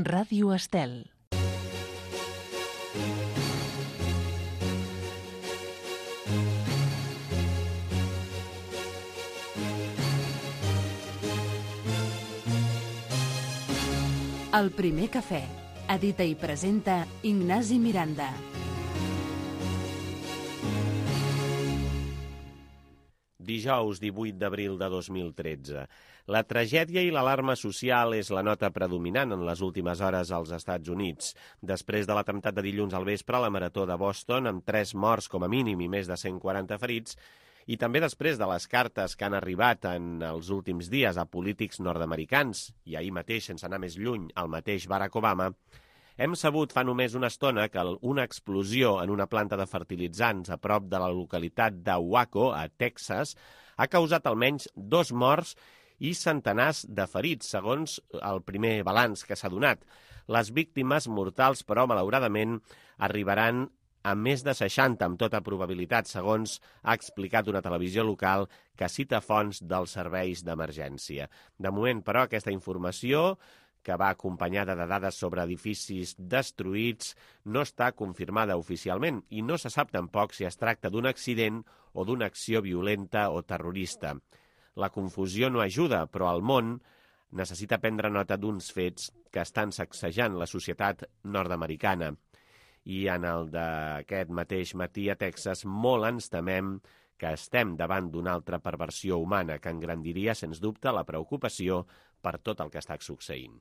Ràdio Estel. El primer cafè. Edita i presenta Ignasi Miranda. Dijous 18 d'abril de 2013. La tragèdia i l'alarma social és la nota predominant en les últimes hores als Estats Units. Després de l'atemptat de dilluns al vespre a la Marató de Boston, amb 3 morts com a mínim i més de 140 ferits, i també després de les cartes que han arribat en els últims dies a polítics nord-americans, i ahir mateix, sense anar més lluny, al mateix Barack Obama, hem sabut fa només una estona que una explosió en una planta de fertilitzants a prop de la localitat de Waco, a Texas, ha causat almenys 2 morts i centenars de ferits, segons el primer balanç que s'ha donat. Les víctimes mortals, però, malauradament, arribaran a més de 60, amb tota probabilitat, segons ha explicat una televisió local que cita fonts dels serveis d'emergència. De moment, però, aquesta informació, que va acompanyada de dades sobre edificis destruïts, no està confirmada oficialment i no se sap tampoc si es tracta d'un accident o d'una acció violenta o terrorista. La confusió no ajuda, però el món necessita prendre nota d'uns fets que estan sacsejant la societat nord-americana. I en el d'aquest mateix matí a Texas molt ens temem que estem davant d'una altra perversió humana que engrandiria, sens dubte, la preocupació per tot el que està succeint.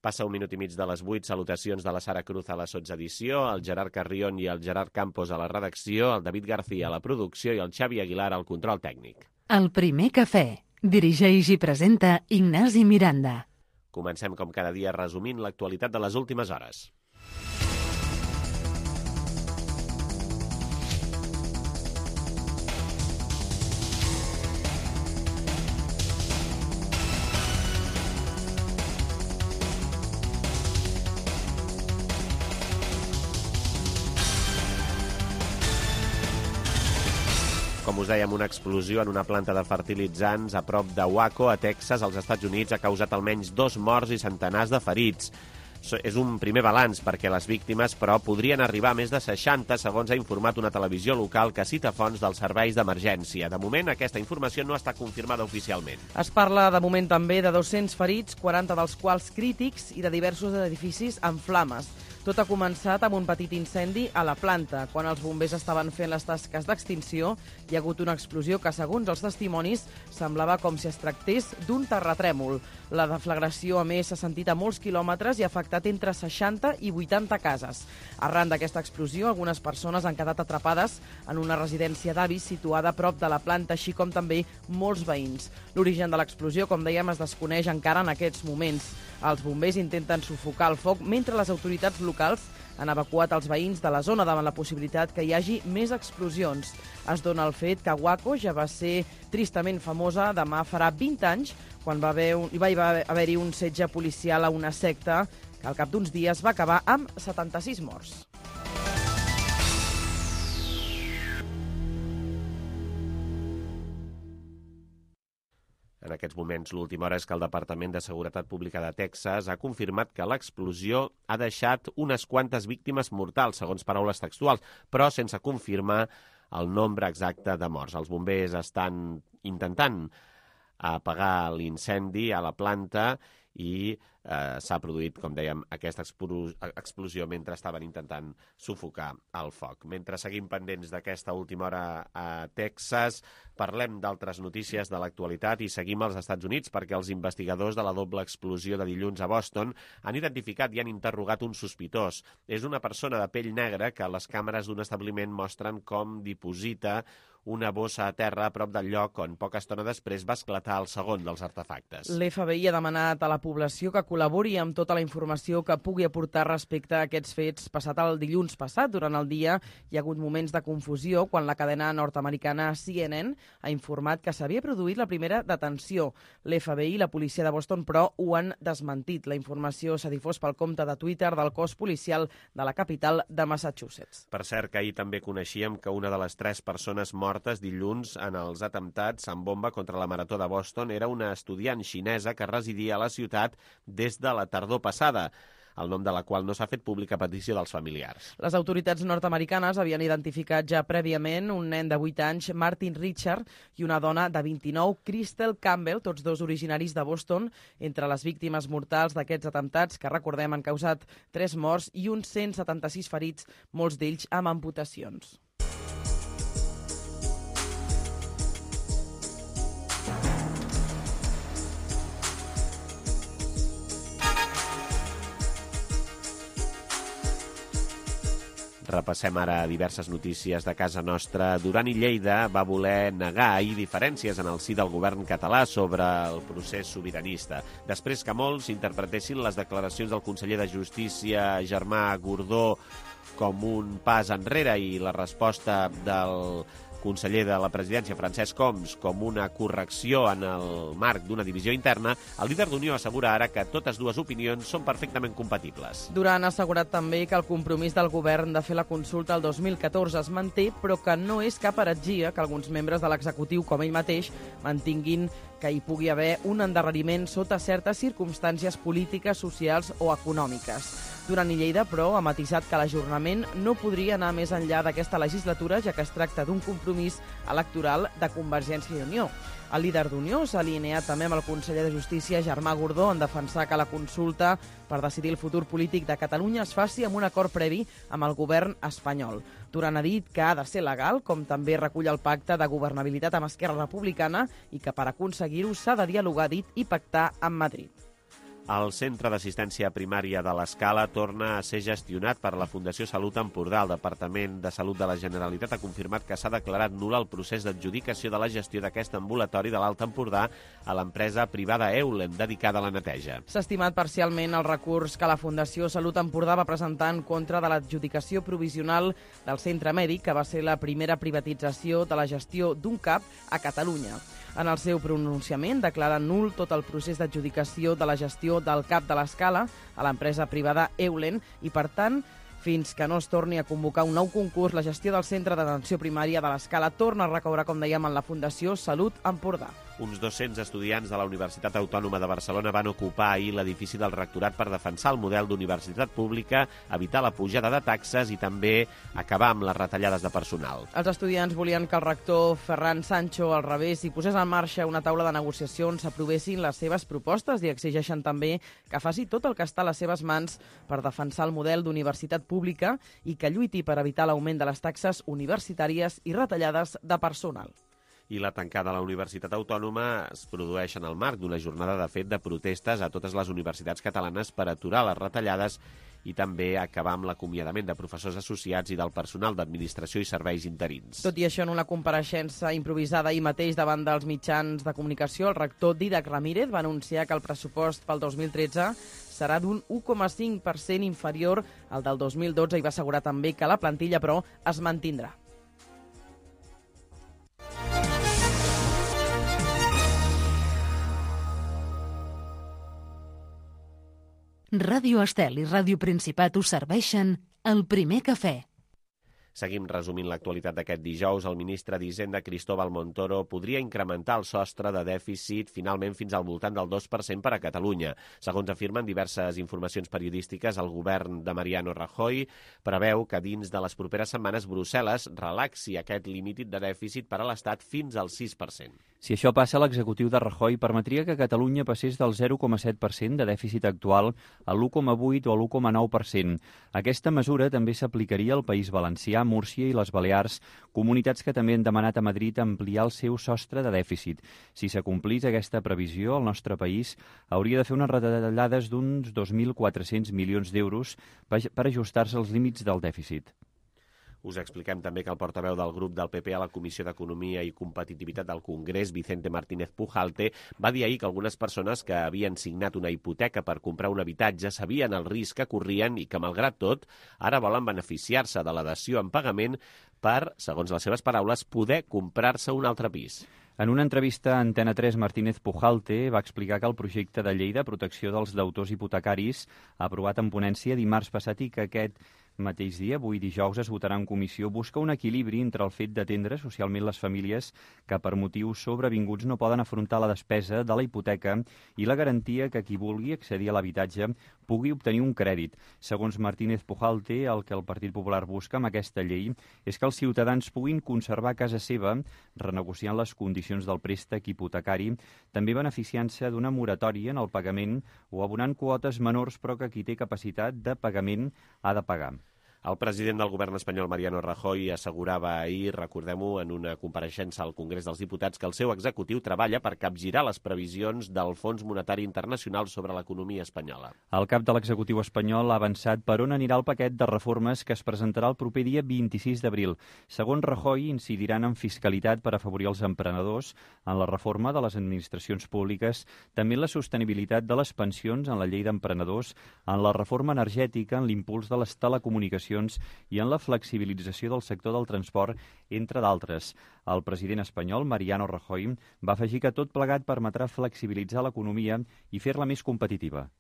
Passa 1 minut i mig de les 8, salutacions de la Sara Cruz a la sotsedició, el Gerard Carrion i el Gerard Campos a la redacció, el David García a la producció i el Xavi Aguilar al control tècnic. El primer cafè. Dirigeix i presenta Ignasi Miranda. Comencem com cada dia resumint l'actualitat de les últimes hores. Com us dèiem, una explosió en una planta de fertilitzants a prop de Waco, a Texas, als Estats Units, ha causat almenys 2 morts i centenars de ferits. És un primer balanç perquè les víctimes, però, podrien arribar a més de 60, segons ha informat una televisió local que cita fonts dels serveis d'emergència. De moment, aquesta informació no està confirmada oficialment. Es parla de moment també de 200 ferits, 40 dels quals crítics i de diversos edificis en flames. Tot ha començat amb un petit incendi a la planta. Quan els bombers estaven fent les tasques d'extinció, hi ha hagut una explosió que, segons els testimonis, semblava com si es tractés d'un terratrèmol. La deflagració, a més, s'ha sentit a molts quilòmetres i ha afectat entre 60 i 80 cases. Arran d'aquesta explosió, algunes persones han quedat atrapades en una residència d'avis situada a prop de la planta, així com també molts veïns. L'origen de l'explosió, com dèiem, es desconeix encara en aquests moments. Els bombers intenten sufocar el foc mentre les autoritats locals han evacuat els veïns de la zona davant la possibilitat que hi hagi més explosions. Es dona el fet que Waco ja va ser tristament famosa demà farà 20 anys quan va haver-hi un setge policial a una secta que al cap d'uns dies va acabar amb 76 morts. En aquests moments, l'última hora és que el Departament de Seguretat Pública de Texas ha confirmat que l'explosió ha deixat unes quantes víctimes mortals, segons paraules textuals, però sense confirmar el nombre exacte de morts. Els bombers estan intentant apagar l'incendi a la planta i s'ha produït, com dèiem, aquesta explosió mentre estaven intentant sufocar el foc. Mentre seguim pendents d'aquesta última hora a Texas, parlem d'altres notícies de l'actualitat i seguim als Estats Units perquè els investigadors de la doble explosió de dilluns a Boston han identificat i han interrogat un sospitós. És una persona de pell negra que les càmeres d'un establiment mostren com diposita una bossa a terra a prop del lloc on poca estona després va esclatar el segon dels artefactes. L'FBI ha demanat a la població que col·labori amb tota la informació que pugui aportar respecte a aquests fets. Passat el dilluns passat, durant el dia, hi ha hagut moments de confusió quan la cadena nord-americana CNN ha informat que s'havia produït la primera detenció. L'FBI i la policia de Boston, però, ho han desmentit. La informació s'ha difós pel compte de Twitter del cos policial de la capital de Massachusetts. Per cert, que ahir també coneixíem que una de les 3 persones mortes dilluns en els atemptats amb bomba contra la Marató de Boston era una estudiant xinesa que residia a la ciutat des de la tardor passada, el nom de la qual no s'ha fet pública a petició dels familiars. Les autoritats nord-americanes havien identificat ja prèviament un nen de 8 anys, Martin Richard, i una dona de 29, Crystal Campbell, tots dos originaris de Boston, entre les víctimes mortals d'aquests atemptats que, recordem, han causat 3 morts i uns 176 ferits, molts d'ells amb amputacions. Repassem ara diverses notícies de casa nostra. Duran i Lleida va voler negar ahir diferències en el si del govern català sobre el procés sobiranista, després que molts interpretessin les declaracions del conseller de Justícia, Germà Gordó, com un pas enrere i la resposta del conseller de la presidència, Francesc Homs, com una correcció en el marc d'una divisió interna, el líder d'Unió assegura ara que totes dues opinions són perfectament compatibles. Duran ha assegurat també que el compromís del govern de fer la consulta el 2014 es manté, però que no és cap heretgia que alguns membres de l'executiu, com ell mateix, mantinguin que hi pugui haver un endarreriment sota certes circumstàncies polítiques, socials o econòmiques. Duran i Lleida, però, ha matisat que l'ajornament no podria anar més enllà d'aquesta legislatura, ja que es tracta d'un compromís electoral de Convergència i Unió. El líder d'Unió s'ha alineat també amb el conseller de Justícia, Germà Gordó, en defensar que la consulta per decidir el futur polític de Catalunya es faci amb un acord previ amb el govern espanyol. Duran ha dit que ha de ser legal, com també recull el pacte de governabilitat amb Esquerra Republicana, i que per aconseguir-ho s'ha de dialogar, dit, i pactar amb Madrid. El Centre d'Assistència Primària de l'Escala torna a ser gestionat per la Fundació Salut Empordà. El Departament de Salut de la Generalitat ha confirmat que s'ha declarat nul el procés d'adjudicació de la gestió d'aquest ambulatori de l'Alt Empordà a l'empresa privada Eulen, dedicada a la neteja. S'ha estimat parcialment el recurs que la Fundació Salut Empordà va presentar en contra de l'adjudicació provisional del centre mèdic, que va ser la primera privatització de la gestió d'un CAP a Catalunya. En el seu pronunciament declara nul tot el procés d'adjudicació de la gestió del CAP de l'Escala a l'empresa privada Eulen i, per tant, fins que no es torni a convocar un nou concurs, la gestió del centre d'atenció primària de l'Escala torna a recaure, com dèiem, en la Fundació Salut Empordà. Uns 200 estudiants de la Universitat Autònoma de Barcelona van ocupar ahir l'edifici del rectorat per defensar el model d'universitat pública, evitar la pujada de taxes i també acabar amb les retallades de personal. Els estudiants volien que el rector Ferran Sancho al revés i posés en marxa una taula de negociació on s'aprovessin les seves propostes i exigeixen també que faci tot el que està a les seves mans per defensar el model d'universitat pública i que lluiti per evitar l'augment de les taxes universitàries i retallades de personal. I la tancada a la Universitat Autònoma es produeix en el marc d'una jornada de fet de protestes a totes les universitats catalanes per aturar les retallades i també acabar amb l'acomiadament de professors associats i del personal d'administració i serveis interins. Tot i això, en una compareixença improvisada ahir mateix davant dels mitjans de comunicació, el rector Dídac Ramírez va anunciar que el pressupost pel 2013 serà d'un 1,5% inferior al del 2012 i va assegurar també que la plantilla, però, es mantindrà. Ràdio Estel i Ràdio Principat us serveixen el primer cafè. Seguim resumint l'actualitat d'aquest dijous. El ministre d'Hisenda, Cristóbal Montoro, podria incrementar el sostre de dèficit finalment fins al voltant del 2% per a Catalunya. Segons afirmen diverses informacions periodístiques, el govern de Mariano Rajoy preveu que dins de les properes setmanes Brussel·les relaxi aquest límit de dèficit per a l'Estat fins al 6%. Si això passa, l'executiu de Rajoy permetria que Catalunya passés del 0,7% de dèficit actual a l'1,8% o a l'1,9%. Aquesta mesura també s'aplicaria al País Valencià, Múrcia i les Balears, comunitats que també han demanat a Madrid ampliar el seu sostre de dèficit. Si s'acomplís aquesta previsió, el nostre país hauria de fer unes retallades d'uns 2.400 milions d'euros per ajustar-se als límits del dèficit. Us expliquem també que el portaveu del grup del PP a la Comissió d'Economia i Competitivitat del Congrés, Vicente Martínez Pujalte, va dir ahir que algunes persones que havien signat una hipoteca per comprar un habitatge sabien el risc que corrien i que, malgrat tot, ara volen beneficiar-se de la dació en pagament per, segons les seves paraules, poder comprar-se un altre pis. En una entrevista a Antena 3, Martínez Pujalte va explicar que el projecte de llei de protecció dels deutors hipotecaris, aprovat en ponència dimarts passat i que aquest mateix dia, avui dijous, es votarà en comissió, busca un equilibri entre el fet d'atendre socialment les famílies que per motius sobrevinguts no poden afrontar la despesa de la hipoteca i la garantia que qui vulgui accedir a l'habitatge pugui obtenir un crèdit. Segons Martínez Pujalte, el que el Partit Popular busca amb aquesta llei és que els ciutadans puguin conservar casa seva renegociant les condicions del préstec hipotecari, també beneficiant-se d'una moratòria en el pagament o abonant quotes menors però que qui té capacitat de pagament ha de pagar. El president del govern espanyol, Mariano Rajoy, assegurava ahir, recordem-ho, en una compareixença al Congrés dels Diputats, que el seu executiu treballa per capgirar les previsions del Fons Monetari Internacional sobre l'economia espanyola. El cap de l'executiu espanyol ha avançat per on anirà el paquet de reformes que es presentarà el proper dia 26 d'abril. Segons Rajoy, incidiran en fiscalitat per afavorir els emprenedors, en la reforma de les administracions públiques, també en la sostenibilitat de les pensions, en la llei d'emprenedors, en la reforma energètica, en l'impuls de les telecomunicacions i en la flexibilització del sector del transport, entre d'altres. El president espanyol, Mariano Rajoy, va afegir que tot plegat permetrà flexibilitzar l'economia i fer-la més competitiva.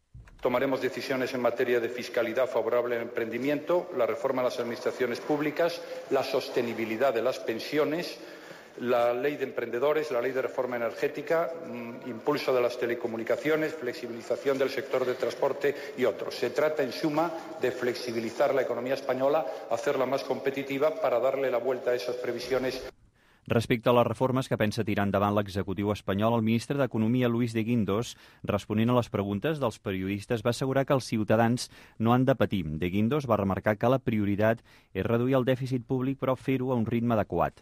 Tomaremos decisiones en materia de fiscalidad favorable al emprendimiento, la reforma de las administraciones públicas, la sostenibilidad de las pensiones, la ley de emprendedores, la ley de reforma energética, impulso de las telecomunicaciones, flexibilización del sector de transporte y otros. Se trata, en suma, de flexibilizar la economía española, hacerla más competitiva para darle la vuelta a esas previsiones. Respecte a les reformes que pensa tirar endavant l'executiu espanyol, el ministre d'Economia, Luis de Guindos, responent a les preguntes dels periodistes, va assegurar que els ciutadans no han de patir. De Guindos va remarcar que la prioritat és reduir el dèficit públic, però fer-ho a un ritme adequat.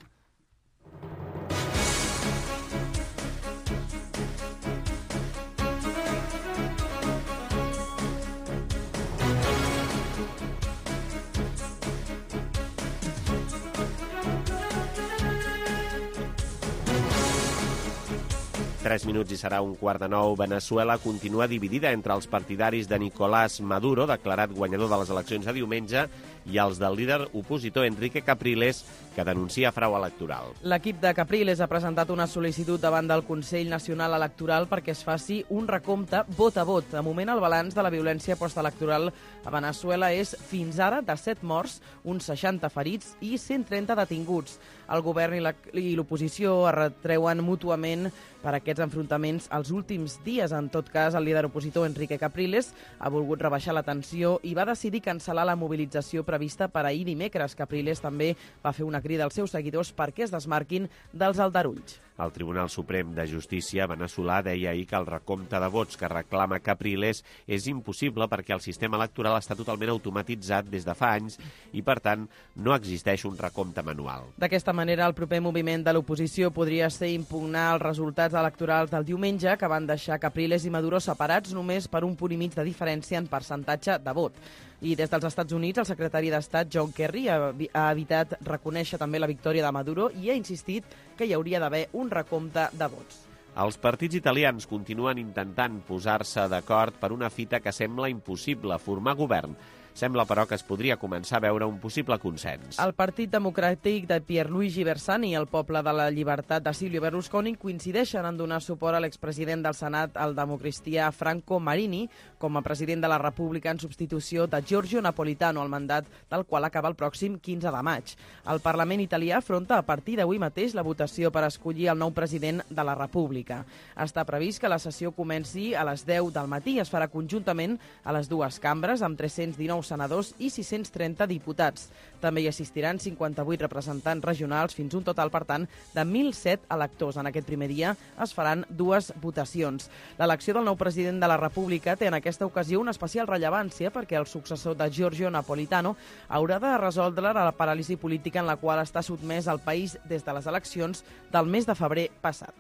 Tres minuts i serà 8:45. Veneçuela continua dividida entre els partidaris de Nicolás Maduro, declarat guanyador de les eleccions de diumenge, i els del líder opositor Enrique Capriles, que denuncia frau electoral. L'equip de Capriles ha presentat una sol·licitud davant del Consell Nacional Electoral perquè es faci un recompte vot a vot. De moment, el balanç de la violència postelectoral a Veneçuela és, fins ara, de 7 morts, uns 60 ferits i 130 detinguts. El govern i l'oposició es retreuen mútuament per aquests enfrontaments els últims dies. En tot cas, el líder opositor Enrique Capriles ha volgut rebaixar la tensió i va decidir cancel·lar la mobilització prevista per ahir dimecres. Capriles també va fer una crida als seus seguidors perquè es desmarquin dels aldarulls. El Tribunal Suprem de Justícia veneçolà deia ahir que el recompte de vots que reclama Capriles és impossible perquè el sistema electoral està totalment automatitzat des de fa anys i, per tant, no existeix un recompte manual. D'aquesta manera, el proper moviment de l'oposició podria ser impugnar els resultats electorals del diumenge, que van deixar Capriles i Maduro separats només per un punt i mig de diferència en percentatge de vot. I des dels Estats Units, el secretari d'Estat John Kerry ha evitat reconèixer també la victòria de Maduro i ha insistit que hi hauria d'haver un recompte de vots. Els partits italians continuen intentant posar-se d'acord per una fita que sembla impossible, formar govern. Sembla, però, que es podria començar a veure un possible consens. El Partit Democràtic de Pierluigi Bersani i el Poble de la Llibertat de Silvio Berlusconi coincideixen en donar suport a l'expresident del Senat, el democristià Franco Marini, com a president de la República en substitució de Giorgio Napolitano, el mandat del qual acaba el pròxim 15 de maig. El Parlament italià afronta a partir d'avui mateix la votació per escollir el nou president de la República. Està previst que la sessió comenci a les 10 del matí i es farà conjuntament a les dues cambres amb 319 senadors i 630 diputats. També hi assistiran 58 representants regionals, fins un total, per tant, de 1.007 electors. En aquest primer dia es faran dues votacions. L'elecció del nou president de la República té en aquesta ocasió una especial rellevància perquè el successor de Giorgio Napolitano haurà de resoldre la paràlisi política en la qual està sotmès el país des de les eleccions del mes de febrer passat.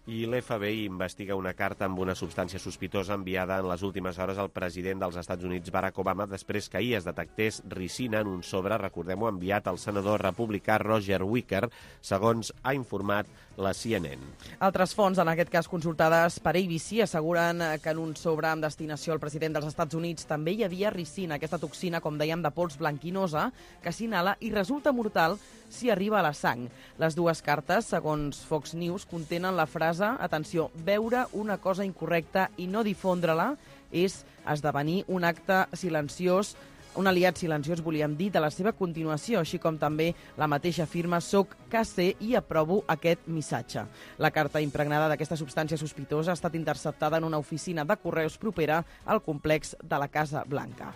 I l'FBI investiga una carta amb una substància sospitosa enviada en les últimes hores al president dels Estats Units, Barack Obama, després que ahir es detectés ricina en un sobre, recordem-ho, enviat al senador republicà Roger Wicker, segons ha informat la CNN. Altres fonts, en aquest cas consultades per ABC, asseguren que en un sobre amb destinació al president dels Estats Units també hi havia ricina, aquesta toxina, com dèiem, de pols blanquinosa, que s'inhala i resulta mortal si arriba a la sang. Les dues cartes, segons Fox News, contenen la frase, atenció, veure una cosa incorrecta i no difondre-la és esdevenir un acte silenciós Un aliat silenciós, volíem dir, de la seva continuació, així com també la mateixa firma soc KC i aprovo aquest missatge. La carta impregnada d'aquesta substància sospitosa ha estat interceptada en una oficina de correus propera al complex de la Casa Blanca.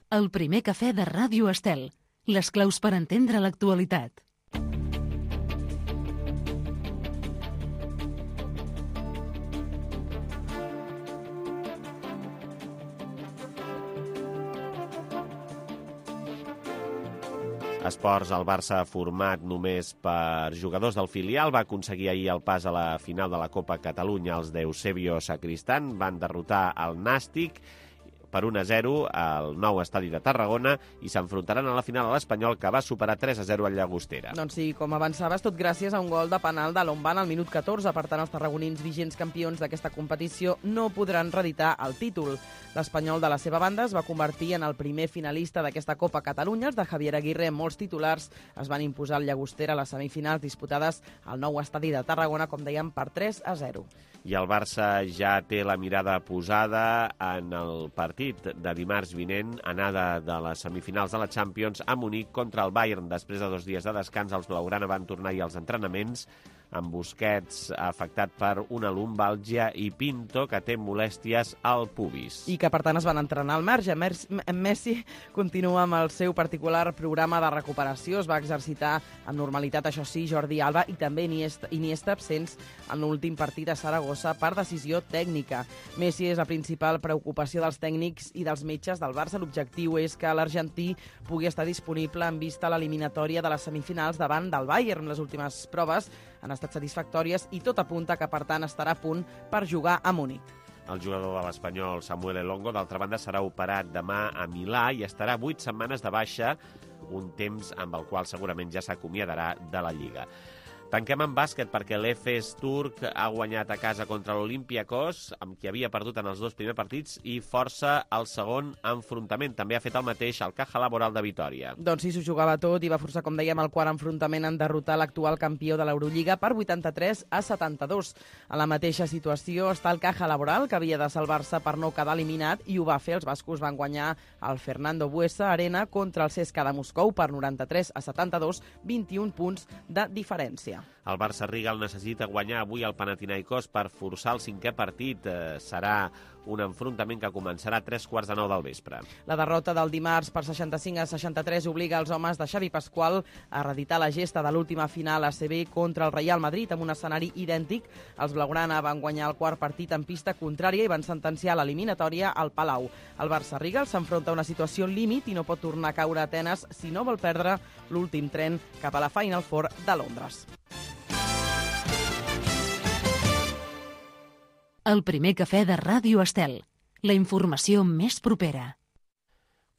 El primer cafè de Ràdio Estel. Les claus per entendre l'actualitat. Esports, el Barça, format només per jugadors del filial, va aconseguir ahir el pas a la final de la Copa Catalunya. Els d'Eusebio Sacristán van derrotar el Nàstic per 1-0 al nou estadi de Tarragona i s'enfrontaran a la final a l'Espanyol, que va superar 3-0 al Llagostera. Doncs sí, com avançaves, tot gràcies a un gol de penal de Lombán al minut 14. Per tant, els tarragonins vigents campions d'aquesta competició no podran reeditar el títol. L'Espanyol, de la seva banda, es va convertir en el primer finalista d'aquesta Copa Catalunya. Els de Javier Aguirre, molts titulars, es van imposar al Llagostera a les semifinals disputades al nou estadi de Tarragona, com dèiem, per 3-0. I el Barça ja té la mirada posada en el partit de dimarts vinent, anada de les semifinals de la Champions a Munic contra el Bayern. Després de 2 dies de descans, els blaugrana van tornar ahir als entrenaments, amb Busquets afectat per una lumbàlgia i Pinto, que té molèsties al pubis. I que, per tant, es van entrenar al marge. Messi continua amb el seu particular programa de recuperació. Es va exercitar amb normalitat, això sí, Jordi Alba i també Iniesta absents en l'últim partit a Saragossa per decisió tècnica. Messi és la principal preocupació dels tècnics i dels metges del Barça. L'objectiu és que l'argentí pugui estar disponible en vista a l'eliminatòria de les semifinals davant del Bayern. Les últimes proves han estat satisfactòries i tot apunta que, per tant, estarà a punt per jugar a Munic. El jugador de l'Espanyol, Samuel Elongo, d'altra banda, serà operat demà a Milà i estarà 8 setmanes de baixa, un temps amb el qual segurament ja s'acomiadarà de la Lliga. Tanquem amb bàsquet perquè l'Efes turc ha guanyat a casa contra l'Olympiakos, amb qui havia perdut en els 2 primers partits, i força el segon enfrontament. També ha fet el mateix el Caja Laboral de Vitòria. Doncs sí, s'ho jugava tot i va forçar, com dèiem, el quart enfrontament en derrotar l'actual campió de l'Eurolliga per 83-72. En la mateixa situació està el Caja Laboral, que havia de salvar-se per no quedar eliminat, i ho va fer. Els bascos van guanyar al Fernando Buesa Arena contra el CSKA de Moscou per 93-72, 21 punts de diferència. El Barça Rigal necessita guanyar avui el Panathinaikos per forçar el 5è partit. Serà un enfrontament que començarà a 3:15 del vespre. La derrota del dimarts per 65-63 obliga els homes de Xavi Pasqual a reeditar la gesta de l'última final ACB contra el Real Madrid amb un escenari idèntic. Els blaugrana van guanyar el quart partit en pista contrària i van sentenciar l'eliminatòria al Palau. El Barça Rigal s'enfronta a una situació límit i no pot tornar a caure a Atenes si no vol perdre l'últim tren cap a la Final Four de Londres. El primer cafè de Ràdio Estel. La informació més propera.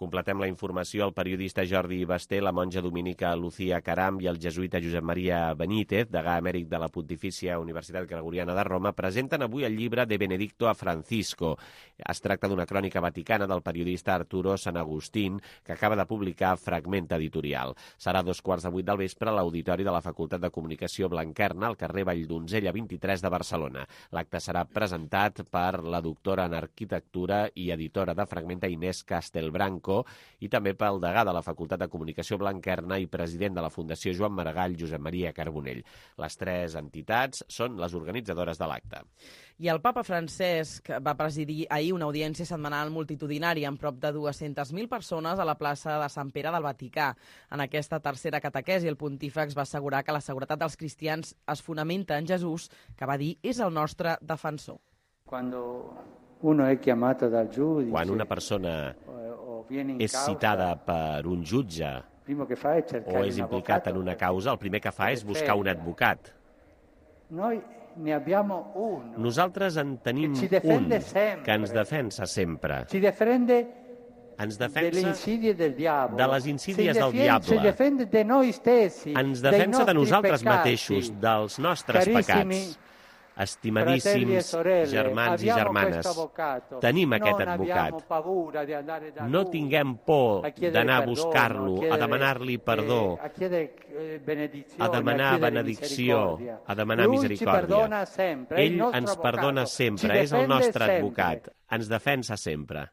Completem la informació. El periodista Jordi Basté, la monja dominica Lucía Caram i el jesuïta Josep Maria Benítez, degà emèrit de la Pontifícia Universitat Gregoriana de Roma, presenten avui el llibre De Benedicto a Francisco. Es tracta d'una crònica vaticana del periodista Arturo San Agustín, que acaba de publicar Fragment Editorial. Serà a 2:15 del vespre a l'Auditori de la Facultat de Comunicació Blanquerna, al carrer Valldonzella 23 de Barcelona. L'acte serà presentat per la doctora en Arquitectura i editora de Fragmenta Inés Castelbranco i també pel degà de la Facultat de Comunicació Blanquerna i president de la Fundació Joan Maragall, Josep Maria Carbonell. Les 3 entitats són les organitzadores de l'acte. I el papa Francesc va presidir ahir una audiència setmanal multitudinària amb prop de 200.000 persones a la plaça de Sant Pere del Vaticà. En aquesta tercera catequesi, el pontífex va assegurar que la seguretat dels cristians es fonamenta en Jesús, que va dir és el nostre defensor. Quan una persona és citada per un jutge o és implicat en una causa, el primer que fa és buscar un advocat. Nosaltres en tenim un que ens defensa sempre. Ens defensa de les insídies del diable. Ens defensa de nosaltres mateixos, dels nostres pecats. Estimadíssims germans i germanes, tenim aquest advocat. No tinguem por d'anar a buscar-lo, a demanar-li perdó, a demanar benedicció, a demanar misericòrdia. Ell ens perdona sempre, és el nostre advocat, ens defensa sempre.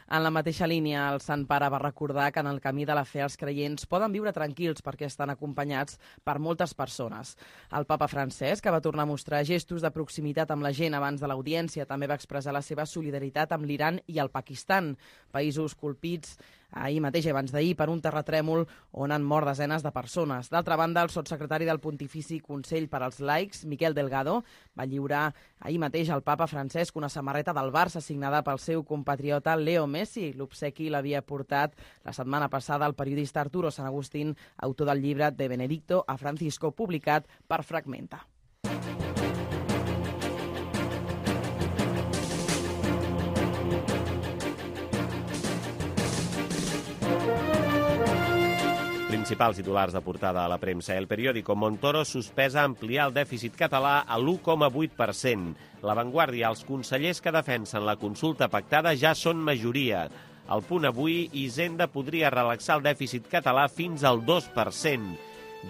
En la mateixa línia, el Sant Pare va recordar que en el camí de la fe els creients poden viure tranquils perquè estan acompanyats per moltes persones. El papa Francesc, que va tornar a mostrar gestos de proximitat amb la gent abans de l'audiència, també va expressar la seva solidaritat amb l'Iran i el Pakistan, països colpits ahir mateix i abans d'ahir per un terratrèmol on han mort desenes de persones. D'altra banda, el sotssecretari del Pontifici Consell per als Laics, Miquel Delgado, va lliurar ahir mateix al papa Francesc una samarreta del Barça signada pel seu compatriota Leo Messi. L'obsequi l'havia portat la setmana passada el periodista Arturo San Agustín, autor del llibre De Benedicto a Francisco, publicat per Fragmenta. Principals titulars de portada a la premsa. El periòdico Montoro sospesa ampliar el dèficit català a l'1,8%. La Vanguardia, els consellers que defensen la consulta pactada ja són majoria. Al Punt avui, Hisenda podria relaxar el dèficit català fins al 2%.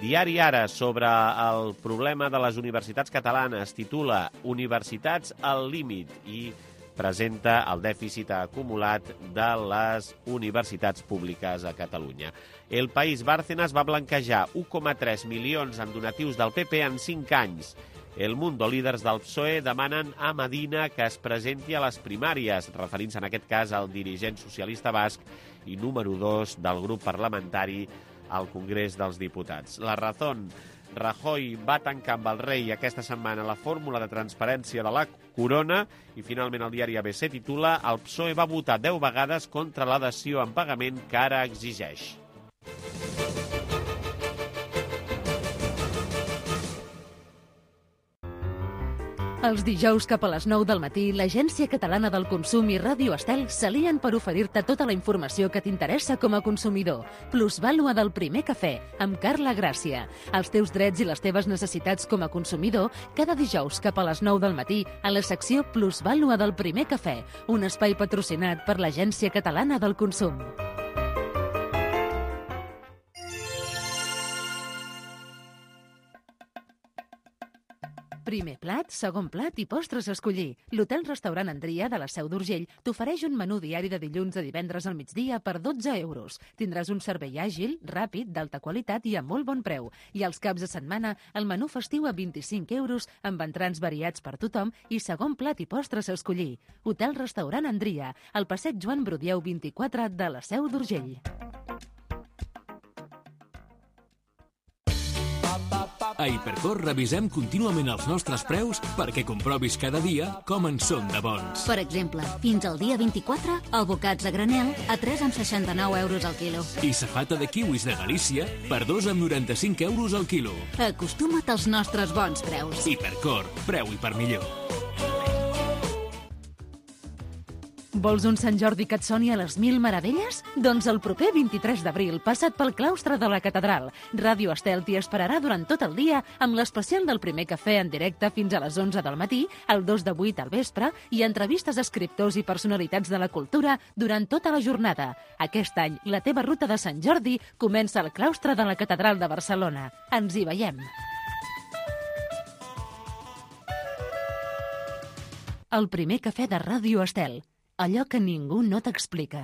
Diari Ara, sobre el problema de les universitats catalanes, titula Universitats al límit i presenta el dèficit acumulat de les universitats públiques a Catalunya. El País, Bárcenas va blanquejar 1,3 milions en donatius del PP en 5 anys. El Mundo, líders del PSOE, demanen a Medina que es presenti a les primàries, referint-se en aquest cas al dirigent socialista basc i número 2 del grup parlamentari al Congrés dels Diputats. La Razón, Rajoy va tancar amb el rei aquesta setmana la fórmula de transparència de la corona i finalment el diari ABC titula El PSOE va votar 10 vegades contra la dació en pagament que ara exigeix. Els dijous cap a les 9 del matí, l'Agència Catalana del Consum i Ràdio Estel s'alien per oferir-te tota la informació que t'interessa com a consumidor. Plusvàlua del primer cafè, amb Carla Gràcia. Els teus drets i les teves necessitats com a consumidor, cada dijous cap a les 9 del matí, a la secció Plusvàlua del primer cafè, un espai patrocinat per l'Agència Catalana del Consum. Primer plat, segon plat i postres a escollir. L'hotel-restaurant Andria de la Seu d'Urgell t'ofereix un menú diari de dilluns a divendres al migdia per 12 euros. Tindràs un servei àgil, ràpid, d'alta qualitat i a molt bon preu. I als caps de setmana, el menú festiu a 25 euros amb entrants variats per tothom i segon plat i postres a escollir. Hotel-restaurant Andria, al passeig Joan Brudieu 24 de la Seu d'Urgell. A Hipercor revisem contínuament els nostres preus perquè comprovis cada dia com en són de bons. Per exemple, fins al dia 24, abocats a granel a 3,69 euros al quilo. I safata de kiwis de Galícia per 2,95 euros al quilo. Acostuma't als nostres bons preus. Hipercor, preu i per millor. Vols un Sant Jordi que et soni a les 1000 meravelles? Doncs el proper 23 d'abril, passat pel claustre de la catedral. Ràdio Estel t'hi esperarà durant tot el dia amb l'especial del primer cafè en directe fins a les 11 del matí, el 2 de 8 al vespre i entrevistes a escriptors i personalitats de la cultura durant tota la jornada. Aquest any, la teva ruta de Sant Jordi comença al claustre de la catedral de Barcelona. Ens hi veiem. El primer cafè de Ràdio Estel. Allò que ningú no t'explica.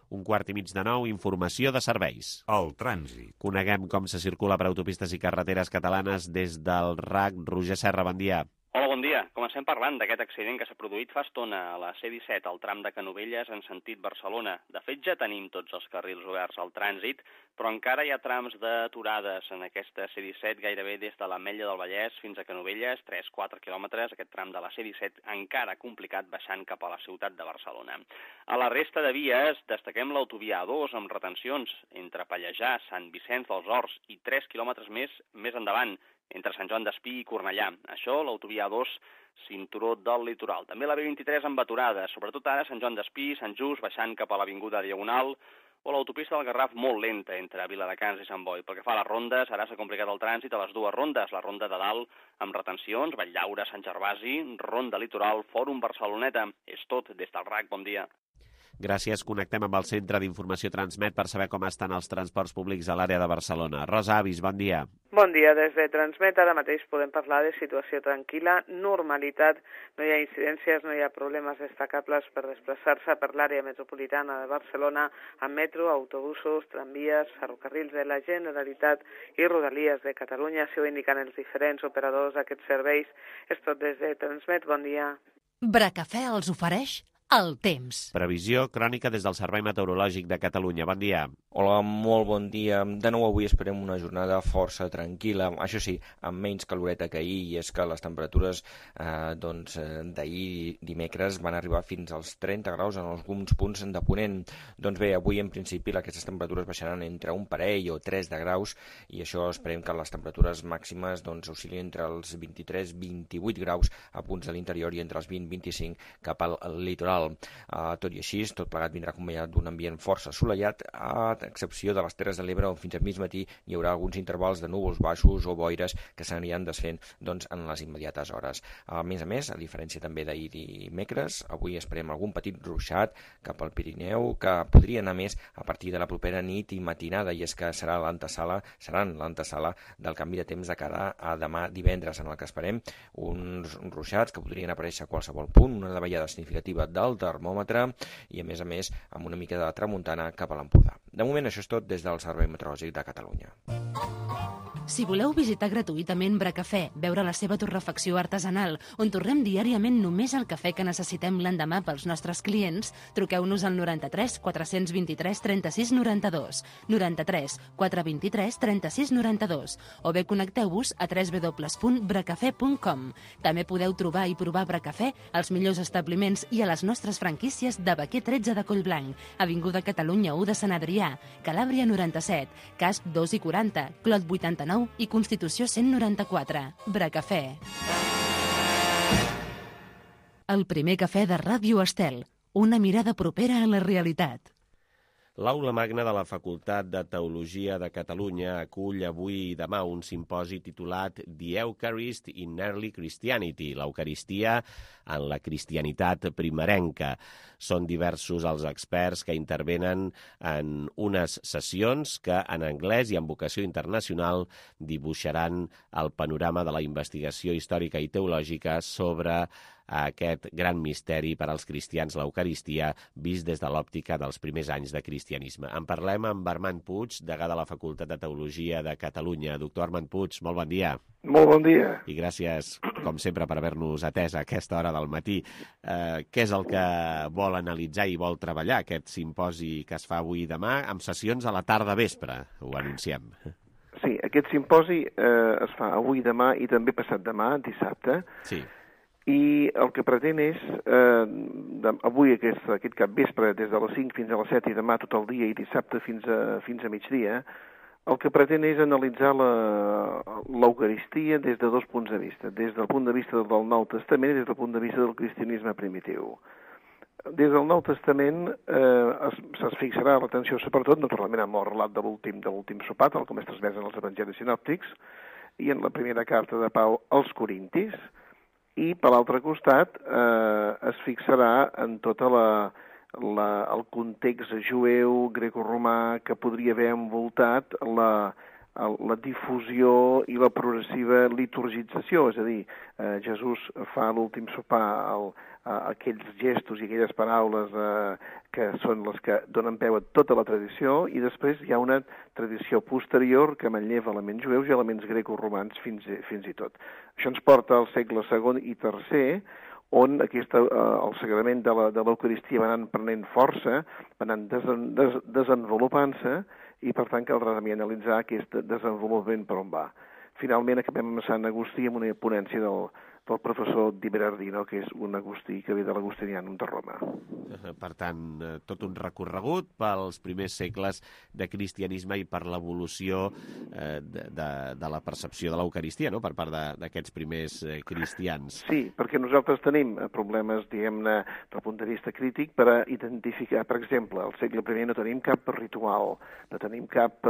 8:15, informació de serveis. El trànsit. Coneguem com se circula per autopistes i carreteres catalanes des del RAC. Roger Serra, bon dia. Hola, bon dia. Comencem parlant d'aquest accident que s'ha produït fa estona a la C-17, al tram de Canovelles en sentit Barcelona. De fet, ja tenim tots els carrils oberts al trànsit, però encara hi ha trams d'aturades en aquesta C-17, gairebé des de l'Ametlla del Vallès fins a Canovelles, 3-4 quilòmetres, aquest tram de la C-17 encara complicat baixant cap a la ciutat de Barcelona. A la resta de vies destaquem l'autovia A2 amb retencions entre Pallejà, Sant Vicenç dels Horts i 3 quilòmetres més endavant, entre Sant Joan d'Espí i Cornellà. Això, l'autovia A2, cinturó del litoral. També la B23 amb aturades, sobretot ara Sant Joan d'Espí, Sant Just, baixant cap a l'avinguda Diagonal, o l'autopista del Garraf molt lenta entre Viladecans i Sant Boi. Pel que fa a les rondes, ara s'ha complicat el trànsit a les dues rondes, la ronda de dalt amb retencions, Valldaura, Sant Gervasi, ronda litoral, Fòrum Barceloneta. És tot des del RAC, bon dia. Gràcies. Connectem amb el Centre d'Informació Transmet per saber com estan els transports públics a l'àrea de Barcelona. Rosa Avis, bon dia. Bon dia. Des de Transmet ara mateix podem parlar de situació tranquil·la, normalitat, no hi ha incidències, no hi ha problemes destacables per desplaçar-se per l'àrea metropolitana de Barcelona amb metro, autobusos, tramvies, ferrocarrils de la Generalitat i Rodalies de Catalunya. Així ho indiquen els diferents operadors d'aquests serveis. És tot des de Transmet. Bon dia. Bracafè els ofereix el temps. Previsió crònica des del Servei Meteorològic de Catalunya. Bon dia. Hola, molt bon dia. De nou avui esperem una jornada força tranquil·la, això sí, amb menys caloreta que ahir, i és que les temperatures d'ahir dimecres van arribar fins als 30 graus en alguns punts de Ponent. Doncs bé, avui en principi aquestes temperatures baixaran entre un parell o 3 de graus, i això esperem que les temperatures màximes oscil·lin entre els 23-28 graus a punts de l'interior i entre els 20-25 cap al litoral. Tot i així, tot plegat vindrà acompanyat d'un ambient força assolellat, a excepció de les Terres de l'Ebre, on fins a mig matí hi haurà alguns intervals de núvols baixos o boires que s'aniran desfent en les immediates hores. A més, a diferència també d'ahir dimecres, avui esperem algun petit ruixat cap al Pirineu, que podria anar més a partir de la propera nit i matinada, i és que seran l'antesala del canvi de temps de cara a demà divendres, en el que esperem uns ruixats que podrien aparèixer a qualsevol punt, una davallada significativa del termòmetre i, a més, amb una mica de tramuntana cap a l'Empordà. De moment, això és tot des del Servei Meteorològic de Catalunya. Si voleu visitar gratuïtament Bracafè, veure la seva torrefacció artesanal, on torrem diàriament només el cafè que necessitem l'endemà pels nostres clients, truqueu-nos al 93 423 36 92, 93 423 36 92, o bé connecteu-vos a www.bracafè.com. També podeu trobar i provar Bracafè als millors establiments i a les nostres franquícies de Baquer 13 de Collblanc, Avinguda Catalunya 1 de Sant Adrià, Calàbria 97, Casp 2 i 40, Clot 89 i Constitució 194. Bracafè. El primer cafè de Ràdio Estel. Una mirada propera a la realitat. L'Aula Magna de la Facultat de Teologia de Catalunya acull avui i demà un simposi titulat The Eucharist in Early Christianity, l'Eucaristia en la cristianitat primerenca. Són diversos els experts que intervenen en unes sessions que en anglès i en vocació internacional dibuixaran el panorama de la investigació històrica i teològica sobre aquest gran misteri per als cristians, l'Eucaristia, vist des de l'òptica dels primers anys de cristianisme. En parlem amb Armand Puig, degà de la Facultat de Teologia de Catalunya. Doctor Armand Puig, molt bon dia. Molt bon dia. I gràcies, com sempre, per haver-nos atès a aquesta hora del matí. Què és el que vol analitzar i vol treballar aquest simposi que es fa avui i demà, amb sessions a la tarda vespre, ho anunciem? Sí, aquest simposi es fa avui, demà i també passat demà, dissabte. Sí. I el que pretén és, avui aquest capvespre, des de les 5 fins a les 7 i demà tot el dia i dissabte fins a migdia, el que pretén és analitzar l'Eucaristia des de dos punts de vista, des del punt de vista del Nou Testament i des del punt de vista del cristianisme primitiu. Des del Nou Testament es fixarà l'atenció sobretot, naturalment, amb el relat de l'últim sopar, tal com és transmès en els evangelis sinòptics, i en la primera carta de Pau als Corintis, i per l'altre costat es fixarà en tot el context jueu, grecoromà, que podria haver envoltat la difusió i la progressiva liturgització, és a dir, Jesús fa a l'últim sopar aquells gestos i aquelles paraules que són les que donen peu a tota la tradició, i després hi ha una tradició posterior que manlleva elements jueus i elements grecoromans fins i tot. Això ens porta al segle II i III, on el sagrament de l'Eucaristia va anant prenent força, va anant desenvolupant-se, i per tant caldrà també analitzar aquest desenvolupament per on va. Finalment acabem amb Sant Agustí amb una ponència del professor Di Berardino, que és un agustí que ve de l'Agustinianum de Roma. Per tant, tot un recorregut pels primers segles de cristianisme i per l'evolució de la percepció de l'Eucaristia, no?, per part d'aquests primers cristians. Sí, perquè nosaltres tenim problemes, diguem-ne, del punt de vista crític per a identificar, per exemple, al segle I no tenim cap ritual, no tenim cap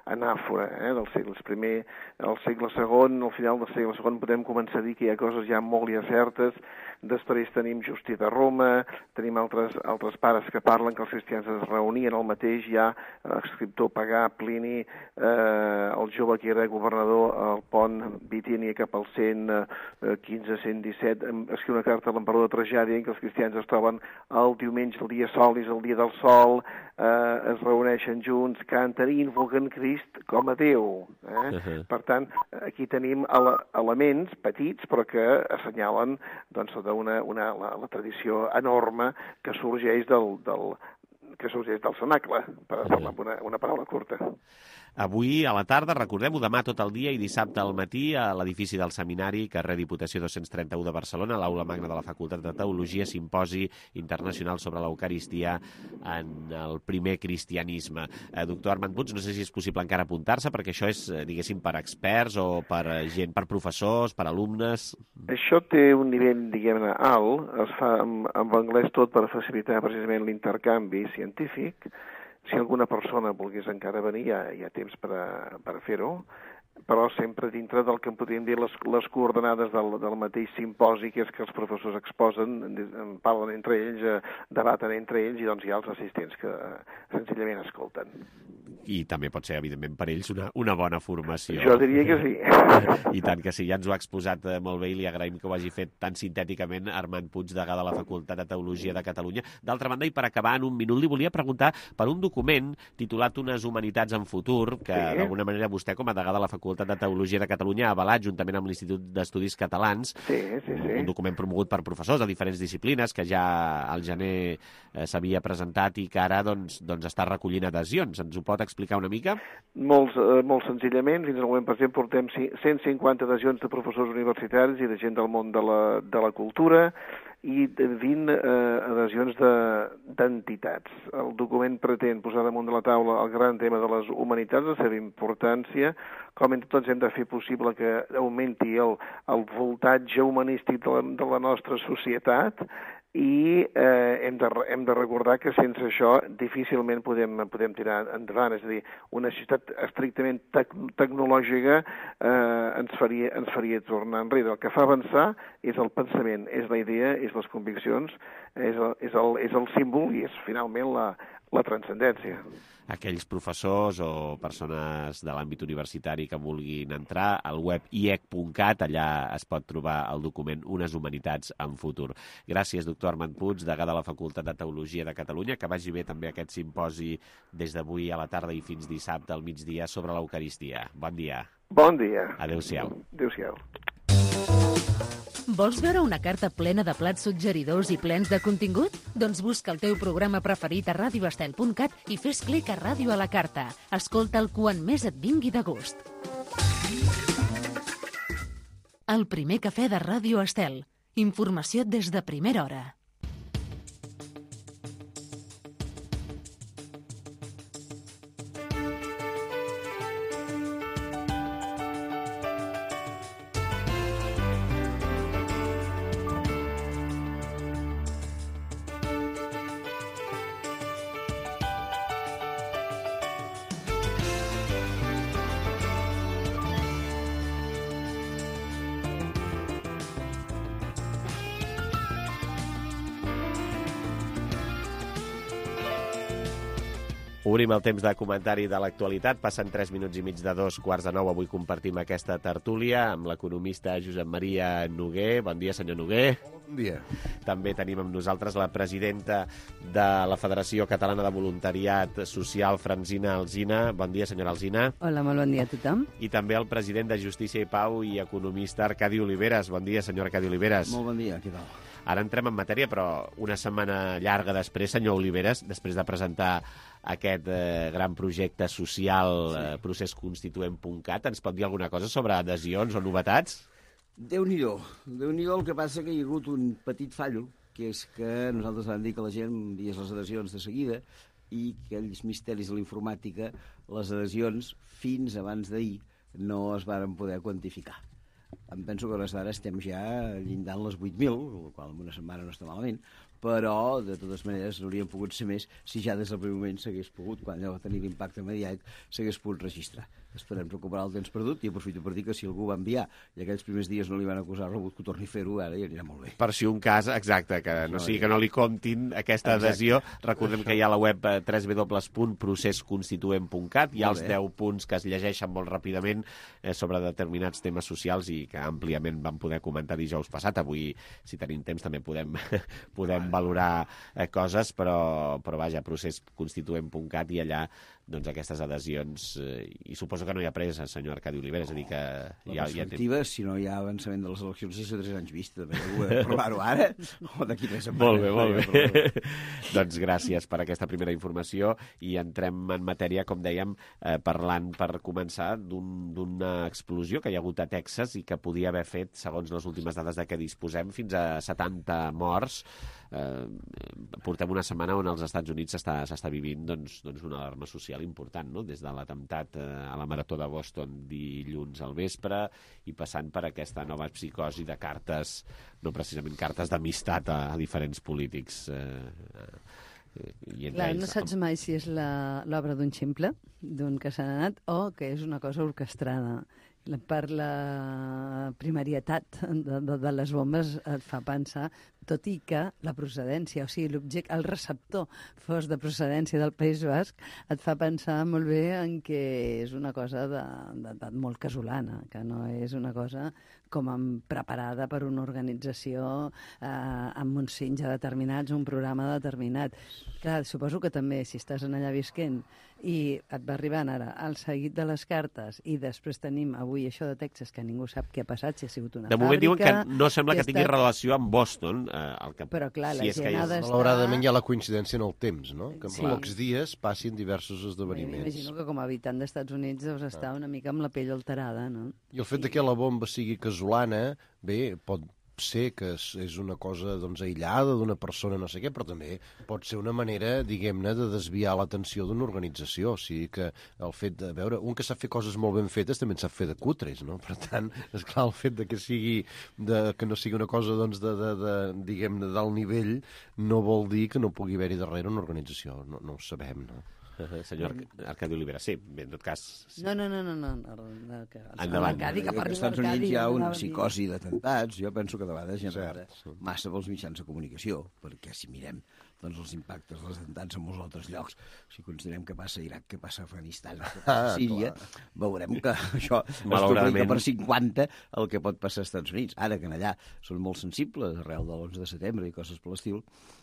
anàfora del segle I. Al segle II, al final del segle II, podem començar a dir que hi ha coses ja molt ja certes. Després tenim Justí de Roma, tenim altres pares que parlen que els cristians es reunien al mateix, ja l'escriptor pagà Plini, el jove que era governador al pont Bitínia cap al 115-117, escriu una carta a l'emperador Trajà dient que els cristians es troben el diumenge, el dia sol, és el dia del sol, es reuneixen junts, canten i invoquen Crist com a Déu. Per tant, aquí tenim elements petits però que assenyalen doncs, la tradició enorme que sorgeix del cenacle, per parlar amb una paraula curta. Avui a la tarda, recordem-ho, demà tot el dia i dissabte al matí a l'edifici del Seminari, carrer Diputació 231 de Barcelona, a l'Aula Magna de la Facultat de Teologia, simposi internacional sobre l'Eucaristia en el primer cristianisme. Doctor Armand Puig, no sé si és possible encara apuntar-se, perquè això és, diguéssim, per experts o per gent, per professors, per alumnes... Això té un nivell, diguem-ne, alt, es fa en anglès tot per facilitar precisament l'intercanvi científic. Si alguna persona volgués encara venir, hi ha temps per a fer-ho, però sempre dintre del que en podríem dir les coordenades del mateix simposi, que és que els professors exposen, parlen entre ells, debaten entre ells, i doncs hi ha els assistents que senzillament escolten. I també pot ser, evidentment, per ells una bona formació. Jo diria que sí. I tant que sí, ja ens ho ha exposat molt bé i li agraïm que ho hagi fet tan sintèticament Armand Puig, degà de la Facultat de Teologia de Catalunya. D'altra banda, i per acabar en un minut, li volia preguntar per un document titulat Unes humanitats en futur, que d'alguna manera vostè, com a degà de la Facultat de Teologia de Catalunya, ha avalat juntament amb l'Institut d'Estudis Catalans. Sí. Un document promogut per professors de diferents disciplines que ja al gener s'havia presentat i que ara doncs està recollint adhesions. Ens ho pot explicar una mica? Molt senzillament. Fins al moment, per exemple, portem 150 adhesions de professors universitaris i de gent del món de la cultura i 20 adhesions d'entitats. El document pretén posar damunt de la taula el gran tema de les humanitats, la seva importància, com entre tots hem de fer possible que augmenti el voltatge humanístic de la nostra societat, i hem de recordar que sense això difícilment podem tirar endavant. És a dir, una societat estrictament tecnològica ens faria tornar enrere. El que fa avançar és el pensament, és la idea, és les conviccions, és el símbol i és finalment la transcendència. Aquells professors o persones de l'àmbit universitari que vulguin entrar al web iec.cat, allà es pot trobar el document Unes humanitats en futur. Gràcies, doctor Armand Puig, degà de la Facultat de Teologia de Catalunya, que vagi bé també aquest simposi des d'avui a la tarda i fins dissabte al migdia sobre l'Eucaristia. Bon dia. Bon dia. Adéu-siau. Adéu-siau. Vols veure una carta plena de plats suggeridors i plens de contingut? Doncs busca el teu programa preferit a radioestel.cat i fes clic a Ràdio a la Carta. Escolta'l quan més et vingui de gust. El primer cafè de Ràdio Estel. Informació des de primera hora. Obrim el temps de comentari de l'actualitat. Passen 3 minuts i mig de 2:15. Avui compartim aquesta tertúlia amb l'economista Josep Maria Noguer. Bon dia, senyor Noguer. Bon dia. També tenim amb nosaltres la presidenta de la Federació Catalana de Voluntariat Social, Francina Alsina. Bon dia, senyora Alsina. Hola, molt bon dia a tothom. I també el president de Justícia i Pau i economista Arcadi Oliveres. Bon dia, senyor Arcadi Oliveres. Molt bon dia, què tal? Ara entrem en matèria, però una setmana llarga després, senyor Oliveres, després de presentar aquest gran projecte social, procesconstituent.cat, ens pot dir alguna cosa sobre adhesions o novetats? Déu-n'hi-do. Déu-n'hi-do, el que passa que hi ha hagut un petit fallo, que és que nosaltres vam dir que la gent enviés les adhesions de seguida i que aquells misteris de la informàtica, les adhesions, fins abans d'ahir, no es varen poder quantificar. Em penso que a hores d'ara estem ja llindant les 8.000, el qual en una setmana no està malament, però, de totes maneres, n'haurien pogut ser més si ja des del primer moment s'hagués pogut, quan ja va tenir l'impacte mediàtic, s'hagués pogut registrar. Esperem recuperar el temps perdut i aprofito per dir que si algú va enviar i aquells primers dies no li van acusar rebut, que torni a fer-ho, ara ja anirà molt bé. Per si un cas, exacte, que no sigui que no li comptin aquesta adhesió. Recordem que hi ha a la web www.procesconstituent.cat, hi ha els 10 punts que es llegeixen molt ràpidament sobre determinats temes socials i que àmpliament vam poder comentar dijous passat. Avui, si tenim temps, també podem valorar coses, però vaja, procesconstituent.cat i allà doncs aquestes adhesions, i suposo que no hi ha pressa, senyor Arcadi Olivera, és a dir que ja té... Si no hi ha avançament de les eleccions, és a 3 anys vista, també provar-ho ara o d'aquí 3 setmanes. Molt bé. Doncs gràcies per aquesta primera informació i entrem en matèria, com dèiem, parlant per començar d'una explosió que hi ha hagut a Texas i que podia haver fet, segons les últimes dades de què disposem, fins a 70 morts. Portem una setmana on als Estats Units s'està vivint una alarma social important, no? Des de l'atemptat a la Marató de Boston dilluns al vespre i passant per aquesta nova psicosi de cartes, no precisament cartes d'amistat a diferents polítics. Clar, no saps mai si és l'obra d'un ximple, d'un que s'ha anat, o que és una cosa orquestrada. Per la primarietat de les bombes et fa pensar, tot i que la procedència, o sigui, el receptor fos de procedència del País Basc, et fa pensar molt bé en que és una cosa molt casolana, que no és una cosa com preparada per una organització amb uns cincs ja determinats, un programa determinat. Clar, suposo que també, si estàs allà visquent i et va arribant ara el seguit de les cartes i després tenim avui això de Texas, que ningú sap què ha passat, si ha sigut una fàbrica... De moment diuen que no sembla que tingui relació amb Boston. Però clar, la gent ha d'estar... Malauradament hi ha la coincidència en el temps, no? Que en pocs dies passin diversos esdeveniments. Imagino que com a habitant dels Estats Units deus estar una mica amb la pell alterada, no? I el fet que la bomba sigui casolana, bé, pot ser que és una cosa aïllada d'una persona, no sé què, però també pot ser una manera, diguem-ne, de desviar l'atenció d'una organització. O sigui que el fet de veure, un que sap fer coses molt ben fetes també en sap fer de cutres, no? Per tant, esclar, el fet de que no sigui una cosa, diguem-ne, d'alt nivell, no vol dir que no pugui haver-hi darrere una organització. No ho sabem, no? Senyor Arcadi Olivera, sí, bé, en tot cas... No. Endavant. Que als Estats Units hi ha una psicosi d'atemptats. Jo penso que de vegades hi ha massa pels mitjans de comunicació, perquè si mirem els impactes dels atemptats en molts altres llocs, si considerem què passa a Iraq, què passa a Afganistan, què passa a Síria, veurem que això es duplica per 50 el que pot passar als Estats Units. Ara que allà són molt sensibles, arrel de l'11 de setembre i coses per l'estil,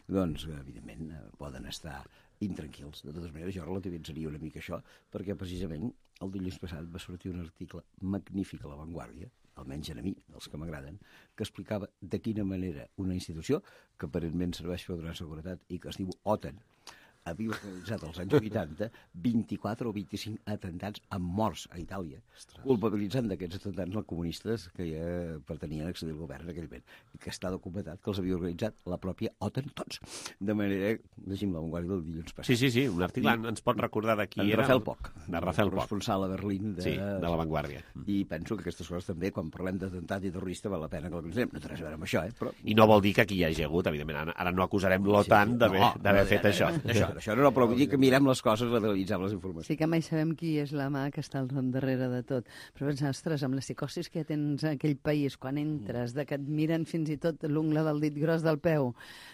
doncs, evidentment, poden estar intranquils. De totes maneres, jo relativitzaria una mica això, perquè precisament el dilluns passat va sortir un article magnífic a La Vanguardia, almenys a mi, dels que m'agraden, que explicava de quina manera una institució que aparentment serveix per donar seguretat i que es diu OTAN havia realitzat als anys 80 24 o 25 atemptats amb morts a Itàlia, culpabilitzant d'aquests atemptats els comunistes que ja pertanien a accedir al govern en aquell moment, i que està documentat que els havia organitzat la pròpia OTAN tots. De manera, llegim La Vanguardia del dilluns passat. Sí, un article ens pot recordar de qui era... Rafael Poch, de Rafael Poch, responsable a Berlín de La Vanguardia. I penso que aquestes coses també, quan parlem d'atemptat i terrorista, val la pena que el considerem. No té res a veure amb això, però... I no vol dir que aquí hi hagi hagut, evidentment. Ara no acusarem l'OTAN d'haver fet això. Això no, però vull dir que mirem les coses, analitzem les informacions. Sí que mai sabem qui és la mà que està al darrere de tot. Però pensar, ostres, amb les psicosis que tens en aquell país, quan entres, de que et miren fins i tot l'ungla del dit gros del peu,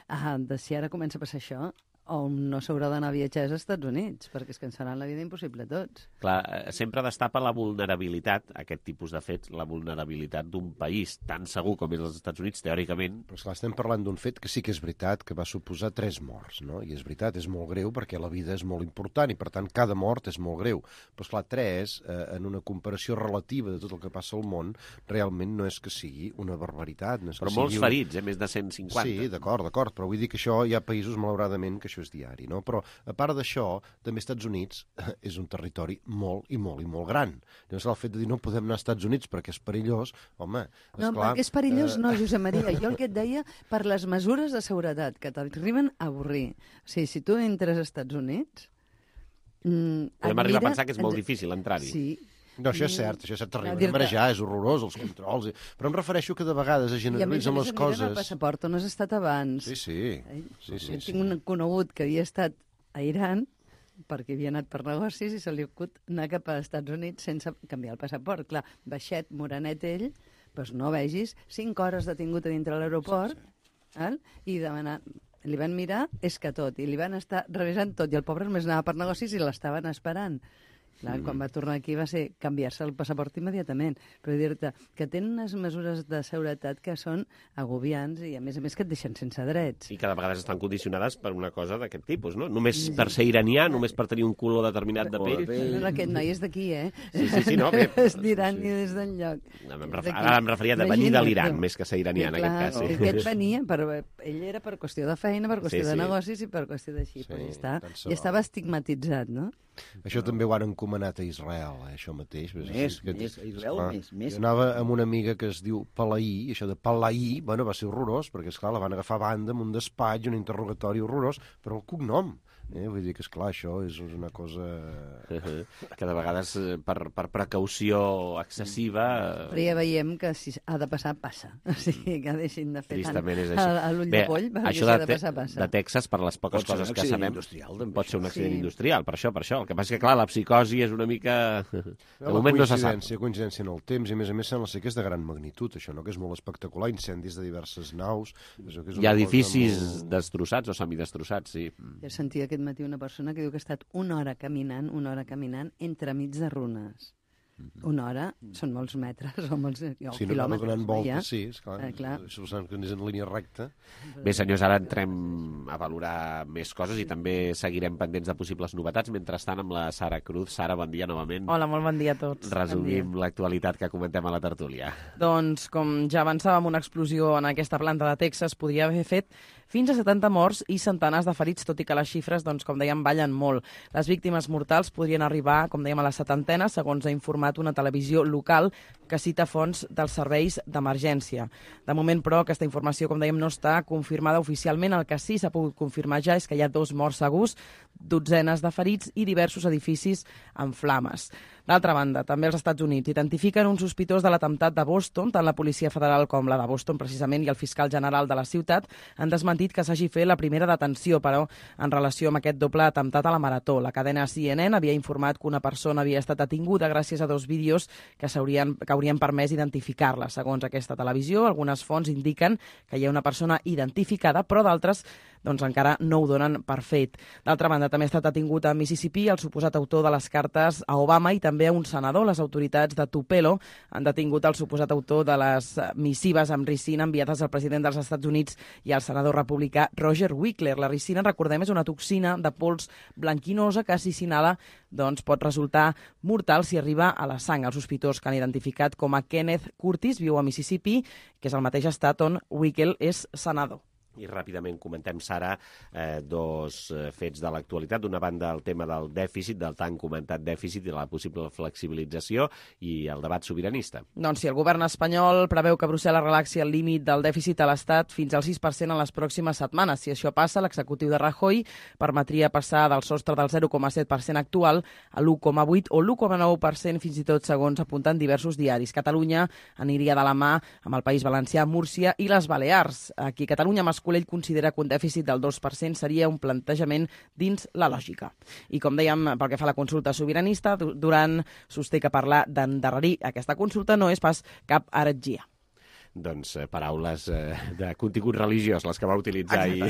de si ara comença a passar això, o no s'haurà d'anar a viatjar als Estats Units, perquè és que ens faran la vida impossible a tots. Clar, sempre destapa la vulnerabilitat, aquest tipus de fets, la vulnerabilitat d'un país tan segur com és els Estats Units, teòricament. Però esclar, estem parlant d'un fet que sí que és veritat, que va suposar 3 morts, no? I és veritat, és molt greu perquè la vida és molt important i, per tant, cada mort és molt greu. Però, esclar, 3, en una comparació relativa de tot el que passa al món, realment no és que sigui una barbaritat. No és però molts ferits, més de 150. Sí, d'acord, però vull dir que això hi ha països, malauradament, que això és diari, no? Però, a part d'això, també Estats Units és un territori molt i molt i molt gran. Llavors, el fet de dir no podem anar als Estats Units perquè és perillós, home, no, perquè és perillós, no, Josep Maria. Jo el que et deia, per les mesures de seguretat que t'arriben a avorrir. O sigui, si tu entres als Estats Units... Podem arribar a pensar que és molt difícil entrar-hi. Sí. No, això és cert, t'arriben a marejar, és horrorós, els controls... Però em refereixo que de vegades es generalitzen les coses... I a més, el passaport on has estat abans. Sí. Tinc un conegut que havia estat a Iran, perquè havia anat per negocis i se li acut anar cap als Estats Units sense canviar el passaport. Clar, baixet, morenet ell, doncs no vegis, 5 hores detingut a dintre l'aeroport, i demanar... Li van mirar, és que tot, i li van estar revisant tot, i el pobre només anava per negocis i l'estaven esperant. Clar, quan va tornar aquí va ser canviar-se el passaport immediatament. Però dir-te que tenen unes mesures de seguretat que són agobiants i, a més que et deixen sense drets. I que de vegades estan condicionades per una cosa d'aquest tipus, no? Només per ser iranià, només per tenir un color determinat de pell. No, aquest noi és d'aquí, Sí, no, bé. És d'Iran i des d'enlloc. Ara em referia de venir de l'Iran, més que ser iranià, en aquest cas. Aquest venia, ell era per qüestió de feina, per qüestió de negocis i per qüestió d'així. Ja estava estigmatitzat, no? Això també ho han encomanat a Israel, això mateix. Més, Israel, més. Jo anava amb una amiga que es diu Palaí, això de Palaí, bueno, va ser horrorós, perquè, esclar, la van agafar a banda amb un despatx, un interrogatori horrorós, però el cognom. Vull dir que, esclar, això és una cosa... Que de vegades, per precaució excessiva... Però ja veiem que si ha de passar, passa. O sigui, que deixin de fer tant a l'ull de poll, perquè si ha de passar, passa. De Texas, per les poques coses que sabem, pot ser un accident industrial, per això. El que passa és que, clar, la psicosi és una mica... De moment no se sap. Coincidència en el temps, i a més sembla ser que és de gran magnitud, això, no? Que és molt espectacular, incendis de diverses naus... Hi ha edificis destrossats o semidestrossats, sí. Jo sentia aquest matí una persona que diu que ha estat una hora caminant entremig de runes. Una hora són molts metres o molts quilòmetres. No donant voltes, sí, esclar. Suposant que és en línia recta. Bé, senyors, ara entrem a valorar més coses i també seguirem pendents de possibles novetats. Mentrestant, amb la Sara Cruz. Sara, bon dia novament. Hola, molt bon dia a tots. Resumim l'actualitat que comentem a la tertúlia. Doncs, com ja avançàvem, una explosió en aquesta planta de Texas podria haver fet fins a 70 morts i centenars de ferits, tot i que les xifres, doncs, com dèiem, ballen molt. Les víctimes mortals podrien arribar, com dèiem, a les 70, segons ha informat una televisió local que cita fonts dels serveis d'emergència. De moment, però, aquesta informació, com dèiem, no està confirmada oficialment. El que sí s'ha pogut confirmar ja és que hi ha 2 morts segurs, dotzenes de ferits i diversos edificis en flames. D'altra banda, també els Estats Units identifiquen un sospitós de l'atemptat de Boston. Tant la Policia Federal com la de Boston, precisament, i el fiscal general de la ciutat han desmentit que s'hagi fet la primera detenció, però en relació amb aquest doble atemptat a la Marató. La cadena CNN havia informat que una persona havia estat detinguda gràcies a 2 vídeos que haurien permès identificar-la. Segons aquesta televisió, algunes fonts indiquen que hi ha una persona identificada, però d'altres encara no ho donen per fet. D'altra banda, també ha estat detingut a Mississippi el suposat autor de les cartes a Obama i també a un senador. Les autoritats de Tupelo han detingut el suposat autor de les missives amb ricina enviades al president dels Estats Units i al senador republicà Roger Wickler. La ricina, recordem, és una toxina de pols blanquinosa que, si s'inhala, pot resultar mortal si arriba a la sang. El sospitós, que han identificat com a Kenneth Curtis, viu a Mississippi, que és el mateix estat on Wickler és senador. I ràpidament comentem, Sara, 2 fets de l'actualitat. D'una banda, el tema del dèficit, del tan comentat dèficit i de la possible flexibilització i el debat sobiranista. Doncs sí, el govern espanyol preveu que Brussel·les relaxi el límit del dèficit a l'Estat fins al 6% en les pròximes setmanes. Si això passa, l'executiu de Rajoy permetria passar del sostre del 0,7% actual a l'1,8% o l'1,9% fins i tot, segons apunten diversos diaris. Catalunya aniria de la mà amb el País Valencià, Múrcia i les Balears. Aquí a Catalunya, Mascolell considera que un dèficit del 2% seria un plantejament dins la lògica. I com dèiem, pel que fa a la consulta sobiranista, Duran sosté que parlar d'endarrerir aquesta consulta no és pas cap heretgia. Doncs paraules de contingut religiós, les que va utilitzar ahir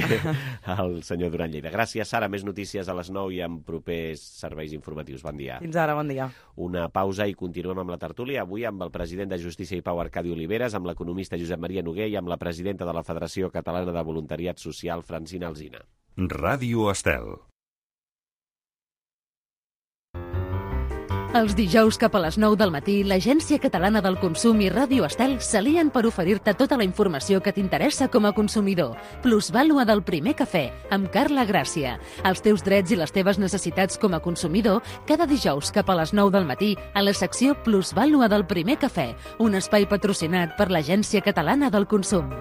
el senyor Duran Lleida. Gràcies, Sara. Més notícies a les 9 i amb propers serveis informatius. Bon dia. Fins ara, bon dia. Una pausa i continuem amb la tertúlia. Avui amb el president de Justícia i Pau, Arcadi Oliveres, amb l'economista Josep Maria Noguer i amb la presidenta de la Federació Catalana de Voluntariat Social, Francina Alsina. Ràdio Estel. Els dijous cap a les 9 del matí, l'Agència Catalana del Consum i Ràdio Estel s'alien per oferir-te tota la informació que t'interessa com a consumidor. Plusvàlua del primer cafè, amb Carla Gràcia. Els teus drets i les teves necessitats com a consumidor, cada dijous cap a les 9 del matí, a la secció Plusvàlua del primer cafè, un espai patrocinat per l'Agència Catalana del Consum.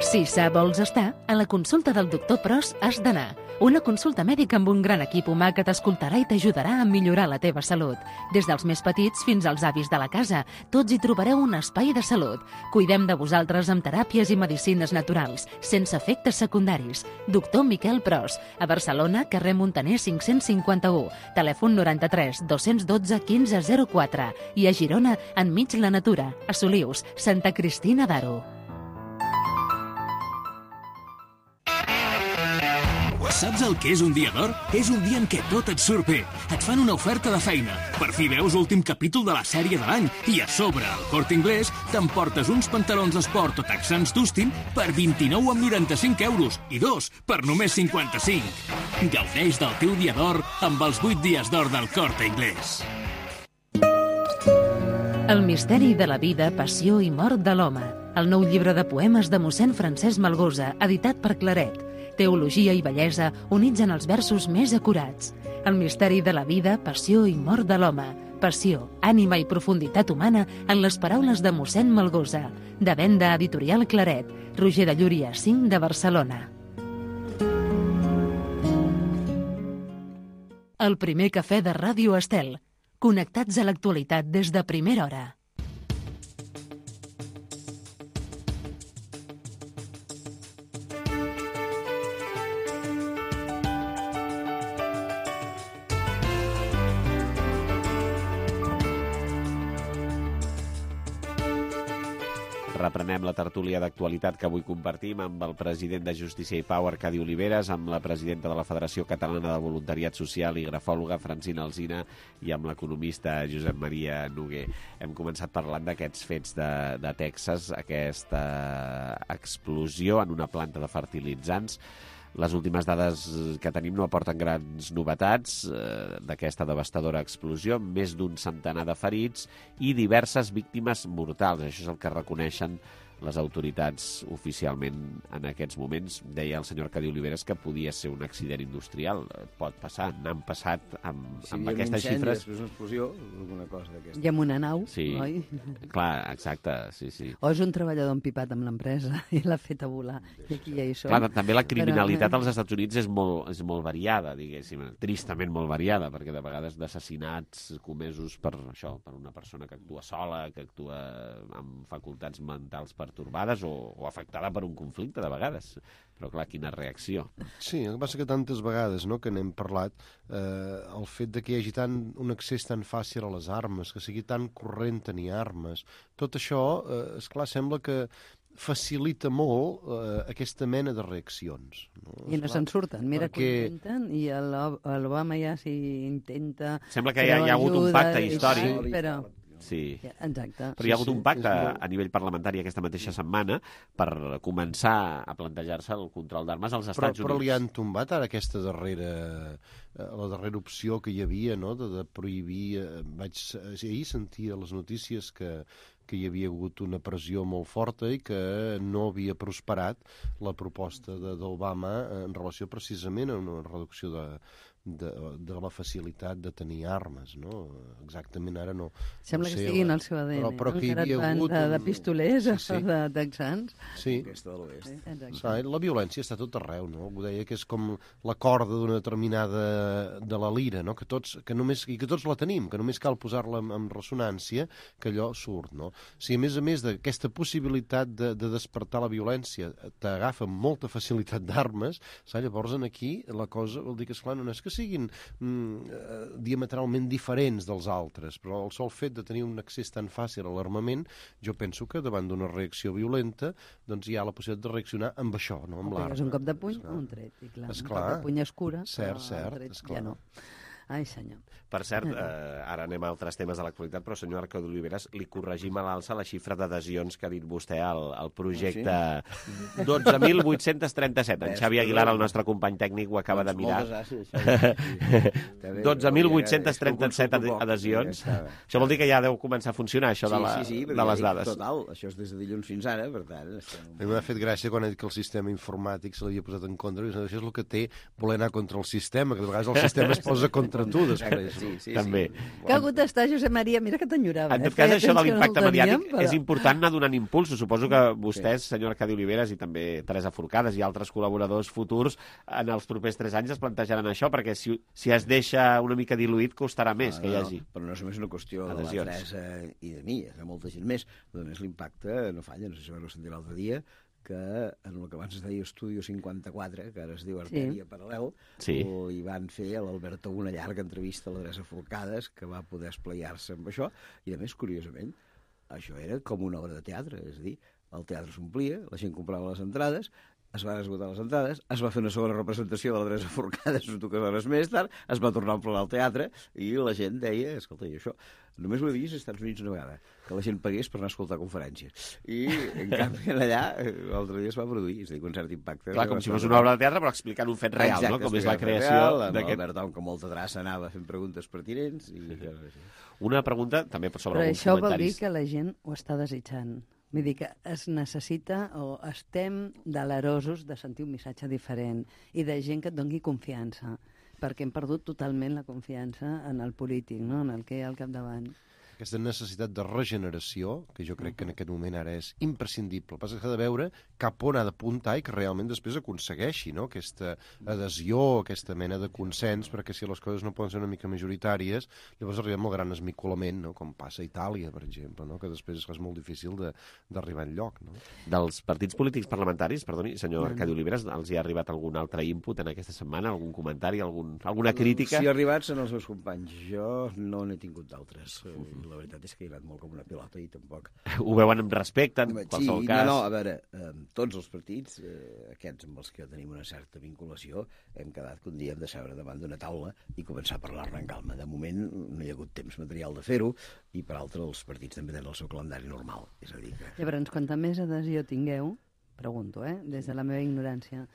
Si sa vols estar, a la consulta del doctor Pros has d'anar. Una consulta mèdica amb un gran equip humà que t'escoltarà i t'ajudarà a millorar la teva salut. Des dels més petits fins als avis de la casa, tots hi trobareu un espai de salut. Cuidem de vosaltres amb teràpies i medicines naturals, sense efectes secundaris. Doctor Miquel Pros, a Barcelona, carrer Montaner 551, telèfon 93 212 1504 i a Girona, enmig la natura, a Solius, Santa Cristina d'Aro. Saps el que és un dia d'or? És un dia en què tot et surt bé. Et fan una oferta de feina. Per fi veus l'últim capítol de la sèrie de l'any. I a sobre, al Corte Inglés, t'emportes uns pantalons d'esport o texans Dustin per 29,95 euros. I 2 per només 55. Gaudeix del teu dia d'or amb els 8 dies d'or del Corte Inglés. El misteri de la vida, passió i mort de l'home. El nou llibre de poemes de mossèn Francesc Malgosa, editat per Claret. Teologia i bellesa units en els versos més acurats. El misteri de la vida, passió i mort de l'home. Passió, ànima i profunditat humana en les paraules de mossèn Malgosa. De venda editorial Claret. Roger de Llúria, 5 de Barcelona. El primer cafè de Ràdio Estel. Connectats a l'actualitat des de primera hora. Reprenem la tertúlia d'actualitat que avui compartim amb el president de Justícia i Pau, Arcadi Oliveres, amb la presidenta de la Federació Catalana de Voluntariat Social i grafòloga, Francina Alsina, i amb l'economista Josep Maria Noguer. Hem començat parlant d'aquests fets de Texas, aquesta explosió en una planta de fertilitzants. Les últimes dades que tenim no aporten grans novetats d'aquesta devastadora explosió, més d'un centenar de ferits i diverses víctimes mortals. Això és el que reconeixen les autoritats oficialment en aquests moments. Deia el senyor Arcadi Oliveres que podia ser un accident industrial. Pot passar, n'han passat amb aquestes xifres. Si hi ha una explosió, alguna cosa d'aquesta. I amb una nau, sí, oi? Clar, exacte, sí. O és un treballador empipat amb l'empresa i l'ha fet a volar. I aquí ja hi som. Clar, també la criminalitat als Estats Units és molt variada, diguéssim, tristament molt variada, perquè de vegades d'assassinats comesos per això, per una persona que actua sola, que actua amb facultats mentals pertorbades o afectada per un conflicte, de vegades. Però, clar, quina reacció. Sí, el que passa que tantes vegades que n'hem parlat, el fet de que hi hagi un accés tan fàcil a les armes, que sigui tan corrent tenir armes, tot això, esclar, sembla que facilita molt aquesta mena de reaccions. I no se'n surten. Mira que ho intenten i l'Obama ja s'hi intenta... Sembla que hi ha hagut un pacte històric. Però... Sí. Exacte. Però hi ha hagut un pacte a nivell parlamentari aquesta mateixa setmana per començar a plantejar-se el control d'armes als Estats Units. Però li han tombat ara aquesta la darrera opció que hi havia, no?, de prohibir... Ahir sentia les notícies que hi havia hagut una pressió molt forta i que no havia prosperat la proposta d'Obama en relació precisament a una reducció de la facilitat de tenir armes, no? Exactament ara no... Sembla que estiguin al seu ADN, però que hi havia hagut... de pistolers o de texans. Sí. La violència està tot arreu, no? Ho deia que és com la corda d'una determinada de la lira, no? Que tots la tenim, que només cal posar-la en ressonància, que allò surt, no? Si a més d'aquesta possibilitat de despertar la violència t'agafa amb molta facilitat d'armes, llavors aquí la cosa vol dir que, esclar, no és que siguin diametralment diferents dels altres, però el sol fet de tenir un accés tan fàcil a l'armament, jo penso que davant d'una reacció violenta doncs hi ha la possibilitat de reaccionar amb això, no amb l'arma. És un cop de puny o un tret, i clar, un cop de puny es cura, cert, ja no. Ai, senyor. Per cert, ara anem a altres temes de l'actualitat, però, senyor Arcadi Oliveres, li corregim a l'alça la xifra d'adhesions que ha dit vostè al projecte 12.837. En Xavi Aguilar, el nostre company tècnic, ho acaba de mirar. 12.837 adhesions. Això vol dir que ja deu començar a funcionar, això de les dades. Total, això és des de dilluns fins ara, per tant... M'ha fet gràcia quan ha dit que el sistema informàtic se l'havia posat en contra, i això és el que té voler anar contra el sistema, que de vegades el sistema es posa contra tu després. Sí. També. Que ha hagut d'estar, Josep Maria, mira que t'enyorava. En tot cas, això de l'impacte mediàtic és important anar donant impulsos. Suposo que vostès, senyor Arcadi Oliveres, i també Teresa Forcades i altres col·laboradors futurs, en els propers 3 anys es plantejaran això, perquè si es deixa una mica diluït, costarà més que hi hagi. Però no és només una qüestió de la Teresa i de mi, de molta gent més. A més, l'impacte no falla, no sé si ho sentir l'altre dia, que en el que abans es deia Estudio 54, que ara es diu Artèria Paral·lel, li van fer a l'Alberto una llarga entrevista a la Teresa Forcades, que va poder esplaiar-se amb això, i a més, curiosament, això era com una obra de teatre, és a dir, el teatre s'omplia, la gent comprava les entrades, es van esgotar les entrades, es va fer una segona representació de la Teresa Forcades 2 hores més tard, es va tornar a emplenar el teatre, i la gent deia, escolta, i això... Només ho he vist als Estats Units una vegada, que la gent pagués per anar a escoltar conferències. I, en canvi, allà, l'altre dia es va produir, és a dir, un cert impacte. Clar, com si fos una obra de teatre, però explicant un fet real, no? Com és la creació d'aquest... Albert Tom, que molta traça anava fent preguntes pertinents. Una pregunta també sobre alguns comentaris. Però això vol dir que la gent ho està desitjant. Vull dir que es necessita o estem delerosos de sentir un missatge diferent i de gent que et doni confiança, perquè hem perdut totalment la confiança en el polític, no? En el que hi ha al capdavant. Aquesta necessitat de regeneració, que jo crec que en aquest moment ara és imprescindible. El que passa és que ha de veure cap on ha d'apuntar i que realment després aconsegueixi, no? Aquesta adhesió, aquesta mena de consens, perquè si les coses no poden ser una mica majoritàries, llavors arribem al gran esmicolament, no? Com passa a Itàlia, per exemple, no? Que després és molt difícil d'arribar enlloc. No? Dels partits polítics parlamentaris, perdoni, senyor Arcadi Oliveres, els hi ha arribat algun altre input en aquesta setmana, algun comentari, alguna crítica? Si ha arribat són els meus companys. Jo no n'he tingut d'altres. La veritat és que he anat molt com una pilota i tampoc... Ho veuen amb respecte, en qualsevol cas? No, a veure, tots els partits, aquests amb els que tenim una certa vinculació, hem quedat que un dia hem de seure davant d'una taula i començar a parlar-ne en calma. De moment no hi ha hagut temps material de fer-ho i, per altre, els partits també tenen el seu calendari normal. És a dir que... Llavors, quanta més adhesió tingueu, pregunto, des de la meva ignorància,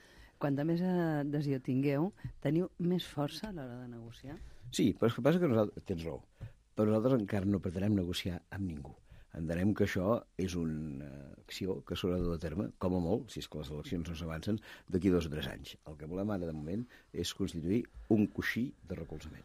quanta més adhesió tingueu, teniu més força a l'hora de negociar? Sí, però és que passa que nosaltres... Tens raó. Però nosaltres encara no pretenem negociar amb ningú. Entenem que això és una acció que s'haurà de dur a terme, com a molt, si és que les eleccions no s'avancen, d'aquí 2 o 3 anys. El que volem ara, de moment, és constituir un coixí de recolzament,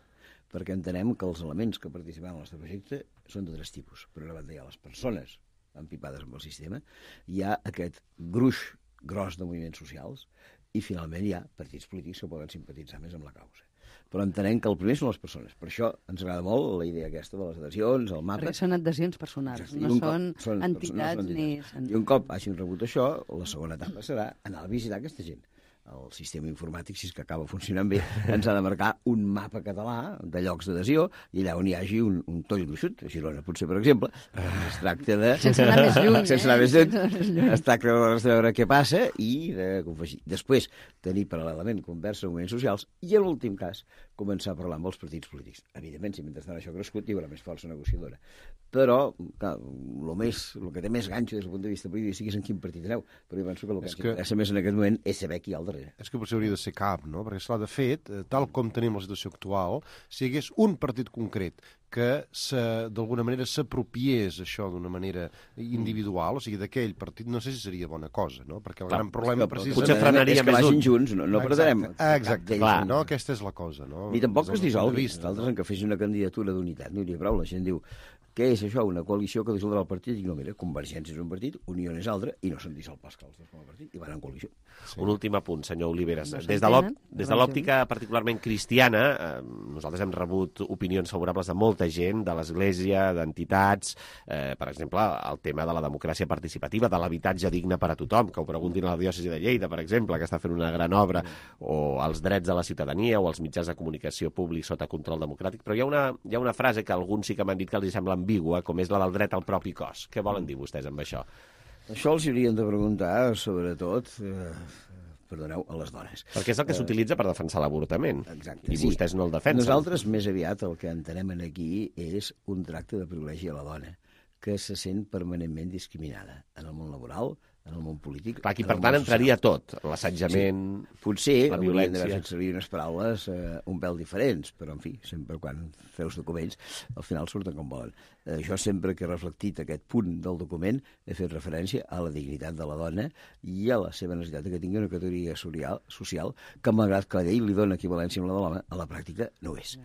perquè entenem que els elements que participaran en el nostre projecte són de 3 tipus. Per una banda hi ha les persones empipades amb el sistema, hi ha aquest gruix gros de moviments socials i, finalment, hi ha partits polítics que poden simpatitzar més amb la causa. Però entenem que el primer són les persones. Per això ens agrada molt la idea aquesta de les adhesions, el mapa... Perquè són adhesions personals, no són entitats ni... I un cop hagin rebut això, la segona etapa serà anar a visitar aquesta gent. El sistema informàtic, si és que acaba funcionant bé, ens ha de marcar un mapa català de llocs d'adhesió i allà on hi hagi un toll gruixut, a Girona, potser, per exemple, es tracta de... Sense anar més lluny, sense anar més lluny. Es tracta de veure què passa i de confegir. Després, tenir paral·lelament conversa amb moviments socials i, en l'últim cas, començar a parlar amb els partits polítics. Evidentment, si mentrestant això ha crescut, hi haurà més força negociadora. Però, clar, el que té més ganxo des del punt de vista polític és en quin partit aneu. Però jo penso que el que ens interessa més en aquest moment és saber qui hi ha al darrere. És que potser hauria de ser cap, no? Perquè, esclar, de fet, tal com tenim la situació actual, si hi hagués un partit concret que d'alguna manera s'apropiés això d'una manera individual, o sigui, d'aquell partit, no sé si seria bona cosa, no? Perquè el gran problema precisament és que vagin junts, no perdrem. Exacte, clar, no? Aquesta és la cosa, no? Ni tampoc que es dissolgui, nosaltres en que fes una candidatura d'unitat, no hi hauria prou, la gent diu què és això, una coalició que dissoldrà el partit? I dic, no, mira, Convergència és un partit, Unió és altre, i no s'han dissolt pas que els dos com a partit, i van en coalició. Sí. Un últim apunt, senyor Oliveres. Des de l'òptica particularment cristiana, nosaltres hem rebut opinions favorables de molta gent, de l'Església, d'entitats, per exemple, el tema de la democràcia participativa, de l'habitatge digne per a tothom, que ho preguntin a la diòcesi de Lleida, per exemple, que està fent una gran obra, o els drets de la ciutadania, o els mitjans de comunicació públics sota control democràtic, però hi ha una frase que alguns sí que m'han dit que els sembla ambigua, com és la del dret al propi cos. Què volen dir vostès amb això? Això els haurien de preguntar, sobretot, perdoneu, a les dones. Perquè és el que s'utilitza per defensar l'avortament. Exacte. I vostès no el defensen. Nosaltres, més aviat, el que entenem aquí és un tracte de privilegi a la dona, que se sent permanentment discriminada en el món laboral, en el món polític... Clar, aquí, per tant, entraria tot, l'assetjament, potser la violència... haurien d'haver fet servir unes paraules un pèl diferents, però, en fi, sempre quan feus documents, al final surten com volen. Jo sempre que he reflectit aquest punt del document he fet referència a la dignitat de la dona i a la seva necessitat que tingui una categoria social que, malgrat que la llei li dona equivalència amb la de l'home, a la pràctica no ho és.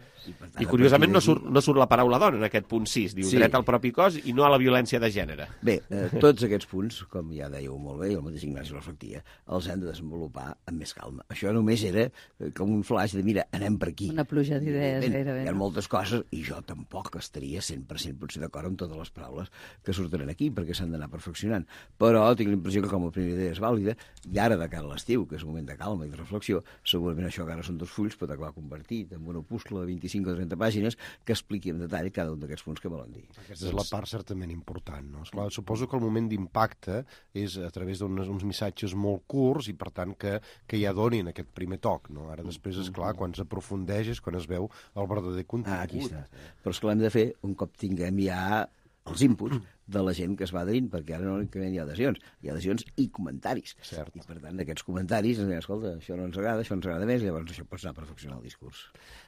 I curiosament no surt la paraula dona en aquest punt 6, diu dret al propi cos i no a la violència de gènere. Bé, tots aquests punts, com ja dèieu molt bé, i el mateix Ignasi reflectia, els hem de desenvolupar amb més calma. Això només era com un flash de, mira, anem per aquí. Una pluja d'idees, gairebé. Hi ha moltes coses, i jo tampoc estaria 100% potser d'acord amb totes les paraules que surten aquí, perquè s'han d'anar perfeccionant. Però tinc la impressió que com la primera idea és vàlida, i ara de cara a l'estiu, que és un moment de calma i de reflexió, segurament això que ara són 2 fulls pot acabar convertit en un opuscle de 25 o 30 pàgines que expliqui en detall cada un d'aquests punts que volen dir. Aquesta és la part certament important, no? Esclar, suposo que el moment d'impacte és a través d'uns missatges molt curts i, per tant, que ja donin aquest primer toc, no? Ara després, esclar, quan s'aprofundeix és quan es veu el verdader contingut. Aquí està. Però és que l'hem de fer un cop tinguem ja els inputs de la gent que es va adherint, perquè ara no únicament hi ha adhesions, hi ha adhesions i comentaris. Cert. I, per tant, aquests comentaris ens diuen, escolta, això no ens agrada, això ens agrada més, i llavors això pot anar a perfeccionar el discurs.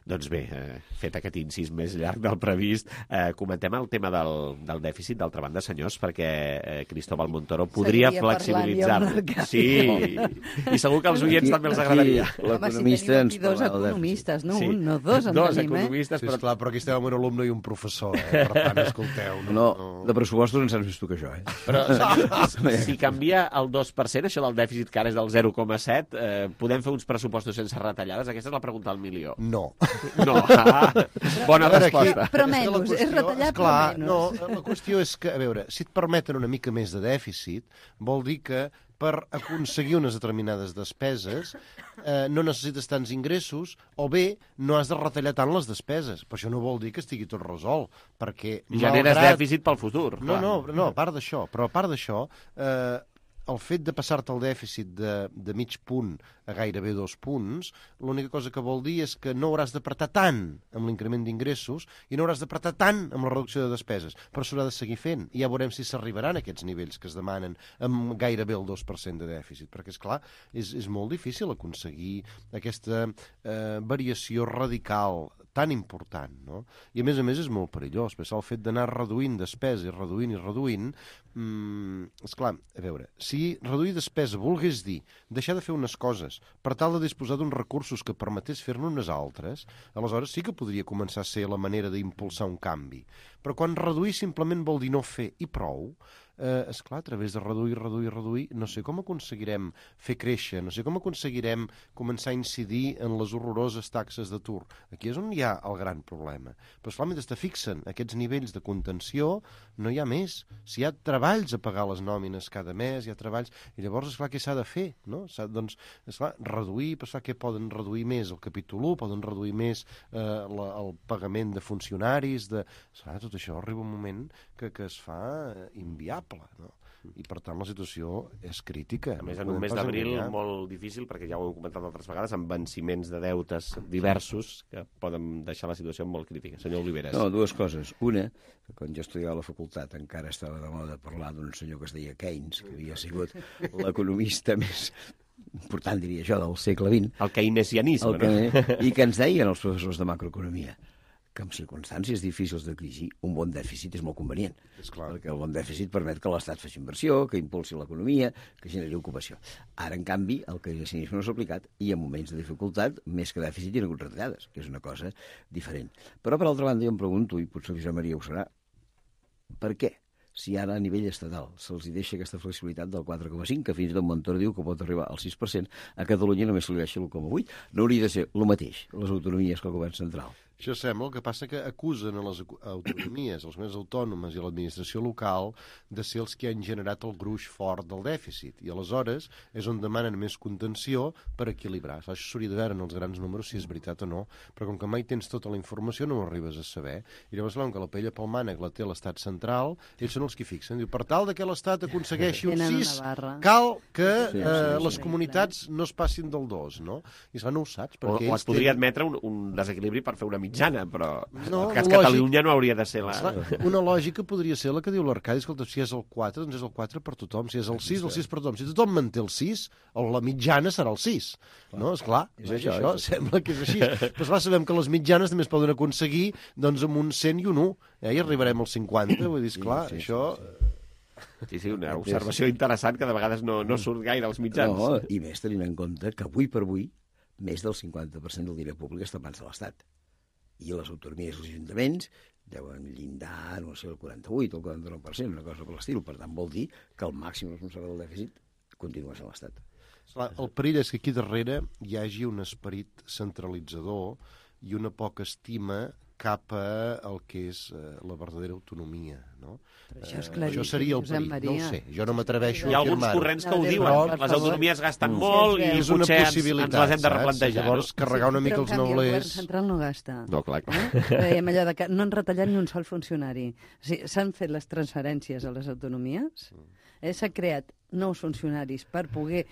Doncs bé, fet aquest incís més llarg del previst, comentem el tema del dèficit, d'altra banda, senyors, perquè Cristóbal Montoro podria flexibilitzar-lo. Sí, i segur que als oients també els agradaria. L'economista ens parla del dèficit. 2 economistes, no un, no 2, en tenim, economistes, però... Sí, esclar, però aquí estem amb un alumne i un professor, per tant, escolteu. No, de pressupostos en saps més tu que jo, Però si canvia el 2%, això del dèficit que ara és del 0,7, podem fer uns pressupostos sense retallades? Aquesta és la pregunta del milió. No. No. Bona resposta. Però menys, és retallar però menys. No, la qüestió és que, a veure, si et permeten una mica més de dèficit, vol dir que per aconseguir unes determinades despeses no necessites tants ingressos, o bé no has de retallar tant les despeses. Però això no vol dir que estigui tot resolt, perquè... Generes dèficit pel futur. No, a part d'això. Però a part d'això, el fet de passar-te el dèficit de mig punt a gairebé 2 punts, l'única cosa que vol dir és que no hauràs d'apretar tant amb l'increment d'ingressos i no hauràs d'apretar tant amb la reducció de despeses, però s'haurà de seguir fent. I ja veurem si s'arribaran a aquests nivells que es demanen amb gairebé el 2% de dèficit, perquè, esclar, és molt difícil aconseguir aquesta variació radical tan important, no? I a més és molt perillós, perquè el fet d'anar reduint despesa i reduint, esclar, a veure, si reduir despesa volgués dir deixar de fer unes coses per tal de disposar d'uns recursos que permetés fer-ne unes altres, aleshores sí que podria començar a ser la manera d'impulsar un canvi. Però quan reduir simplement vol dir no fer i prou, esclar, a través de reduir, no sé com aconseguirem fer créixer, no sé com aconseguirem començar a incidir en les horroroses taxes d'atur. Aquí és on hi ha el gran problema. Però, esclar, mentre te fixen aquests nivells de contenció, no hi ha més. Si hi ha treballs a pagar les nòmines cada mes, hi ha treballs... I llavors, esclar, què s'ha de fer? No? Doncs, esclar, reduir, però esclar, què poden reduir més? El capítol 1, poden reduir més el pagament de funcionaris, esclar, tot això arriba un moment que es fa inviable, no? I per tant la situació és crítica. A més, en un mes d'abril molt difícil, perquè ja ho hem comentat altres vegades, amb venciments de deutes diversos que poden deixar la situació molt crítica. Senyor Oliveres. No, 2 coses. Una, que quan jo estudiava a la facultat encara estava de moda parlar d'un senyor que es deia Keynes, que havia sigut l'economista més important, diria jo, del segle XX. El keynesianisme, no? I que ens deien els professors de macroeconomia que en circumstàncies difícils de crisi un bon dèficit és molt convenient. És clar. Perquè el bon dèficit permet que l'Estat faci inversió, que impulsi l'economia, que generi ocupació. Ara, en canvi, el keynesianisme no s'ha aplicat i en moments de dificultat, més que dèficit, hi ha hagut retallades, que és una cosa diferent. Però, per altra banda, jo em pregunto, i potser Josep Maria ho serà, per què? Si ara a nivell estatal se'ls deixa aquesta flexibilitat del 4,5, que fins i tot Montoro diu que pot arribar al 6%, a Catalunya només se li deixa l'1,8. No hauria de ser el mateix les autonomies que el govern central. Això sembla, el que passa que acusen a les autonomies, les comunitats autònomes i l'administració local de ser els que han generat el gruix fort del dèficit. I aleshores és on demanen més contenció per equilibrar. Això s'hauria de veure en els grans números si és veritat o no, però com que mai tens tota la informació no ho arribes a saber. I llavors, com que la paella pel mànec la té l'Estat central, ells són els que fixen. Diu, per tal que l'Estat aconsegueixi un 6, cal que les comunitats no es passin del 2, no? I no ho saps. O es podria admetre un desequilibri per fer una mitjana, però en el cas Catalunya no hauria de ser la... Una lògica podria ser la que diu l'Arcadi, escolta, si és el 4, doncs és el 4 per tothom, si és el 6 per tothom. Si tothom manté el 6, la mitjana serà el 6. No, esclar, això sembla que és així. Però esclar, sabem que les mitjanes també es poden aconseguir doncs amb un 100 i un 1, i arribarem al 50, vull dir, esclar, això... Sí, una observació interessant que de vegades no surt gaire als mitjans. No, i més tenint en compte que avui per avui més del 50% del diner públic està en mans de l'Estat. I les autonomies i els ajuntaments deuen llindar, no sé, el 48 o el 49%, una cosa per l'estil. Per tant, vol dir que el màxim responsable del dèficit continua sent l'Estat. El perill és que aquí darrere hi hagi un esperit centralitzador i una poca estima cap al que és la verdadera autonomia, no? Això seria el perill, no ho sé, jo no m'atreveixo a afirmar-ho. Hi ha alguns corrents que ho diuen, les autonomies gasten molt i potser ens les hem de replantejar. Llavors, carregar una mica els neulers... El govern central no gasta. No, clar. Dèiem allò de que no han retallat ni un sol funcionari. O sigui, s'han fet les transferències a les autonomies, s'ha creat nous funcionaris per poder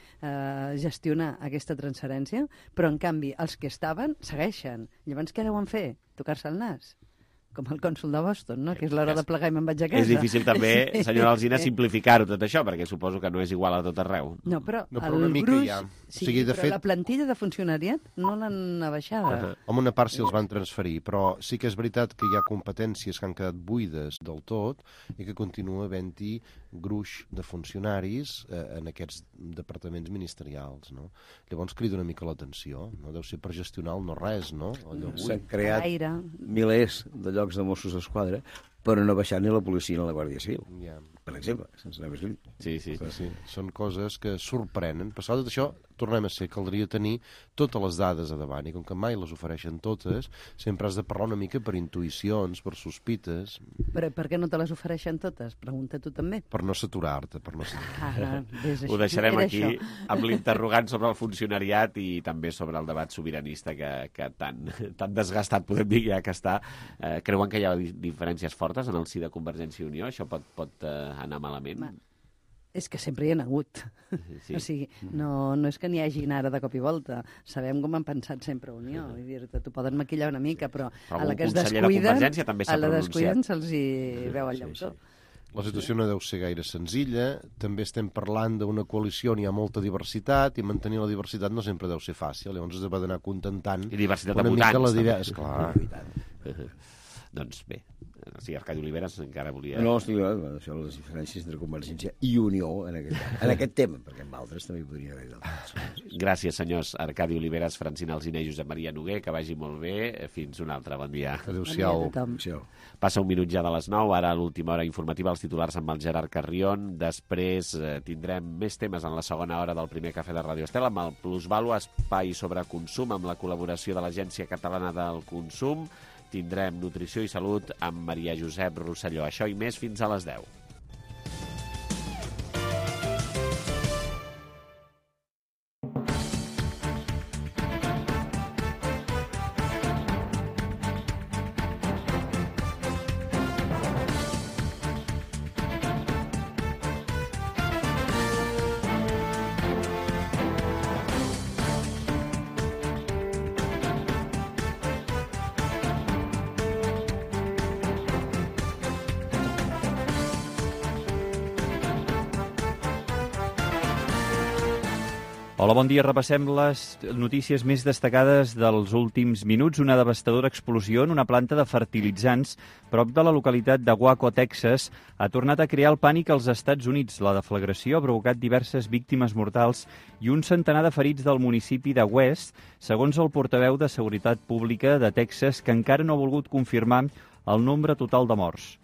gestionar aquesta transferència, però en canvi els que estaven segueixen. Llavors què deuen fer? Tocar-se el nas? Com el cònsol de Boston, no? Que és l'hora de plegar i me'n vaig a casa. És difícil també, senyora Alsina, simplificar-ho tot això, perquè suposo que no és igual a tot arreu. No, però el gruix... Sí, però la plantilla de funcionariat no l'han abaixada. Home, una part sí els van transferir, però sí que és veritat que hi ha competències que han quedat buides del tot i que continua havent-hi gruix de funcionaris en aquests departaments ministerials, no? Llavors crida una mica l'atenció, no? Deu ser per gestionar el no-res, no? S'han creat milers de llocs de Mossos d'Esquadra, però no ha baixat ni la policia ni la Guàrdia Civil, per exemple, sense anar més lluny. Sí. Són coses que sorprenen. Però tot això, tornem a ser, caldria tenir totes les dades a davant, i com que mai les ofereixen totes, sempre has de parlar una mica per intuïcions, per sospites. Però per què no te les ofereixen totes? Pregunta tu també. Per no saturar-te, per no saturar-te. Ho deixarem aquí, amb l'interrogant sobre el funcionariat i també sobre el debat sobiranista que tan desgastat, podem dir, ja que està. Creuen que hi ha diferències fortes en el si de Convergència i Unió? Això pot anar malament? És que sempre hi ha hagut. Sí. O sigui, no és que n'hi hagin ara de cop i volta. Sabem com han pensat sempre Unió. Vull dir-te, t'ho poden maquillar una mica, però a la que es descuiden se'ls hi veu el llautó. La situació no deu ser gaire senzilla. També estem parlant d'una coalició on hi ha molta diversitat i mantenir la diversitat no sempre deu ser fàcil. Llavors es va d'anar contentant i diversitat de votants. Esclar. Doncs bé, sí, Arcadi Oliveres encara volia... No, estic això, les diferències entre Convergència i Unió en aquest tema, perquè amb altres també podria haver d'altres. Gràcies, senyors Arcadi Oliveres, Francina Alsina i Josep Maria Noguer, que vagi molt bé. Fins un altre, bon dia. Adéu-siau. Passa un minut ja de les 9, ara a l'última hora informativa, els titulars amb el Gerard Carrion. Després tindrem més temes en la segona hora del primer cafè de Radio Estel, amb el Plusvalua, espai sobre consum, amb la col·laboració de l'Agència Catalana del Consum. Tindrem Nutrició i Salut amb Maria Josep Rosselló. Això i més fins a les 10. Hola, bon dia. Repassem les notícies més destacades dels últims minuts. Una devastadora explosió en una planta de fertilitzants prop de la localitat de Waco, Texas, ha tornat a crear el pànic als Estats Units. La deflagració ha provocat diverses víctimes mortals i un centenar de ferits del municipi de West, segons el portaveu de Seguretat Pública de Texas, que encara no ha volgut confirmar el nombre total de morts.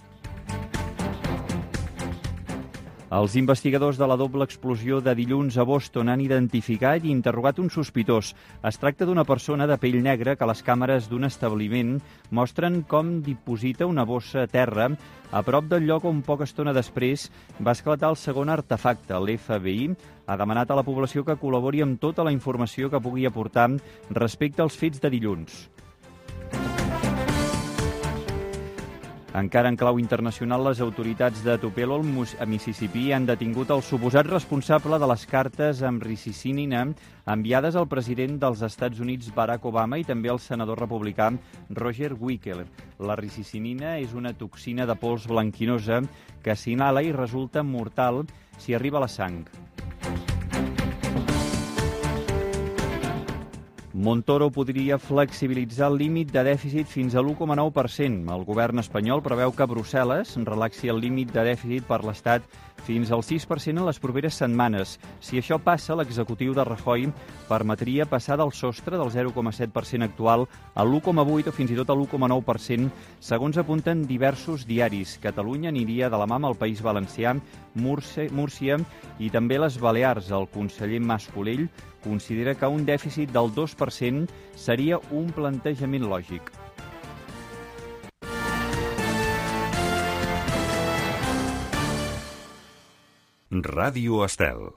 Els investigadors de la doble explosió de dilluns a Boston han identificat i interrogat un sospitós. Es tracta d'una persona de pell negra que les càmeres d'un establiment mostren com diposita una bossa a terra a prop del lloc on poca estona després va esclatar el segon artefacte. L'FBI ha demanat a la població que col·labori amb tota la informació que pugui aportar respecte als fets de dilluns. Encara en clau internacional, les autoritats de Tupelo, a Mississippi, han detingut el suposat responsable de les cartes amb ricicinina enviades al president dels Estats Units, Barack Obama, i també al senador republicà Roger Wicker. La ricicinina és una toxina de pols blanquinosa que s'inhala i resulta mortal si arriba a la sang. Montoro podria flexibilitzar el límit de dèficit fins a l'1,9%. El govern espanyol preveu que Brussel·les relaxi el límit de dèficit per l'Estat fins al 6% en les properes setmanes. Si això passa, l'executiu de Rajoy permetria passar del sostre del 0,7% actual a l'1,8% o fins i tot a l'1,9%, segons apunten diversos diaris. Catalunya aniria de la mà amb el País Valencià, Múrcia i també les Balears. El conseller Mas-Colell considera que un dèficit del 2% seria un plantejament lògic. Ràdio Estel.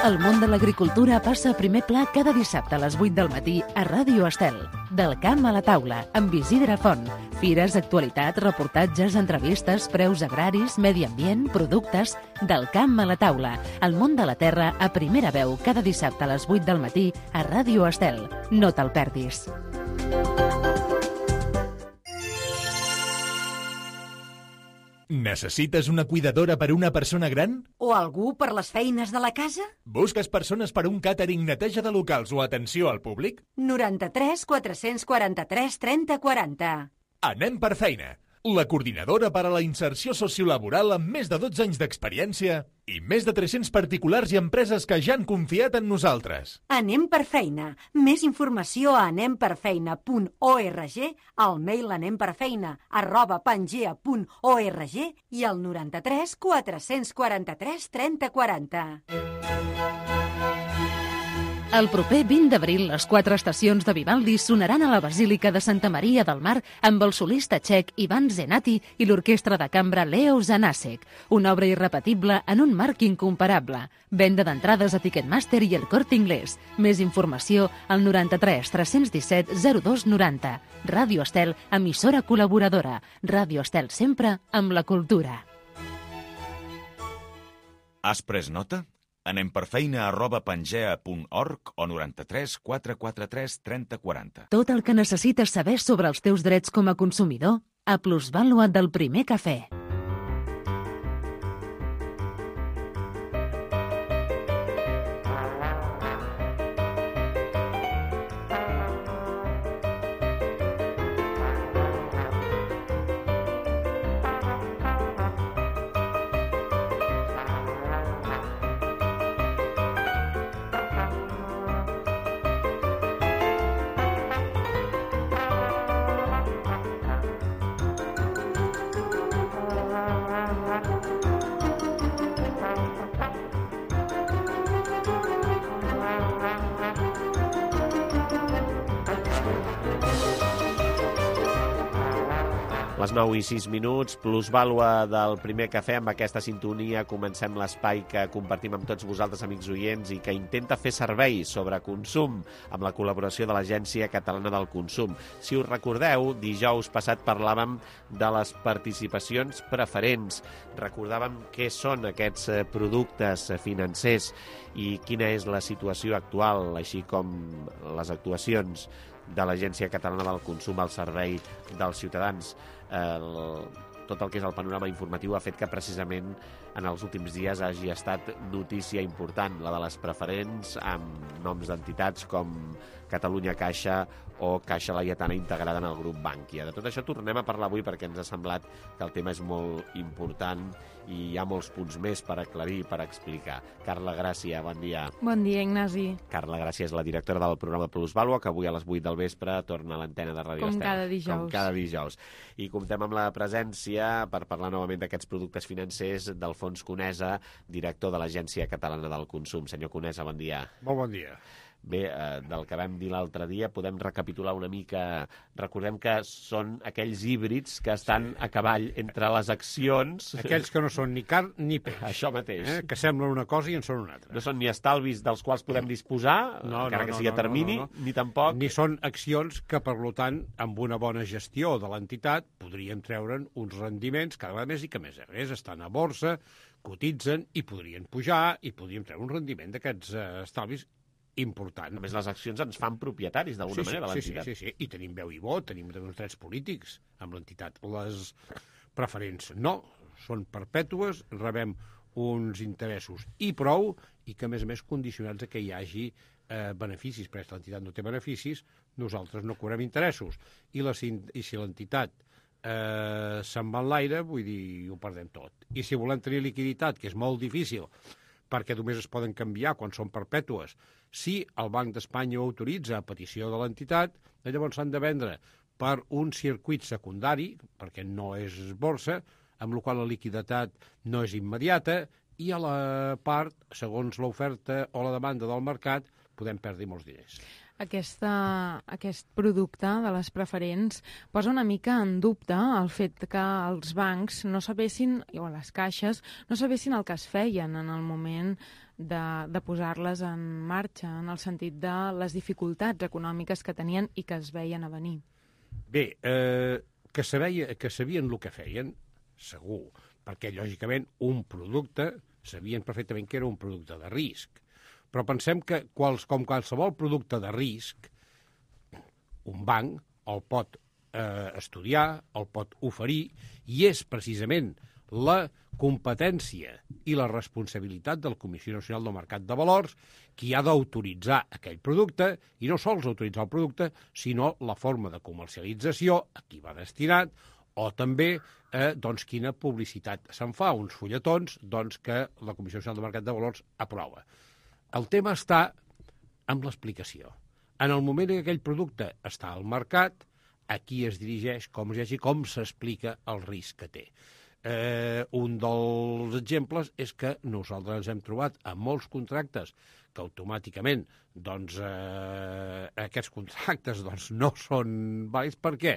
El món de l'agricultura passa a primer pla cada dissabte a les 8 del matí a Ràdio Estel. Del camp a la taula, amb Isidre Font. Fires, actualitat, reportatges, entrevistes, preus agraris, medi ambient, productes... Del camp a la taula. El món de la terra a primera veu cada dissabte a les 8 del matí a Ràdio Estel. No te'l perdis. Necessites una cuidadora per a una persona gran? O algú per les feines de la casa? Busques persones per a un càtering, neteja de locals o atenció al públic? 93 443 30 40. Anem per feina. La coordinadora per a la inserció sociolaboral amb més de 12 anys d'experiència i més de 300 particulars i empreses que ja han confiat en nosaltres. Anem per feina. Més informació a anemperfeina.org, al mail anemperfeina@pangea.org i al 93 443 30 40. El proper 20 d'abril, les 4 estacions de Vivaldi sonaran a la Basílica de Santa Maria del Mar amb el solista txec Ivan Zenati i l'orquestra de cambra Leo Zanasek. Una obra irrepetible en un marc incomparable. Venda d'entrades a Ticketmaster i el Corte Inglés. Més informació al 93 317 02 90. Ràdio Estel, emissora col·laboradora. Ràdio Estel sempre amb la cultura. Has pres nota? Anem per feina@pangea.org o 93 443 30 40. Tot el que necessites saber sobre els teus drets com a consumidor a Plusvàlua del Primer Cafè. Les 9 i 6 minuts, plusvàlua del Primer Cafè. Amb aquesta sintonia comencem l'espai que compartim amb tots vosaltres, amics oients, i que intenta fer servei sobre consum amb la col·laboració de l'Agència Catalana del Consum. Si us recordeu, dijous passat parlàvem de les participacions preferents. Recordàvem què són aquests productes financers i quina és la situació actual, així com les actuacions de l'Agència Catalana del Consum al servei dels ciutadans. Tot el que és el panorama informatiu ha fet que precisament en els últims dies hagi estat notícia important, la de les preferents, amb noms d'entitats com Catalunya Caixa o Caixa Laietana integrada en el grup Bankia. De tot això tornem a parlar avui perquè ens ha semblat que el tema és molt important i hi ha molts punts més per aclarir, per explicar. Carla Gràcia, bon dia. Bon dia, Ignasi. Carla Gràcia és la directora del programa Plusvàlua, que avui a les 8 del vespre torna a l'antena de Ràdio Estel. Com cada dijous. Com cada dijous. I comptem amb la presència dia per parlar novament d'aquests productes financers d'Alfons Conesa, director de l'Agència Catalana del Consum. Senyor Conesa, bon dia. Molt bon dia. Bé, del que vam dir l'altre dia, podem recapitular una mica. Recordem que són aquells híbrids que estan a cavall entre les accions... Aquells que no són ni carn ni peix. Això mateix. Que semblen una cosa i en són una altra. No són ni estalvis dels quals podem disposar, encara que sigui a termini, ni tampoc... Ni són accions que, per tant, amb una bona gestió de l'entitat, podríem treure'n uns rendiments cada vegada més i que, a més, estan a borsa, cotitzen i podrien pujar i podríem treure un rendiment d'aquests estalvis important. A més, les accions ens fan propietaris, d'alguna manera, de l'entitat. Sí. I tenim veu i vot, tenim uns drets polítics amb l'entitat. Les preferents no, són perpètues, rebem uns interessos i prou, i que, a més, condicionats a que hi hagi beneficis, perquè si l'entitat no té beneficis, nosaltres no cobrem interessos. I si l'entitat se'n va en l'aire, vull dir, ho perdem tot. I si volem tenir liquiditat, que és molt difícil, perquè només es poden canviar quan són perpètues, si el Banc d'Espanya ho autoritza a petició de l'entitat, llavors s'han de vendre per un circuit secundari, perquè no és borsa, amb la qual la liquiditat no és immediata, i a la part, segons l'oferta o la demanda del mercat, podem perdre molts diners. Aquest producte de les preferents posa una mica en dubte el fet que els bancs no sabessin, o les caixes, no sabessin el que es feien en el moment de posar-les en marxa, en el sentit de les dificultats econòmiques que tenien i que es veien a venir. Bé, que sabien el que feien, segur, perquè, lògicament, un producte, sabien perfectament que era un producte de risc. Però pensem que, com qualsevol producte de risc, un banc el pot estudiar, el pot oferir, i és precisament la competència i la responsabilitat de la Comissió Nacional del Mercat de Valors qui ha d'autoritzar aquell producte, i no sols autoritzar el producte, sinó la forma de comercialització, a qui va destinat, o també quina publicitat se'n fa, uns fulletons que la Comissió Nacional del Mercat de Valors aprova. El tema està amb l'explicació. En el moment en què aquell producte està al mercat, a qui es dirigeix, com s'explica el risc que té. Un dels exemples és que nosaltres ens hem trobat amb molts contractes que automàticament aquests contractes no són vàlids. Per què?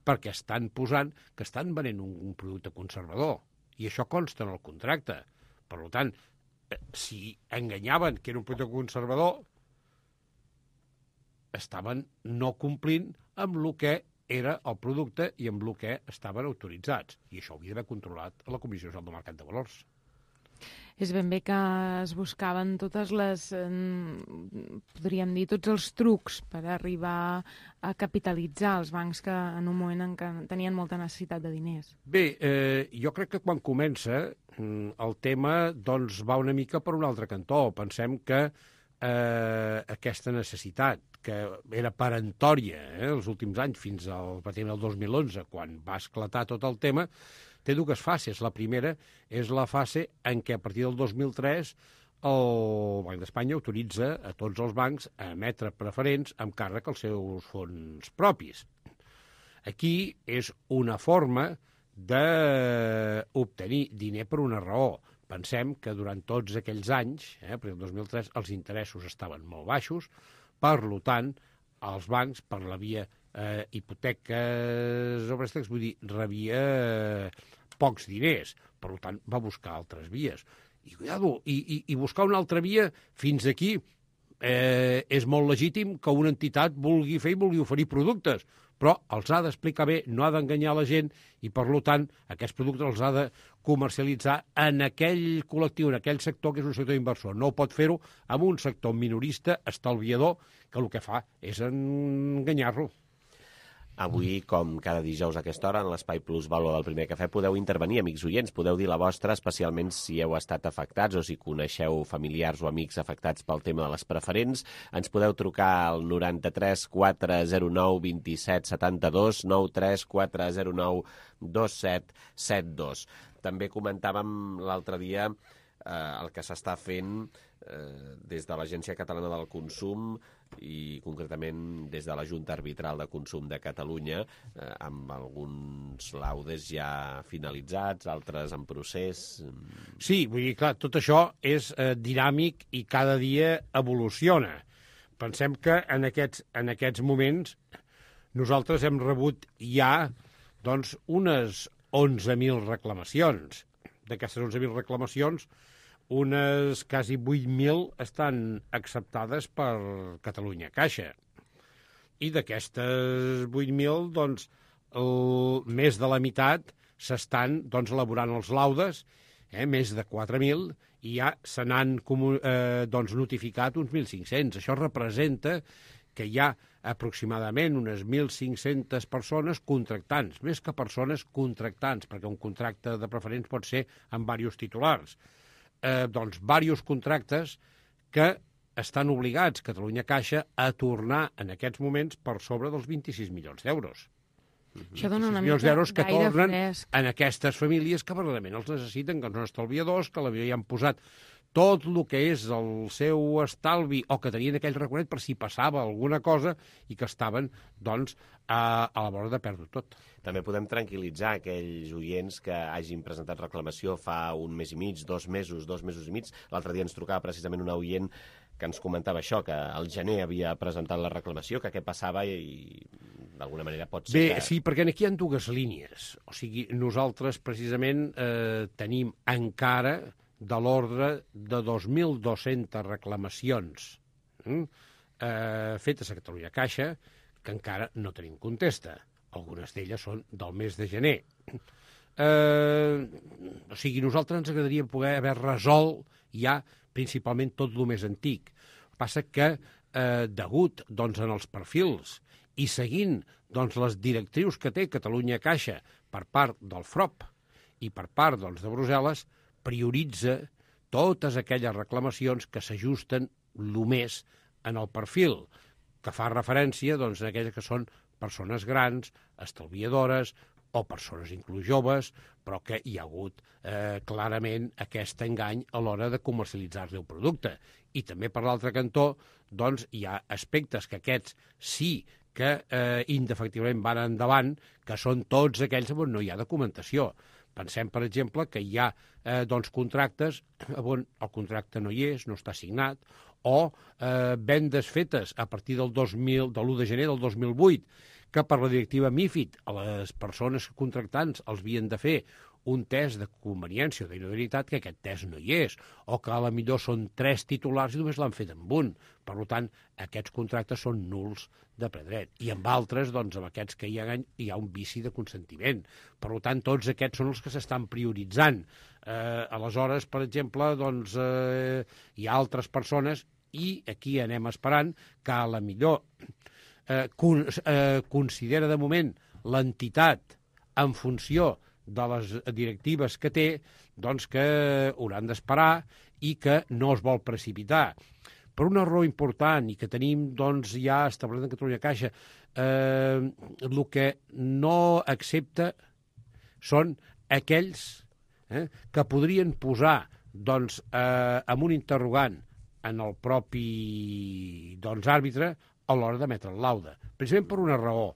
Perquè estan posant que estan venent un producte conservador, i això consta en el contracte. Per tant, si enganyaven que era un producte conservador, estaven no complint amb el que era el producte i amb el que estaven autoritzats. I això ho havia d'haver controlat a la Comissió Nacional del Mercat de Valors. És ben bé que es buscaven totes les, podríem dir, tots els trucs per arribar a capitalitzar els bancs que en un moment en què tenien molta necessitat de diners. Bé, jo crec que quan comença el tema va una mica per un altre cantó. Pensem que aquesta necessitat, que era peremptòria els últims anys, fins al 2011, quan va esclatar tot el tema, té dues fases. La primera és la fase en què a partir del 2003 el Banc d'Espanya autoritza a tots els bancs a emetre preferents amb càrrec als seus fons propis. Aquí és una forma d'obtenir diner per una raó. Pensem que durant tots aquells anys, perquè el 2003 els interessos estaven molt baixos, per tant, els bancs, per la via hipoteques o préstecs, vull dir, rebia pocs diners. Per tant, va buscar altres vies. I buscar una altra via fins aquí és molt legítim que una entitat vulgui fer i vulgui oferir productes, però els ha d'explicar bé, no ha d'enganyar la gent, i per tant aquests productes els ha de comercialitzar en aquell col·lectiu, en aquell sector que és un sector inversor. No pot fer-ho amb un sector minorista, estalviador, que el que fa és enganyar-lo. Avui, com cada dijous a aquesta hora, en l'Espai Plus Valor del Primer Cafè, podeu intervenir, amics oients, podeu dir la vostra, especialment si heu estat afectats o si coneixeu familiars o amics afectats pel tema de les preferents. Ens podeu trucar al 93 409 27 72, 93 409 2772. També comentàvem l'altre dia el que s'està fent des de l'Agència Catalana del Consum i concretament des de la Junta Arbitral de Consum de Catalunya, amb alguns laudes ja finalitzats, altres en procés. Sí, vull dir, clar, tot això és dinàmic i cada dia evoluciona. Pensem que en aquests moments nosaltres hem rebut ja doncs, unes 11.000 reclamacions. D'aquestes 11.000 reclamacions, unes quasi 8.000 estan acceptades per Catalunya Caixa. I d'aquestes 8.000, doncs, més de la meitat s'estan elaborant els laudes, més de 4.000, i ja se n'han notificat uns 1.500. Això representa que hi ha aproximadament unes 1.500 persones contractants, més que persones contractants, perquè un contracte de preferents pot ser amb diversos titulars. Diversos contractes que estan obligats, Catalunya Caixa, a tornar en aquests moments per sobre dels 26 milions d'euros. Això dona una milions mica d'euros que gaire tornen fresc. en aquestes famílies que verdaderament els necessiten, que són estalviadors, que l'havia han posat tot el que és el seu estalvi o que tenien aquell recorregut per si passava alguna cosa i que estaven, doncs, a la vora de perdre tot. També podem tranquil·litzar aquells oients que hagin presentat reclamació fa un mes i mig, 2 mesos i mig. L'altre dia ens trucava precisament un oient que ens comentava això, que al gener havia presentat la reclamació, que què passava i d'alguna manera pot ser que... Sí, perquè aquí hi ha dues línies. O sigui, nosaltres precisament tenim encara de l'ordre de 2.200 reclamacions fetes a Catalunya Caixa que encara no tenim contesta. Algunes d'elles són del mes de gener. O sigui, nosaltres ens agradaria poder haver resolt ja principalment tot el més antic. Passa que, degut en els perfils i seguint les directrius que té Catalunya Caixa per part del FROP i per part de Brussel·les, prioritza totes aquelles reclamacions que s'ajusten el més en el perfil, que fa referència a aquelles que són persones grans, estalviadores o persones inclús joves, però que hi ha hagut clarament aquest engany a l'hora de comercialitzar-li el producte. I també, per l'altre cantó, hi ha aspectes que aquests sí que indefectiblement van endavant, que són tots aquells on no hi ha documentació. Pensem, per exemple, que hi ha contractes on el contracte no hi és, no està signat, o vendes fetes a partir del 1 de gener del 2008, que per la directiva MiFID a les persones contractants els havien de fer un test de conveniència o d'idoneïtat, que aquest test no hi és, o que a la millor són 3 titulars i només l'han fet amb un. Per tant, aquests contractes són nuls de ple dret. I amb altres, amb aquests que hi ha un vici de consentiment. Per tant, tots aquests són els que s'estan prioritzant. Aleshores, per exemple, hi ha altres persones, i aquí anem esperant que a la millor considera de moment l'entitat en funció de les directives que té, que hauran d'esperar i que no es vol precipitar. Per una raó important i que tenim ja establert en Catalunya Caixa, el que no accepta són aquells que podrien posar amb un interrogant en el propi àrbitre a l'hora d'emetre el laude. Precisament per una raó,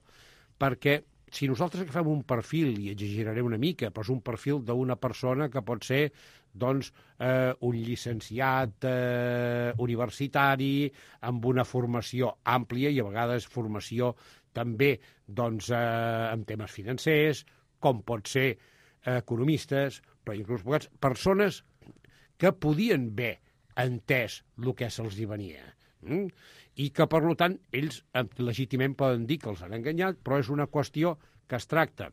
perquè si nosaltres agafem un perfil, i exageraré una mica, però és un perfil d'una persona que pot ser un llicenciat universitari amb una formació àmplia i a vegades formació també en temes financers, com pot ser economistes, però inclús persones que podien haver entès el que se'ls hi venia. I que, per tant, ells legítimament poden dir que els han enganyat, però és una qüestió que es tracta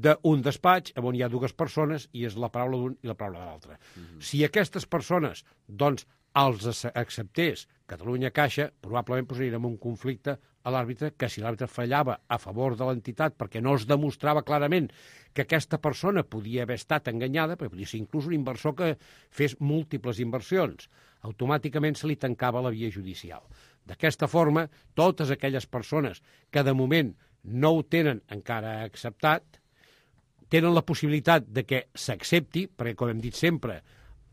d'un despatx on hi ha 2 persones i és la paraula d'un i la paraula de l'altre. Si aquestes persones, els acceptés Catalunya Caixa, probablement posarien en un conflicte a l'àrbitre, que si l'àrbitre fallava a favor de l'entitat perquè no es demostrava clarament que aquesta persona podia haver estat enganyada, perquè podia ser inclús un inversor que fes múltiples inversions, automàticament se li tancava la via judicial. D'aquesta forma, totes aquelles persones que de moment no ho tenen encara acceptat, tenen la possibilitat de que s'accepti, perquè, com hem dit sempre,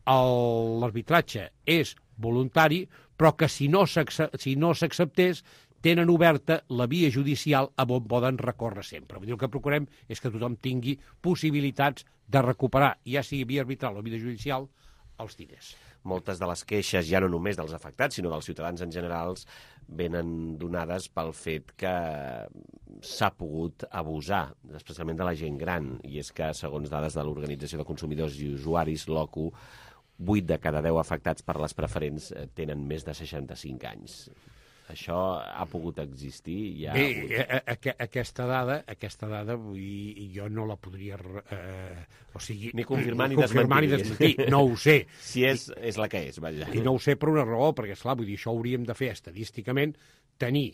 l'arbitratge és voluntari, però que si no s'acceptés tenen oberta la via judicial on poden recórrer sempre. Vull dir, el que procurem és que tothom tingui possibilitats de recuperar, ja sigui via arbitral o via judicial, els diners. Moltes de les queixes, ja no només dels afectats, sinó dels ciutadans en general, venen donades pel fet que s'ha pogut abusar, especialment de la gent gran, i és que, segons dades de l'Organització de Consumidors i Usuaris, l'OCU, 8 de cada 10 afectats per les preferents tenen més de 65 anys. Això ha pogut existir? Bé, aquesta dada jo no la podria... ni confirmar ni desmentir. No ho sé. Si és la que és, vaja. I no ho sé per una raó, perquè, esclar, vull dir, això hauríem de fer estadísticament, tenir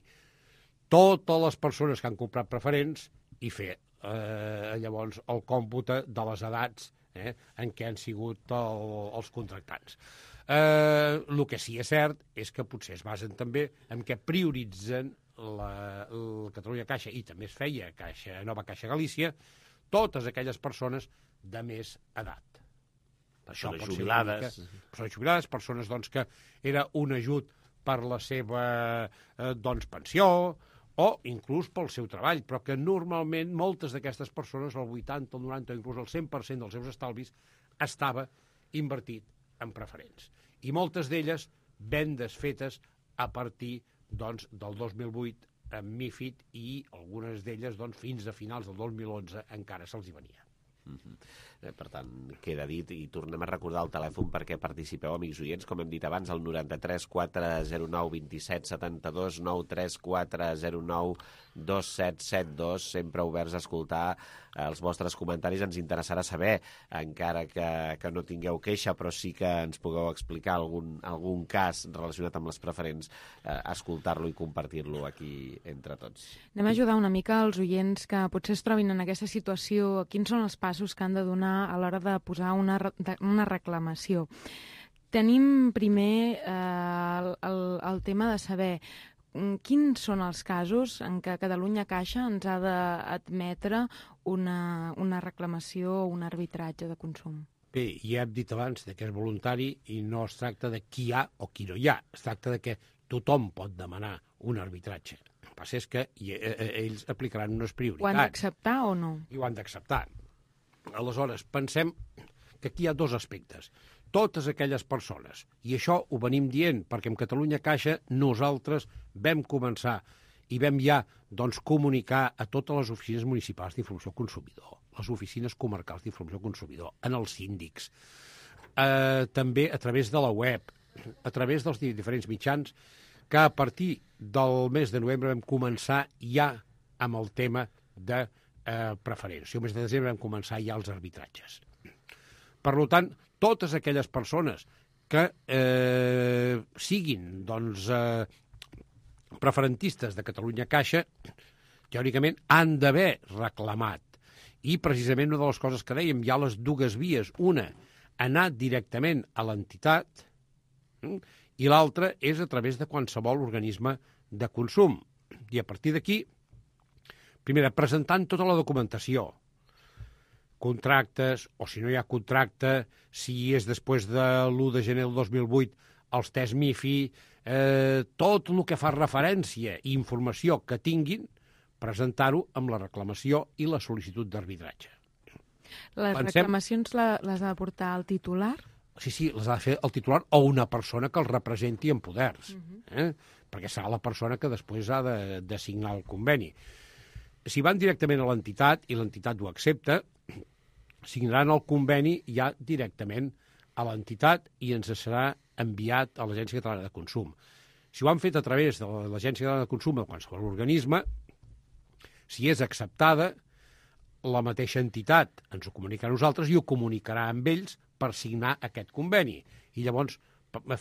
totes les persones que han comprat preferents i fer llavors el còmpute de les edats en què han sigut els contractants. El que sí és cert és que potser es basen també en què prioritzen el Catalunya Caixa, i també es feia Nova Caixa Galícia, totes aquelles persones de més edat. Persones jubilades. Persones jubilades, persones doncs, que era un ajut per la seva pensió o inclús pel seu treball, però que normalment moltes d'aquestes persones, el 80, el 90 o inclús el 100% dels seus estalvis estava invertit en preferents. I moltes d'elles vendes fetes a partir del 2008 amb MiFID, i algunes d'elles fins a finals del 2011 encara se'ls hi venia. Per tant, queda dit, i tornem a recordar el telèfon perquè participeu, amics oients, com hem dit abans, el 93 409 27 72, 93 409 2772, sempre oberts a escoltar els vostres comentaris. Ens interessarà saber, encara que no tingueu queixa, però sí que ens pugueu explicar algun cas relacionat amb les preferents, escoltar-lo i compartir-lo aquí entre tots. Anem a ajudar una mica als oients que potser es trobin en aquesta situació. Quins són els passos que han de donar a l'hora de posar una reclamació? Tenim primer el tema de saber quins són els casos en què Catalunya Caixa ens ha d'admetre una reclamació o un arbitratge de consum. Bé, ja hem dit abans que és voluntari i no es tracta de qui hi ha o qui no hi ha. Es tracta de que tothom pot demanar un arbitratge. El que passa és que ells aplicaran unes prioritats. Ho han d'acceptar o no? I ho han d'acceptar. Aleshores, pensem que aquí hi ha dos aspectes. Totes aquelles persones, i això ho venim dient, perquè en Catalunya Caixa nosaltres vam començar i vam ja comunicar a totes les oficines municipals d'informació al consumidor, les oficines comarcals d'informació al consumidor, en els síndics, també a través de la web, a través dels diferents mitjans, que a partir del mes de novembre vam començar ja amb el tema de preferents. I el mes de desembre vam començar ja els arbitratges. Per tant, totes aquelles persones que siguin preferentistes de Catalunya Caixa, teòricament han d'haver reclamat. I precisament una de les coses que dèiem, hi ha les dues vies. Una, anar directament a l'entitat, i l'altra és a través de qualsevol organisme de consum. I a partir d'aquí, primer, presentant tota la documentació, contractes, o si no hi ha contracte, si és després de l'1 de gener del 2008, els tests MIFI, tot el que fa referència i informació que tinguin, presentar-ho amb la reclamació i la sol·licitud d'arbitratge. Les reclamacions les ha de portar el titular? Sí, les ha de fer el titular o una persona que el representi en poders, perquè serà la persona que després ha de signar el conveni. Si van directament a l'entitat i l'entitat ho accepta, signaran el conveni ja directament a l'entitat i ens serà enviat a l'Agència Catalana de Consum. Si ho han fet a través de l'Agència Catalana de Consum o qualsevol organisme, si és acceptada, la mateixa entitat ens ho comunicarà a nosaltres i ho comunicarà amb ells per signar aquest conveni. I llavors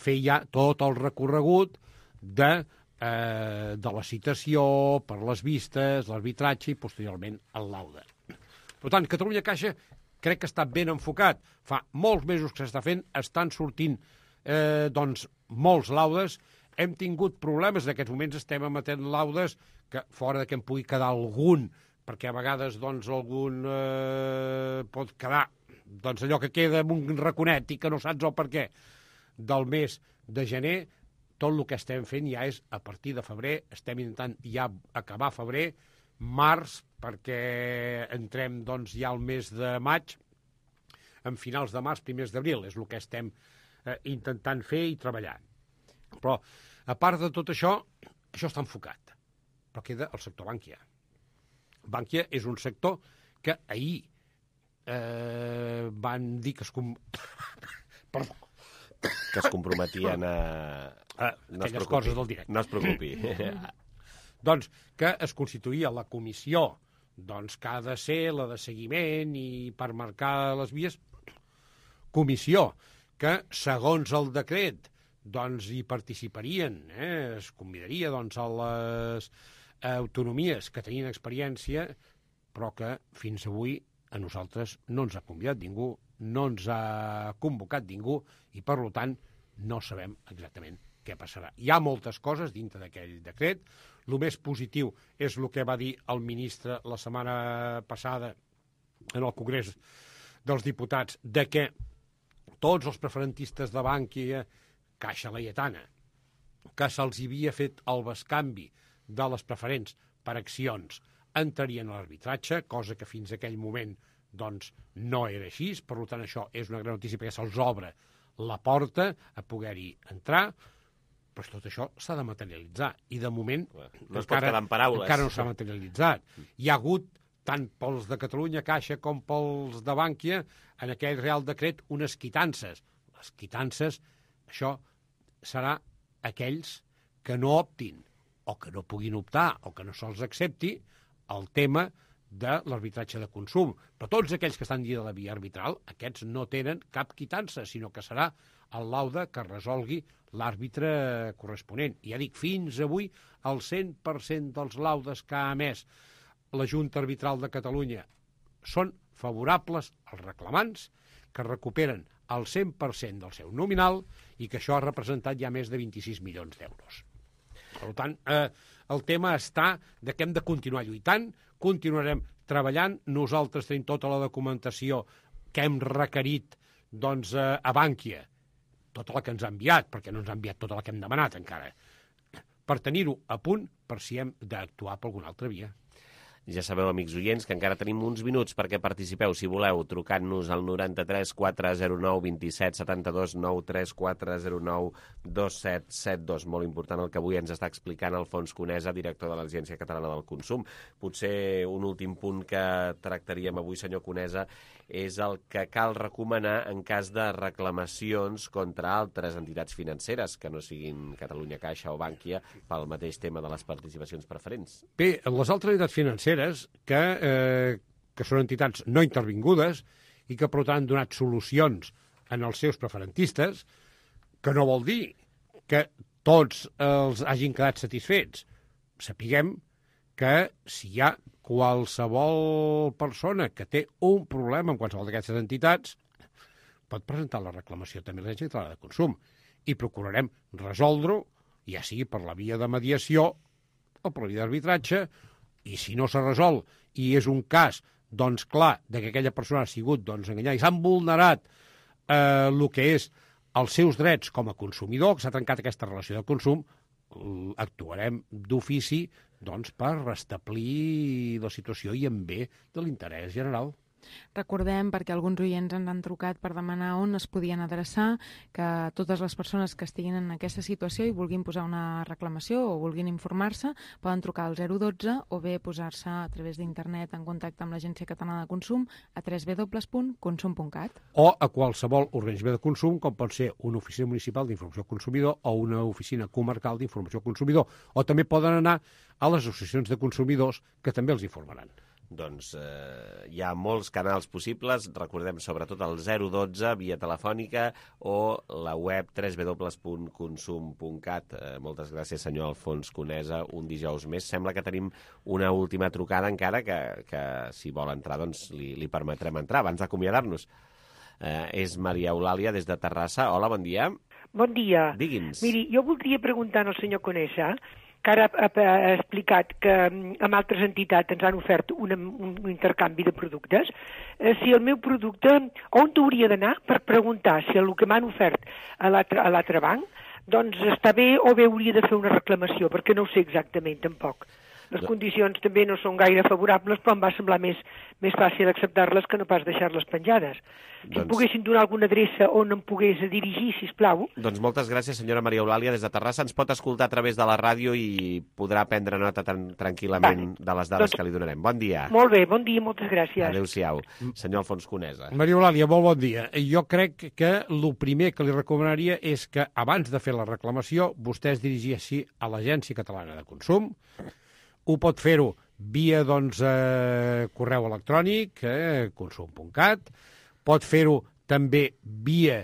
fer ja tot el recorregut de la citació, per les vistes, l'arbitratge i posteriorment el laude. Per tant, Catalunya Caixa crec que està ben enfocat. Fa molts mesos que s'està fent, estan sortint molts laudes. Hem tingut problemes, en aquests moments estem emetent laudes que fora de que en pugui quedar algun, perquè a vegades algun pot quedar doncs allò que queda en un raconet i que no saps el per què. Del mes de gener, tot el que estem fent ja és a partir de febrer, estem intentant ja acabar febrer, març, perquè entrem doncs, ja al mes de maig, en finals de març, primers d'abril, és el que estem intentant fer i treballar. Però, a part de tot això, això està enfocat, però queda el sector Bànquia. Bànquia és un sector que ahir van dir que Perdó. Que es comprometien a... aquelles coses del directe. No es preocupi. Doncs que es constituïa la comissió que ha de ser la de seguiment i per marcar les vies, comissió que, segons el decret, hi participarien, es convidaria a les autonomies que tenien experiència, però que fins avui a nosaltres no ens ha convidat ningú, no ens ha convocat ningú i, per tant, no sabem exactament què passarà. Hi ha moltes coses dintre d'aquell decret. El més positiu és el que va dir el ministre la setmana passada en el Congrés dels Diputats, de que tots els preferentistes de Bànquia, Caixa Laietana, que se'ls havia fet el bescanvi de les preferents per accions, entrarien a l'arbitratge, cosa que fins a aquell moment no era així. Per tant, això és una gran notícia perquè se'ls obre la porta a poder-hi entrar, però tot això s'ha de materialitzar. I de moment encara no s'ha materialitzat. Hi ha hagut, tant pels de Catalunya Caixa com pels de Bànquia, en aquell Real Decret, unes quitances. Les quitances, això serà aquells que no optin o que no puguin optar o que no se'ls accepti el tema de l'arbitratge de consum. Però tots aquells que estan dins de la via arbitral, aquests no tenen cap quitança, sinó que serà el laude que resolgui l'àrbitre corresponent. I ja dic, fins avui el 100% dels laudes que ha emès la Junta Arbitral de Catalunya són favorables als reclamants, que recuperen el 100% del seu nominal i que això ha representat ja més de 26 milions d'euros. Per tant, el tema està que hem de continuar lluitant, continuarem treballant. Nosaltres tenim tota la documentació que hem requerit a Bànquia, tota la que ens ha enviat, perquè no ens ha enviat tota la que hem demanat encara, per tenir-ho a punt per si hem d'actuar per alguna altra via. Ja sabeu, amics oients, que encara tenim uns minuts perquè participeu, si voleu, trucant-nos al 93 409 27 72 93 409 2772. Molt important el que avui ens està explicant Alfons Conesa, director de l'Agència Catalana del Consum. Potser un últim punt que tractaríem avui, senyor Conesa, és el que cal recomanar en cas de reclamacions contra altres entitats financeres que no siguin Catalunya Caixa o Bànquia pel mateix tema de les participacions preferents. Bé, les altres entitats financeres que són entitats no intervingudes i que, per tant, han donat solucions en els seus preferentistes, que no vol dir que tots els hagin quedat satisfets. Sapiguem que si hi ha qualsevol persona que té un problema amb qualsevol d'aquestes entitats, pot presentar la reclamació també a l'Agència Catalana de Consum i procurarem resoldre-ho, ja sigui per la via de mediació o per la via d'arbitratge. I si no s'ha resolt i és un cas, clar, que aquella persona ha sigut enganyada i s'han vulnerat el que és els seus drets com a consumidor, que s'ha trencat aquesta relació de consum, actuarem d'ofici per restablir la situació i en bé de l'interès general. Recordem, perquè alguns oients ens han trucat per demanar on es podien adreçar, que totes les persones que estiguin en aquesta situació i vulguin posar una reclamació o vulguin informar-se, poden trucar al 012 o bé posar-se a través d'internet en contacte amb l'Agència Catalana de Consum a www.consum.cat. O a qualsevol organisme de consum, com pot ser una oficina municipal d'informació consumidor o una oficina comarcal d'informació consumidor. O també poden anar a les associacions de consumidors, que també els informaran. Doncs hi ha molts canals possibles, recordem sobretot el 012 via telefònica o la web www.consum.cat. Moltes gràcies, senyor Alfons Conesa, un dijous més. Sembla que tenim una última trucada encara que si vol entrar doncs li permetrem entrar abans d'acomiadar-nos. És Maria Eulàlia des de Terrassa. Hola, bon dia. Bon dia. Digui'ns. Miri, jo voldria preguntar al senyor Conesa que ara ha explicat que amb altres entitats ens han ofert un intercanvi de productes, si el meu producte, on hauria d'anar per preguntar si el que m'han ofert a l'altre banc, doncs està bé o bé hauria de fer una reclamació, perquè no ho sé exactament tampoc. Les condicions també no són gaire favorables, però em va semblar més fàcil acceptar-les que no pas deixar-les penjades. Si em poguessin donar alguna adreça on em pogués dirigir, sisplau. Doncs moltes gràcies, senyora Maria Eulàlia, des de Terrassa. Ens pot escoltar a través de la ràdio i podrà prendre nota tranquil·lament de les dades que li donarem. Bon dia. Molt bé, bon dia, moltes gràcies. Adéu-siau. Senyor Alfons Conesa. Maria Eulàlia, molt bon dia. Jo crec que el primer que li recomanaria és que abans de fer la reclamació vostè es dirigeixi a l'Agència Catalana de Consum. Ho pot fer-ho via correu electrònic, consum.cat, pot fer-ho també via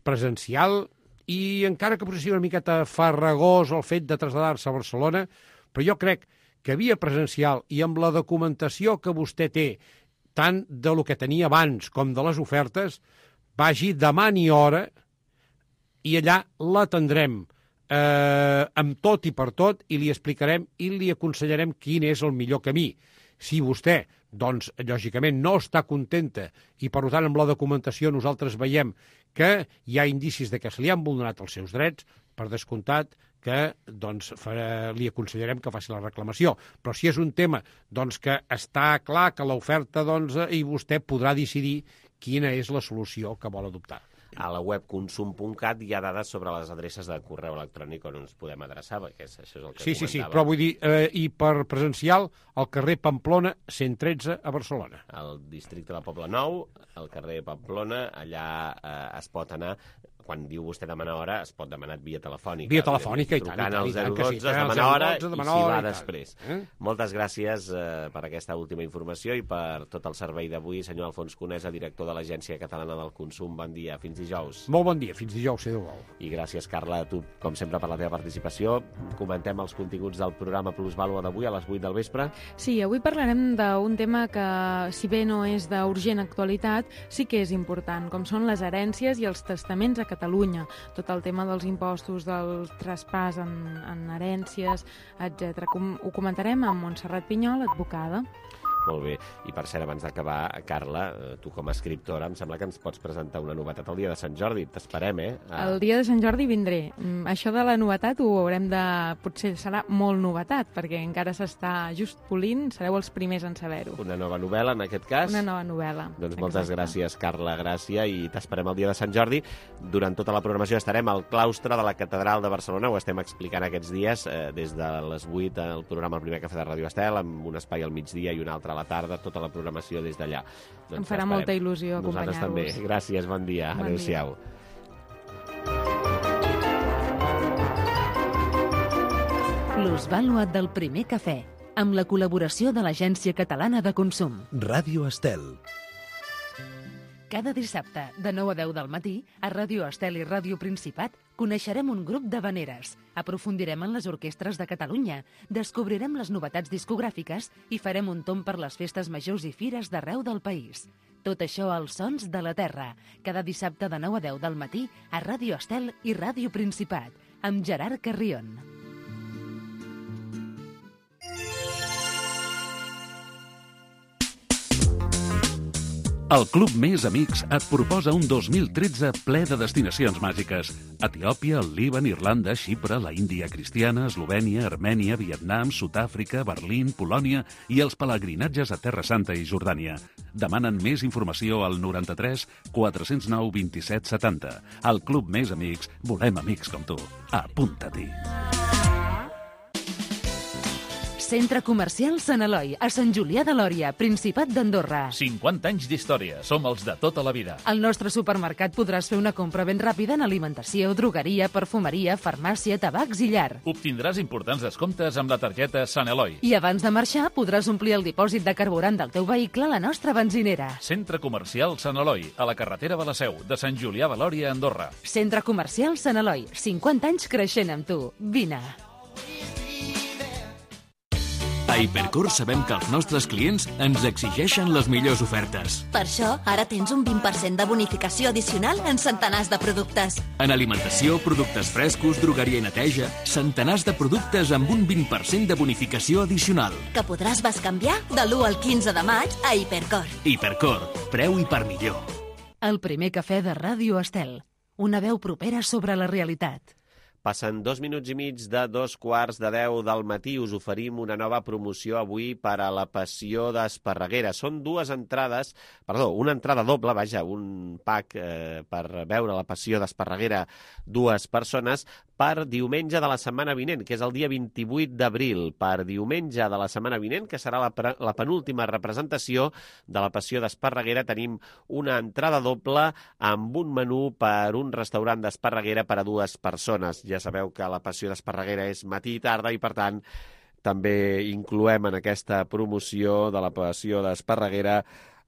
presencial, i encara que potser sigui una miqueta farragós el fet de traslladar-se a Barcelona, però jo crec que via presencial i amb la documentació que vostè té, tant de lo que tenia abans com de les ofertes, vagi, demani hora i allà l'atendrem amb tot i per tot, i li explicarem i li aconsellarem quin és el millor camí. Si vostè, doncs, lògicament no està contenta i, per tant, amb la documentació nosaltres veiem que hi ha indicis de que se li han vulnerat els seus drets, per descomptat que doncs, li aconsellarem que faci la reclamació. Però si és un tema doncs, que està clar que l'oferta i vostè podrà decidir quina és la solució que vol adoptar. A la web consum.cat hi ha dades sobre les adreces de correu electrònic on ens podem adreçar, perquè això és el que comentava. Sí, però vull dir, i per presencial, al carrer Pamplona, 113, a Barcelona. Al districte de Poble Nou, al carrer Pamplona, allà es pot anar. Quan diu vostè demanar hora, es pot demanar via telefònica. Via telefònica, i tant. Trucant al 012, es demana hora, i s'hi va després. Moltes gràcies per aquesta última informació i per tot el servei d'avui. Senyor Alfons Conesa, director de l'Agència Catalana del Consum, bon dia. Fins dijous. Molt bon dia. Fins dijous, si Déu vol. I gràcies, Carla, a tu, com sempre, per la teva participació. Comentem els continguts del programa Plusvàlua d'avui a les 8 del vespre. Sí, avui parlarem d'un tema que, si bé no és d'urgent actualitat, sí que és important, com són les herències i els testaments a Catalunya, tot el tema dels impostos, del traspàs en herències, etc. Ho comentarem amb Montserrat Pinyol, advocada. Molt bé. I per cert, abans d'acabar, Carla, tu com a escriptora, em sembla que ens pots presentar una novetat el dia de Sant Jordi. T'esperem, El dia de Sant Jordi vindré. Això de la novetat ho haurem de... Potser serà molt novetat, perquè encara s'està just polint, sereu els primers en saber-ho. Una nova novel·la, en aquest cas? Una nova novel·la. Doncs moltes gràcies, Carla Gràcia, i t'esperem el dia de Sant Jordi. Durant tota la programació estarem al claustre de la Catedral de Barcelona, ho estem explicant aquests dies, des de les 8 al programa El Primer Cafè de Ràdio Estel, amb un espai al migdia i un altre a la tarda, tota la programació des d'allà. Doncs em farà molta il·lusió acompanyar-vos. Nosaltres també. Gràcies, bon dia. Adéu-siau. Plusvàlua del Primer Cafè, amb la col·laboració de l'Agència Catalana de Consum. Ràdio Estel. Cada dissabte, de 9 a 10 del matí, a Ràdio Estel i Ràdio Principat, coneixerem un grup d'havaneres, aprofundirem en les orquestres de Catalunya, descobrirem les novetats discogràfiques i farem un tomb per les festes majors i fires d'arreu del país. Tot això als Sons de la Terra, cada dissabte de 9 a 10 del matí a Ràdio Estel i Ràdio Principat, amb Gerard Carrion. El Club Més Amics et proposa un 2013 ple de destinacions màgiques. Etiòpia, el Líban, Irlanda, Xipre, la Índia cristiana, Eslovènia, Armènia, Vietnam, Sud-àfrica, Berlín, Polònia i els pelegrinatges a Terra Santa i Jordània. Demanen més informació al 93 409 27 70. Al Club Més Amics volem amics com tu. Apunta-t'hi. Centre Comercial Sant Eloi, a Sant Julià de Lòria, Principat d'Andorra. 50 anys d'història, som els de tota la vida. Al nostre supermercat podràs fer una compra ben ràpida en alimentació, drogueria, perfumeria, farmàcia, tabacs i llar. Obtindràs importants descomptes amb la targeta Sant Eloi. I abans de marxar podràs omplir el dipòsit de carburant del teu vehicle a la nostra benzinera. Centre Comercial Sant Eloi, a la carretera de la Seu, de Sant Julià de Lòria, Andorra. Centre Comercial Sant Eloi, 50 anys creixent amb tu. Vine. A Hipercor sabem que els nostres clients ens exigeixen les millors ofertes. Per això, ara tens un 20% de bonificació addicional en centenars de productes. En alimentació, productes frescos, drogueria i neteja, centenars de productes amb un 20% de bonificació addicional. Que podràs bescanviar de l'1 al 15 de maig a Hipercor. Hipercor, preu i per millor. El primer cafè de Ràdio Estel. Una veu propera sobre la realitat. Passen 2 minuts i mig de 2:15 del matí. Us oferim una nova promoció avui per a la Passió d'Esparreguera. Són una entrada doble, un pack per veure la Passió d'Esparreguera 2 persones per diumenge de la setmana vinent, que és el dia 28 d'abril. Per diumenge de la setmana vinent, que serà la penúltima representació de la Passió d'Esparreguera, tenim una entrada doble amb un menú per un restaurant d'Esparreguera per a 2 persones. Ja sabeu que la Passió d'Esparreguera és matí i tarda i, per tant, també incloem en aquesta promoció de la Passió d'Esparreguera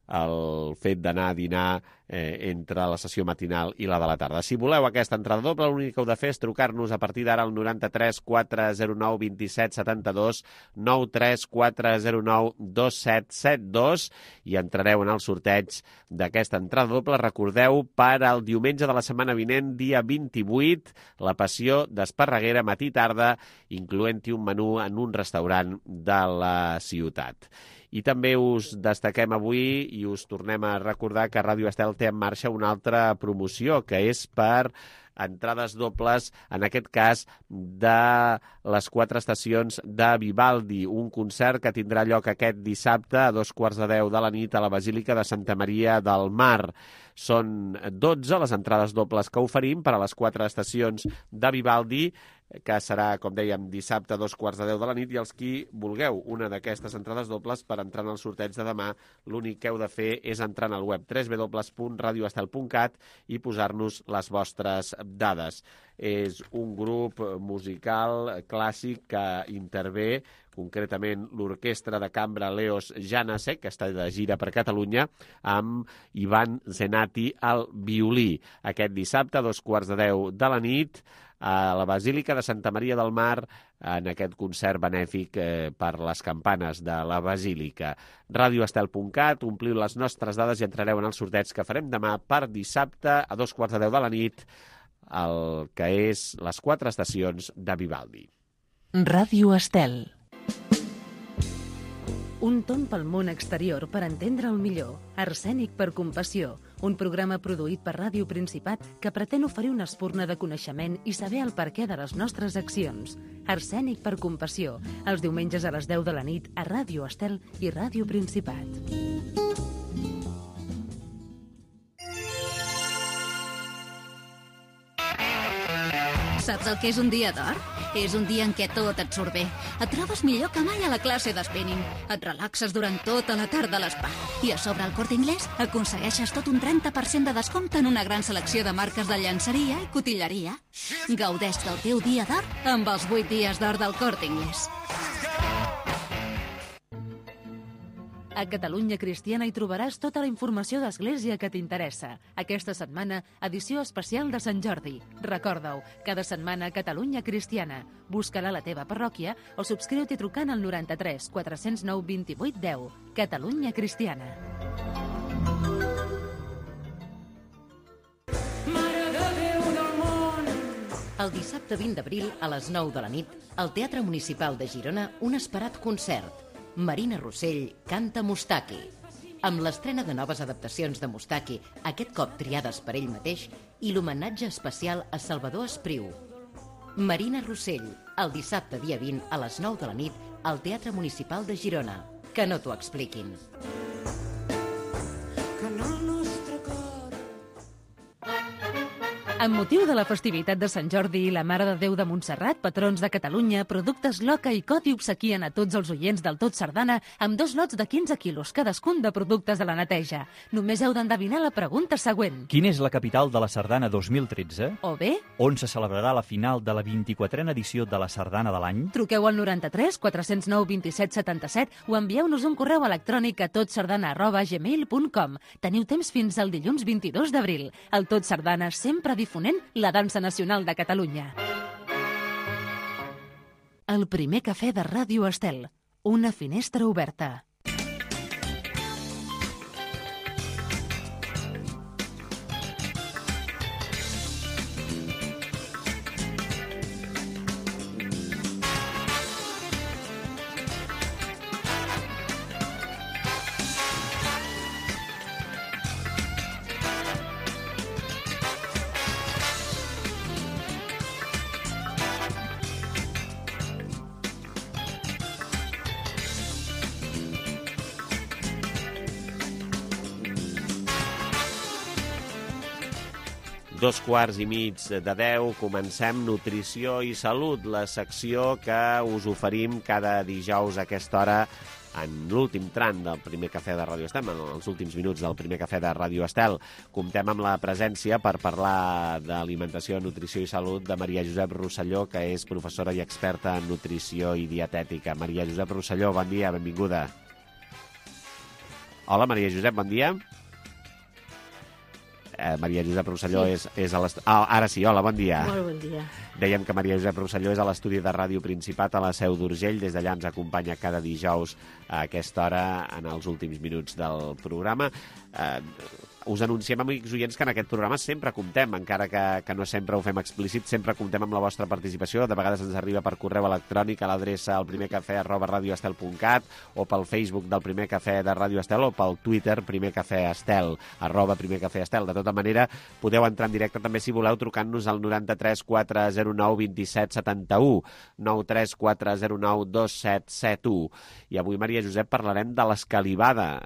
el fet d'anar a dinar entre la sessió matinal i la de la tarda. Si voleu aquesta entrada doble, l'únic que heu de fer és trucar-nos a partir d'ara al 93 409 27 72, 93 409 2772 i entrareu en el sorteig d'aquesta entrada doble. Recordeu, per al diumenge de la setmana vinent, dia 28, la Passió d'Esparreguera, matí i tarda, incloent-hi un menú en un restaurant de la ciutat. I també us destaquem avui i us tornem a recordar que Ràdio Estel té en marxa una altra promoció, que és per entrades dobles, en aquest cas, de les 4 estacions de Vivaldi, un concert que tindrà lloc aquest dissabte a 2:15 de la nit a la Basílica de Santa Maria del Mar. Són 12 les entrades dobles que oferim per a les 4 estacions de Vivaldi, que serà, com dèiem, dissabte a 2:15 de la nit, i els qui vulgueu una d'aquestes entrades dobles per entrar en el sorteig de demà, l'únic que heu de fer és entrar en el web www.radioestel.cat i posar-nos les vostres dades. És un grup musical clàssic que intervé, concretament l'Orquestra de Cambra Leos Janáček, que està de gira per Catalunya, amb Ivan Zenati al violí. Aquest dissabte a 2:15 de la nit, a la Basílica de Santa Maria del Mar, en aquest concert benèfic per les campanes de la Basílica. Radioestel.cat, ompliu les nostres dades i entrareu en el sorteig que farem demà per dissabte a 2:15 de la nit, el que és les 4 estacions de Vivaldi. Ràdio Estel. Un tomb pel món exterior per entendre'l millor. Arsènic per compassió. Un programa produït per Ràdio Principat que pretén oferir una espurna de coneixement i saber el perquè de les nostres accions. Arsènic per compassió. Els diumenges a les 10 de la nit a Ràdio Estel i Ràdio Principat. Saps el que és un dia d'or? És un dia en què tot et surt bé. Et trobes millor que mai a la classe d'espinning. Et relaxes durant tota la tarda a l'espa. I a sobre al Corte Inglés aconsegueixes tot un 30% de descompte en una gran selecció de marques de llançeria i cotilleria. Gaudeix del teu dia d'or amb els 8 dies d'or del Corte Inglés. A Catalunya Cristiana hi trobaràs tota la informació d'Església que t'interessa. Aquesta setmana, edició especial de Sant Jordi. Recorda-ho, cada setmana Catalunya Cristiana. Busca-la a la teva parròquia o subscriu-t'hi trucant al 93 409 28 10. Catalunya Cristiana. El dissabte 20 d'abril, a les 9 de la nit, al Teatre Municipal de Girona, un esperat concert. Marina Rossell canta Mustaki. Amb l'estrena de noves adaptacions de Mustaki, aquest cop triades per ell mateix, i l'homenatge especial a Salvador Espriu. Marina Rossell, el dissabte dia 20 a les 9 de la nit al Teatre Municipal de Girona. Que no t'ho expliquin. Amb motiu de la festivitat de Sant Jordi i la Mare de Déu de Montserrat, patrons de Catalunya, Productes Loca i Coti obsequien a tots els oients del Tot Sardana amb 2 lots de 15 quilos cadascun de productes de la neteja. Només heu d'endevinar la pregunta següent. Quina és la capital de la Sardana 2013? O bé... On se celebrarà la final de la 24a edició de la Sardana de l'any? Truqueu al 93 409 27 77 o envieu-nos un correu electrònic a totsardana@gmail.com. Teniu temps fins al dilluns 22 d'abril. El Tot Sardana sempre difonent la dansa nacional de Catalunya. El primer cafè de Ràdio Estel. Una finestra oberta. Dos quarts i mig de 10, comencem Nutrició i Salut, la secció que us oferim cada dijous a aquesta hora en l'últim tram del primer cafè de Ràdio Estel, en els últims minuts del primer cafè de Ràdio Estel. Comptem amb la presència per parlar d'alimentació, nutrició i salut de Maria Josep Rosselló, que és professora i experta en nutrició i dietètica. Maria Josep Rosselló, bon dia, benvinguda. Hola, Maria Josep, bon dia. Maria Josep Rosselló és a l'estudi... Ara sí, hola, bon dia. Molt bon dia. Dèiem que Maria Josep Rosselló és a l'estudi de Ràdio Principat a la Seu d'Urgell. Des d'allà ens acompanya cada dijous a aquesta hora en els últims minuts del programa. Us anunciem, amics oients, que en aquest programa sempre comptem, encara que no sempre ho fem explícit, sempre comptem amb la vostra participació. De vegades ens arriba per correu electrònic a l'adreça elprimercafè@radioestel.cat o pel Facebook del Primer Cafè de Ràdio Estel o pel Twitter Primer Cafè Estel, @Primer Cafè Estel. De tota manera, podeu entrar en directe també si voleu trucant-nos al 93 409 27 71, 93 409 2771. I avui, Maria Josep, parlarem de l'escalivada,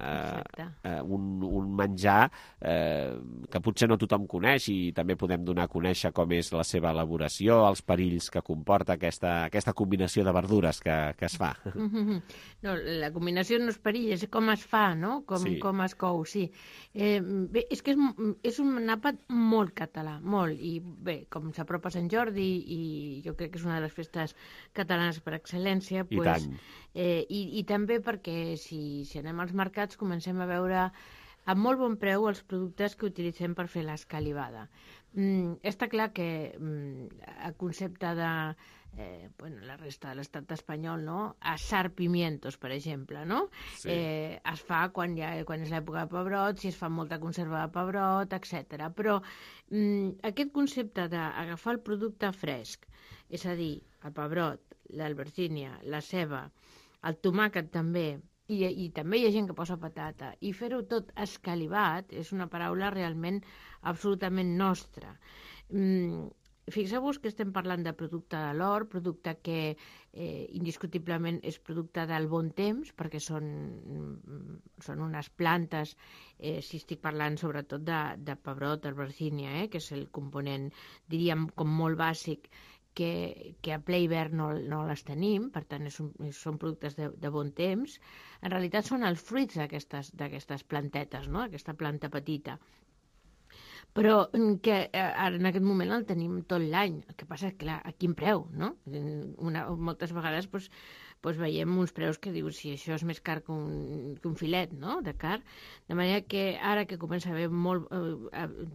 un menjar que potser no tothom coneix, i també podem donar a conèixer com és la seva elaboració, els perills que comporta aquesta combinació de verdures que es fa. No, la combinació no és perill, és com es fa, no? Com es cou, sí. Bé, és que és un àpat molt català, molt, i bé, com s'apropa Sant Jordi, i jo crec que és una de les festes catalanes per excel·lència, I tant. I també perquè si anem als mercats comencem a veure a molt bon preu els productes que utilitzem per fer l'escalivada. Està clar que el concepte de la resta de l'estat espanyol, no? Assar pimientos, per exemple, no? Sí. Es fa quan és l'època de pebrot, si es fa molta conserva de pebrot, etc. Però aquest concepte d'agafar el producte fresc, és a dir, el pebrot, l'albergínia, la ceba, el tomàquet també, i també hi ha gent que posa patata, i fer-ho tot escalivat és una paraula realment absolutament nostra. Fixeu-vos que estem parlant de producte de l'hort, producte que indiscutiblement és producte del bon temps, perquè són unes plantes, si estic parlant sobretot de pebrot, albergínia, que és el component, diríem, com molt bàsic, que a ple hivern no les tenim, per tant són productes de bon temps. En realitat són els fruits d'aquestes plantetes, no? Aquesta planta petita. Però que ara en aquest moment el tenim tot l'any. El que passa és que, clar, a quin preu, no? Moltes vegades veiem uns preus que dius si això és més car que un filet, no?, de car. De manera que ara que comença a haver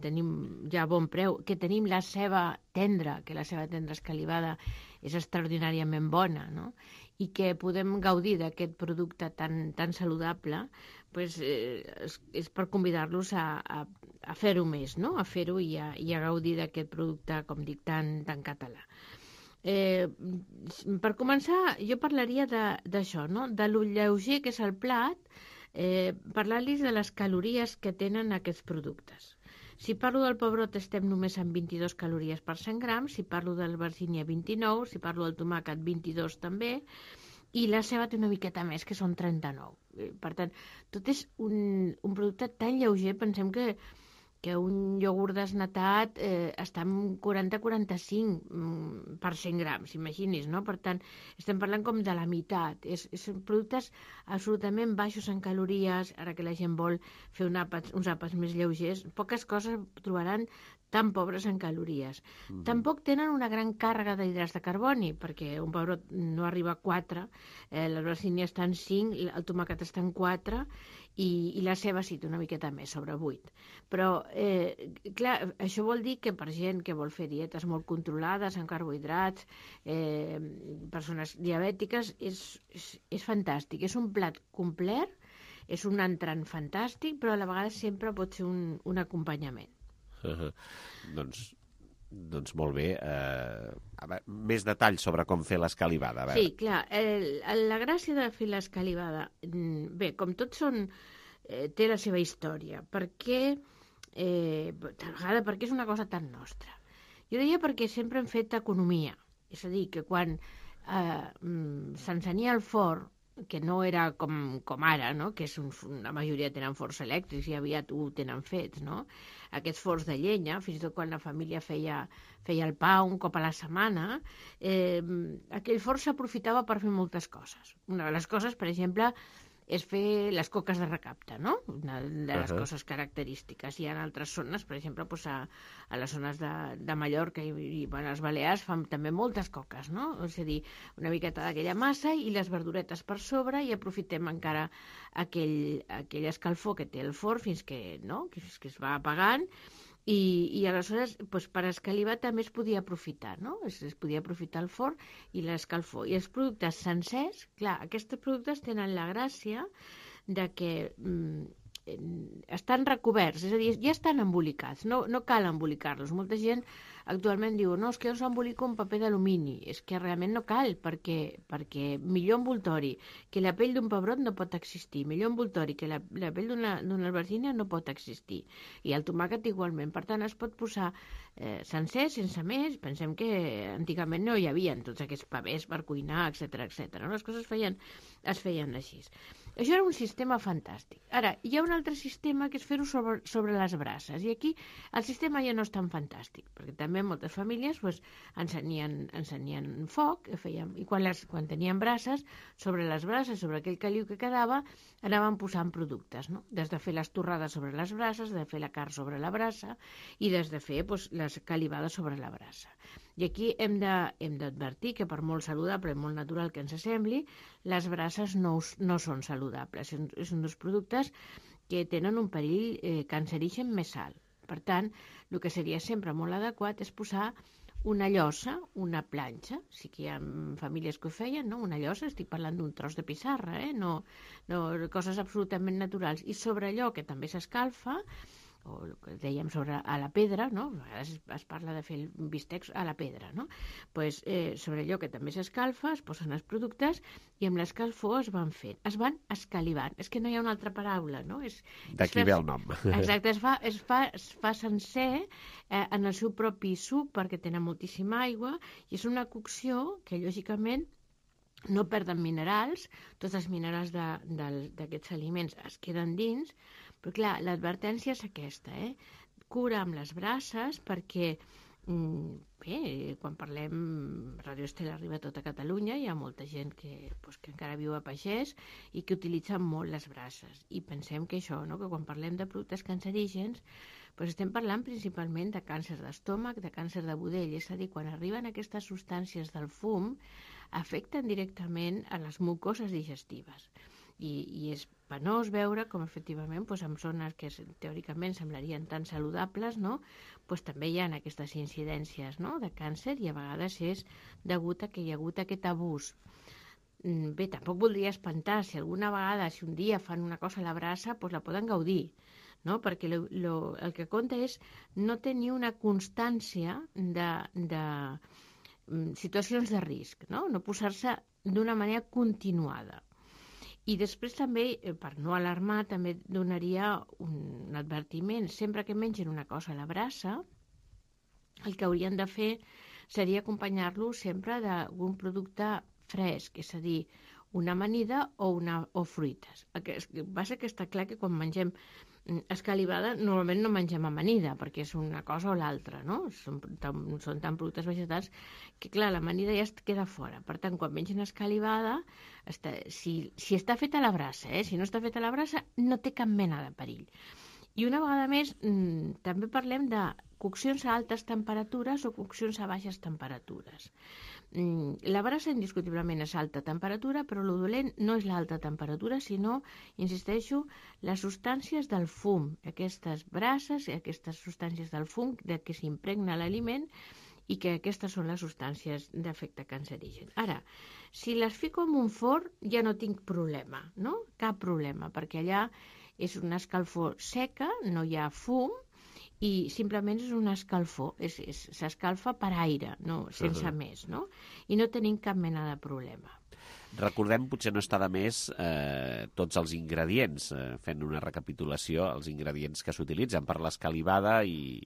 tenim ja bon preu, que tenim la ceba tendra, que la ceba tendra escalivada és extraordinàriament bona, no?, i que podem gaudir d'aquest producte tan saludable, és per convidar-los a fer-ho més, no?, a fer-ho i a gaudir d'aquest producte, com dic, tan català. Per començar, jo parlaria d'això, no?, de lo lleuger que és el plat, parlar-los de les calories que tenen aquests productes. Si parlo del pebrot estem només amb 22 calories per 100 grams, si parlo de l'albergínia 29, si parlo del tomàquet 22 també, i la ceba té una miqueta més, que són 39. Per tant, tot és un producte tan lleuger, pensem que un iogurt desnatat està en 40-45 per 100 grams, imagini's, no? Per tant, estem parlant com de la meitat. Són productes absolutament baixos en calories, ara que la gent vol fer uns àpats més lleugers, poques coses trobaran tan pobres en calories. Tampoc tenen una gran càrrega d'hidrats de carboni, perquè un pebrot no arriba a 4, l'albergínia està en 5, el tomàquet està en 4, i la ceba sí, té una miqueta més, sobre 8. Però, clar, això vol dir que per gent que vol fer dietes molt controlades en carbohidrats, persones diabètiques, és fantàstic. És un plat complet, és un entrant fantàstic, però a la vegada sempre pot ser un acompanyament. Doncs molt bé. Més detalls sobre com fer l'escalivada. Sí, clar. La gràcia de fer l'escalivada, bé, com tots té la seva història. Tal vegada perquè és una cosa tan nostra. Jo diria perquè sempre hem fet economia. És a dir, que quan s'encenia el forn, que no era com ara, no? Que la majoria tenen forns elèctrics i aviat ho tenen fets, no? Aquests forns de llenya, fins i tot quan la família feia el pa un cop a la setmana, aquell forn s'aprofitava per fer moltes coses. Una de les coses, per exemple, és fer les coques de recapte, no? Una de les coses característiques. Hi ha altres zones, per exemple, a les zones de Mallorca i a les Balears fan també moltes coques, no? És a dir, una miqueta d'aquella massa i les verduretes per sobre i aprofitem encara aquell escalfor que té el forn fins que es va apagant. I aleshores, per escalivar també es podia aprofitar, no? Es podia aprofitar el forn i l'escalfor. I els productes sencers, clar, aquests productes tenen la gràcia de que estan recoberts, és a dir, ja estan embolicats, no cal embolicar-los. Molta gent actualment diu, no, és que jo s'embolico un paper d'alumini. És que realment no cal, perquè millor envoltori que la pell d'un pebrot no pot existir, millor envoltori que la pell d'una albergínia no pot existir. I el tomàquet igualment. Per tant, es pot posar sencer, sense més. Pensem que antigament no hi havia tots aquests papers per cuinar, etc. Les coses es feien així. Això era un sistema fantàstic. Ara, hi ha un altre sistema que és fer-ho sobre les brases. I aquí el sistema ja no és tan fantàstic, perquè també moltes famílies encenien foc, i quan tenien brases, sobre les brases, sobre aquell caliu que quedava, anaven posant productes, no? Des de fer les torrades sobre les brases, de fer la carn sobre la brasa i des de fer l'escalivada sobre la brasa. I aquí hem d'advertir que per molt saludable i molt natural que ens sembli, les brases no són saludables. És un dels productes que tenen un perill cancerigen més alt. Per tant, el que seria sempre molt adequat és posar una llosa, una planxa, sí que hi ha famílies que ho feien, no? Una llosa, estic parlant d'un tros de pissarra, no coses absolutament naturals. I sobre allò que també s'escalfa, o el que dèiem a la pedra, no? A vegades es parla de fer bistecs a la pedra, no? Pues, sobre allò que també s'escalfa, es posen els productes i amb l'escalfor es van fent, es van escalivant. És que no hi ha una altra paraula, no? D'aquí ve el nom. Exacte, es fa sencer en el seu propi suc perquè tenen moltíssima aigua i és una cocció que, lògicament, no perden minerals, tots els minerals d'aquests aliments es queden dins, però clar, l'advertència és aquesta, cura amb les brases perquè, bé, quan parlem, Radio Estel arriba a tota Catalunya, hi ha molta gent que encara viu a pagès i que utilitzen molt les brases. I pensem que això, que quan parlem de productes cancerígens, estem parlant principalment de càncer d'estómac, de càncer de budell, és a dir, quan arriben aquestes substàncies del fum, afecten directament a les mucoses digestives. I és penós veure com efectivament en zones que teòricament semblarien tan saludables, també hi ha aquestes incidències de càncer i a vegades és degut a que hi ha hagut aquest abús. Bé, tampoc voldria espantar, si alguna vegada, si un dia fan una cosa a la brasa, la poden gaudir, perquè el que compta és no tenir una constància de situacions de risc, no posar-se d'una manera continuada. I després també, per no alarmar, també donaria un advertiment. Sempre que mengen una cosa a la brasa, el que haurien de fer seria acompanyar-lo sempre d'algun producte fresc, és a dir, una amanida o fruites. El que passa que està clar que quan mengem escalivada normalment no mengem amanida perquè és una cosa o l'altra, no? Són tan productes vegetals que clar, l'amanida ja es queda fora. Per tant, quan mengen escalivada, si està feta a la brasa, si no està feta a la brasa no té cap mena de perill. I una vegada més, també parlem de coccions a altes temperatures o coccions a baixes temperatures. La brasa indiscutiblement és alta temperatura, però el dolent no és l'alta temperatura, sinó, insisteixo, les substàncies del fum, aquestes brases i aquestes substàncies del fum de què s'impregna l'aliment i que aquestes són les substàncies d'efecte cancerigen. Ara, si les fico en un forn ja no tinc problema, no? Cap problema, perquè allà és una escalfor seca, no hi ha fum, i simplement és una escalfor, s'escalfa per aire, no, sense més, no? I no tenim cap mena de problema. Recordem, potser no està de més, tots els ingredients, fent una recapitulació, els ingredients que s'utilitzen per l'escalivada i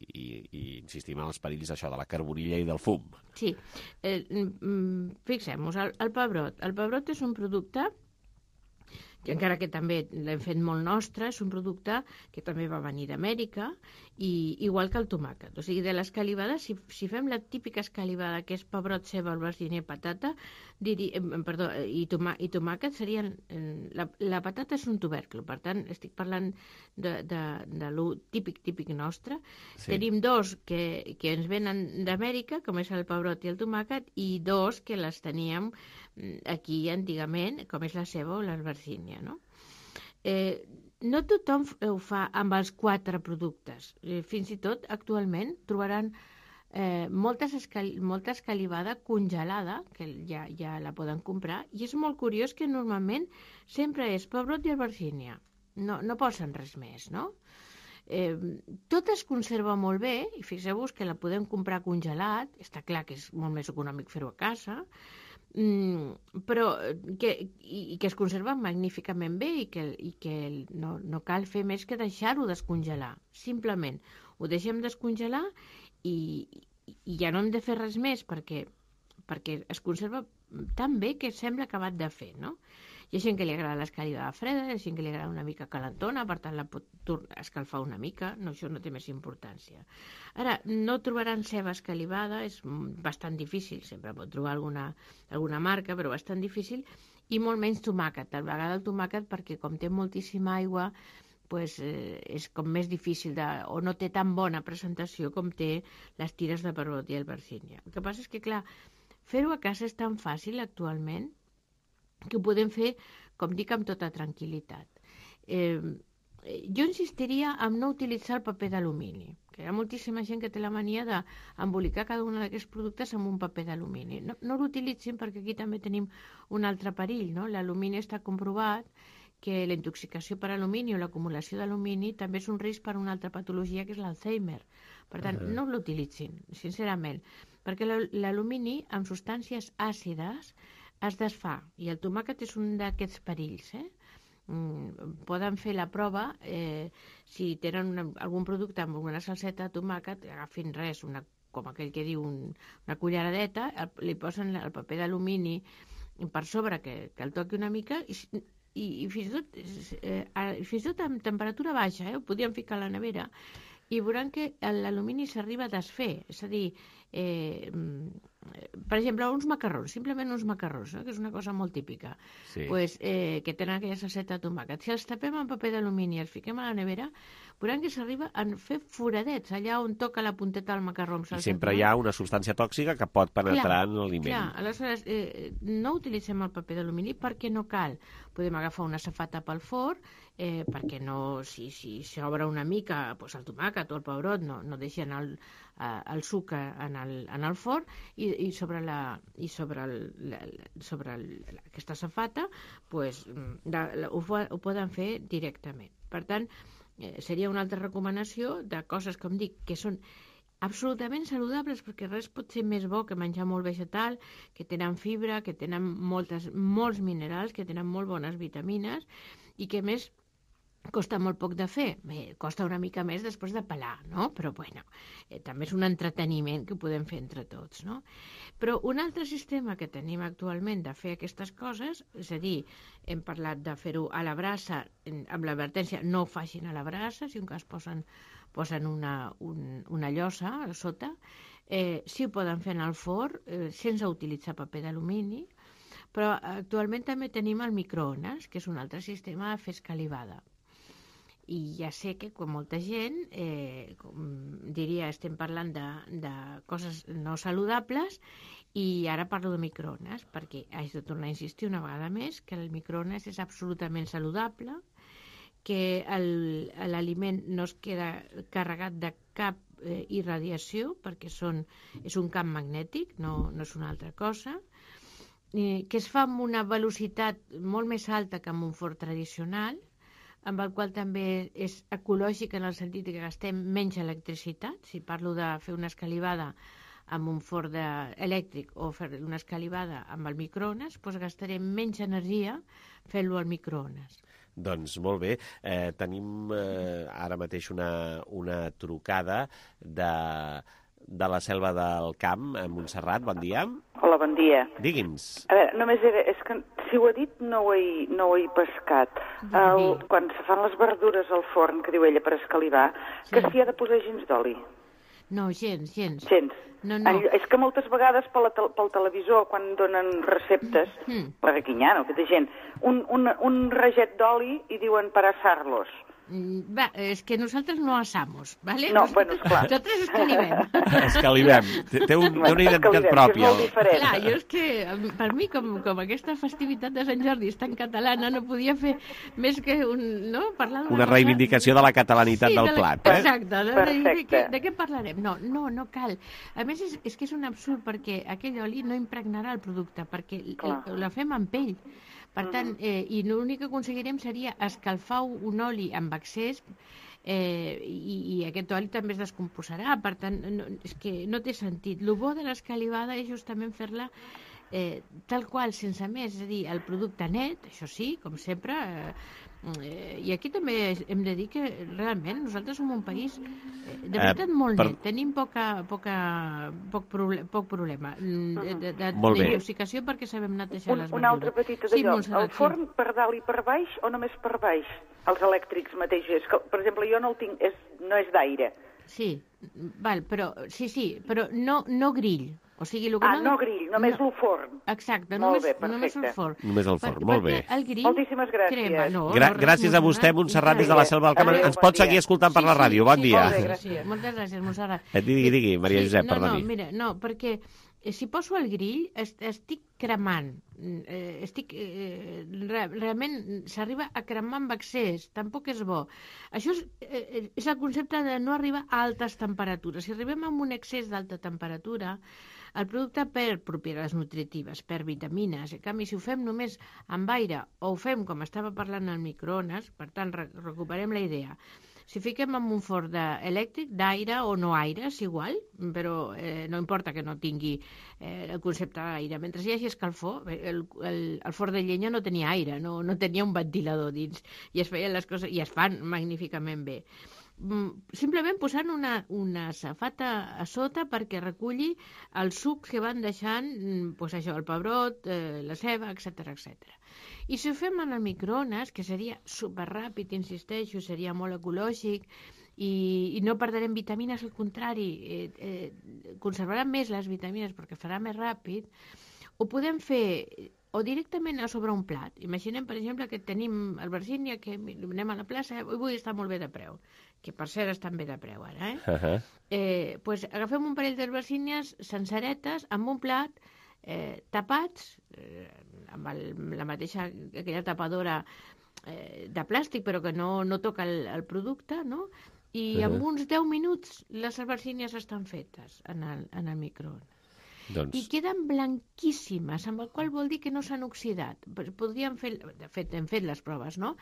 insistim en els perills això de la carbonilla i del fum. Sí, fixem-nos, el pebrot. El pebrot és un producte que encara que també l'hem fet molt nostre, és un producte que també va venir d'Amèrica, igual que el tomàquet. O sigui, de l'escalivada, si fem la típica escalivada, que és pebrot, ceba, albergínia i patata, i tomàquet serien... La patata és un tubercle, per tant, estic parlant de lo típic nostre. Sí. Tenim dos que ens venen d'Amèrica, com és el pebrot i el tomàquet, i dos que les teníem aquí antigament, com és la ceba o l'albergínia, no? No tothom ho fa amb els 4 productes. Fins i tot, actualment, trobaran molta escalivada congelada, que ja la poden comprar, i és molt curiós que normalment sempre és pebrot i albergínia. No posen res més, no? Tot es conserva molt bé, i fixeu-vos que la podem comprar congelat, està clar que és molt més econòmic fer-ho a casa, però que es conserva magníficament bé i que no cal fer més que deixar-ho descongelar. Simplement ho deixem descongelar i ja no hem de fer res més perquè es conserva tan bé que sembla acabat de fer, no? Hi ha gent que li agrada l'escalivada freda, hi ha gent que li agrada una mica calentona, per tant la pot escalfar una mica, no, això no té més importància. Ara, no trobaran ceba escalivada, és bastant difícil, sempre pot trobar alguna marca, però bastant difícil, i molt menys tomàquet. A vegades el tomàquet, perquè com té moltíssima aigua, pues, és com més difícil o no té tan bona presentació com té les tires de pebrot i albergínia. El que passa és que, clar, fer-ho a casa és tan fàcil actualment que ho podem fer, com dic, amb tota tranquil·litat. Jo insistiria en no utilitzar el paper d'alumini, que hi ha moltíssima gent que té la mania d'embolicar cada un d'aquests productes amb un paper d'alumini. No l'utilitzin perquè aquí també tenim un altre perill, no? L'alumini està comprovat que la intoxicació per alumini o l'acumulació d'alumini també és un risc per una altra patologia que és l'Alzheimer. Per tant, no l'utilitzin, sincerament, perquè l'alumini amb substàncies àcides es desfà, i el tomàquet és un d'aquests perills. Poden fer la prova, si tenen algun producte amb una salseta de tomàquet, agafin res, com aquell que diu una culleradeta, li posen el paper d'alumini per sobre que el toqui una mica i fins i tot amb temperatura baixa, ho podien ficar a la nevera, i veuran que l'alumini s'arriba a desfer, és a dir, per exemple, uns macarrons, simplement uns macarrons, que és una cosa molt típica, que tenen aquella salseta de tomàquet. Si els tapem amb paper d'alumini i els fiquem a la nevera, veuran que s'arriba a fer foradets allà on toca la punteta del macarró amb salsa. I sempre hi ha una substància tòxica que pot penetrar en l'aliment. Clar, aleshores no utilitzem el paper d'alumini perquè no cal. Podem agafar una safata pel forn, perquè no, si s'obre una mica el tomàquet o el pebrot, no deixen el suc en el forn, i sobre aquesta safata ho poden fer directament. Per tant, seria una altra recomanació de coses, com dic, que són absolutament saludables, perquè res pot ser més bo que menjar molt vegetal, que tenen fibra, que tenen molts minerals, que tenen molt bones vitamines i que, a més, costa molt poc de fer. Bé, costa una mica més després de pelar, no? Però, bueno, també és un entreteniment que podem fer entre tots, no? Però un altre sistema que tenim actualment de fer aquestes coses, és a dir, hem parlat de fer-ho a la brasa, amb l'advertència, no ho facin a la brasa, si un cas posen una llosa a sota, sí ho poden fer en el forn, sense utilitzar paper d'alumini, però actualment també tenim el microones, que és un altre sistema de fer escalivada. I ja sé que quan molta gent diria estem parlant de coses no saludables i ara parlo de microones, perquè haig de tornar a insistir una vegada més que el microones és absolutament saludable, que l'aliment no es queda carregat de cap irradiació, perquè és un camp magnètic, no és una altra cosa, que es fa amb una velocitat molt més alta que amb un forn tradicional, amb el qual també és ecològic en el sentit que gastem menys electricitat. Si parlo de fer una escalivada amb un forn elèctric o fer una escalivada amb el microones, doncs gastarem menys energia fent-lo al microones. Doncs molt bé. Tenim ara mateix una trucada de la Selva del Camp, a Montserrat. Bon dia. Hola, bon dia. Digui'ns. A veure, només és que si ho ha dit no ho he pescat. Quan se fan les verdures al forn, que diu ella, per escalivar, que s'hi ha de posar gens d'oli. No, gens. Gens. No. És que moltes vegades pel televisor, quan donen receptes, la Requiñano, aquesta gent, un raget d'oli i diuen per assar-los. És que nosaltres no assamos, ¿vale? No, bueno, esclar. Nosaltres escalivem. Escalivem. Té una identitat pròpia. Clar, jo és que, per mi, com aquesta festivitat de Sant Jordi és tan catalana, no podia fer més que parlar d'una una reivindicació de la catalanitat del plat. Exacte. De què parlarem? No cal. A més, és que és un absurd, perquè aquell oli no impregnarà el producte, perquè la fem amb pell. Per tant, i l'únic que aconseguirem seria escalfar un oli amb excés i aquest oli també es descomposarà. Per tant, és que no té sentit. El bo de l'escalivada és justament fer-la tal qual, sense més, és a dir, el producte net, això sí, com sempre, i aquí també hem de dir que realment nosaltres som un país de veritat molt net, tenim poc problema d'intoxicació perquè sabem netejar les verdures. Una altra petita d'allò, el forn per dalt i per baix o només per baix? Els elèctrics mateixos, per exemple, jo no el tinc, no és d'aire. Sí, però no grill. O sigui, no grill, només el forn. Exacte, només el forn. Només el forn, molt bé. Moltíssimes gràcies. Gràcies a vostè, Montserrat, des de la Selva del Camp. Ens pot seguir escoltant per la ràdio. Bon dia. Moltes gràcies, Montserrat. Digui, Maria Josep, perdoni. No, perquè si poso el grill estic cremant. Realment s'arriba a cremar amb excés, tampoc és bo. Això és el concepte de no arribar a altes temperatures. Si arribem a un excés d'alta temperatura, el producte perd propietats nutritives, perd vitamines. En canvi, si ho fem només amb aire o ho fem, com estava parlant, al microones, per tant, recuperem la idea. Si fiquem en un forn elèctric, d'aire o no aire, és igual, però no importa que no tingui el concepte d'aire. Mentre hi hagi escalfor, el forn de llenya no tenia aire, no tenia un ventilador dins, i es feien les coses, i es fan magníficament bé. Simplement posant una safata a sota perquè reculli els sucs que van deixant, el pebrot, la ceba, etc. I si ho fem en el microones, que seria superràpid, insisteixo, seria molt ecològic i no perdrem vitamines, al contrari, conservarà més les vitamines perquè farà més ràpid, ho podem fer o directament a sobre un plat. Imaginem, per exemple, que tenim albergínia, que anem a la plaça, avui està molt bé de preu, que per cert estan bé de preu ara, doncs agafem un parell d'albergínies senceretes amb un plat, tapats, amb la mateixa, aquella tapadora de plàstic, però que no toca el producte, no? I en uns 10 minuts les albergínies estan fetes en el microones. I queden blanquíssimes, amb el qual vol dir que no s'han oxidat. Podríem fer, de fet, hem fet les proves, no?,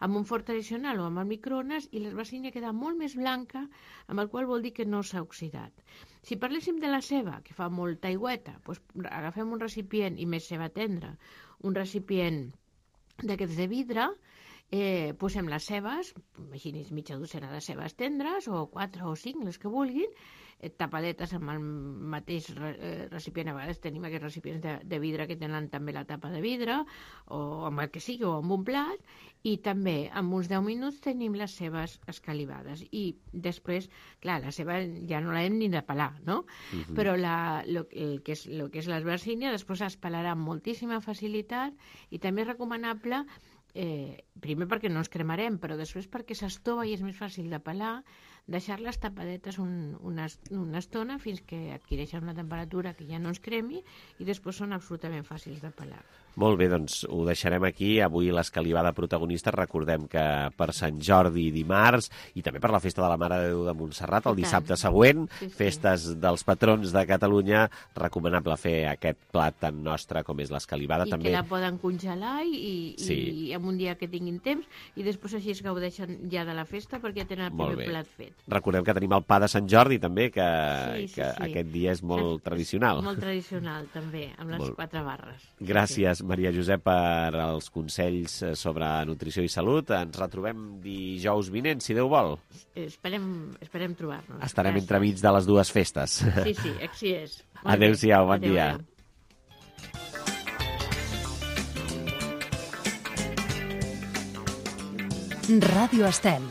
amb un forn tradicional o amb el microones, i l'albergínia queda molt més blanca, amb el qual vol dir que no s'ha oxidat. Si parléssim de la ceba, que fa molta aigüeta, doncs agafem un recipient, i més ceba tendra, un recipient d'aquests de vidre, posem les cebes, imagini's mitja docena de cebes tendres, o 4 o 5, les que vulguin, tapadetes amb el mateix recipient. A vegades tenim aquests recipients de vidre que tenen també la tapa de vidre, o amb el que sigui, o amb un plat, i també en uns 10 minuts tenim les cebes escalivades. I després, clar, la ceba ja no l'hem ni de pelar, no? Però el que és l'albergínia després es pelarà amb moltíssima facilitat, i també és recomanable primer perquè no ens cremarem, però després perquè s'estova i és més fàcil de pelar, deixar-les tapadetes una estona fins que adquireixen una temperatura que ja no ens cremi i després són absolutament fàcils de pelar. Molt bé, doncs ho deixarem aquí. Avui l'escalivada protagonista. Recordem que per Sant Jordi dimarts i també per la Festa de la Mare de Déu de Montserrat, el dissabte següent, festes dels patrons de Catalunya, recomanable fer aquest plat tan nostre com és l'escalivada. I que la poden congelar i en un dia que tinguin temps i després així es gaudeixen ja de la festa perquè tenen el primer plat fet. Recordem que tenim el pa de Sant Jordi també, que aquest dia és molt tradicional. Molt tradicional també, amb les 4 barres. Gràcies, Maria Josep, per els consells sobre nutrició i salut. Ens retrobem dijous vinent, si Déu vol. Esperem trobar-nos. Estarem entremig de les dues festes. Sí, així és. Adéu-siau, bon dia. Ràdio Estel.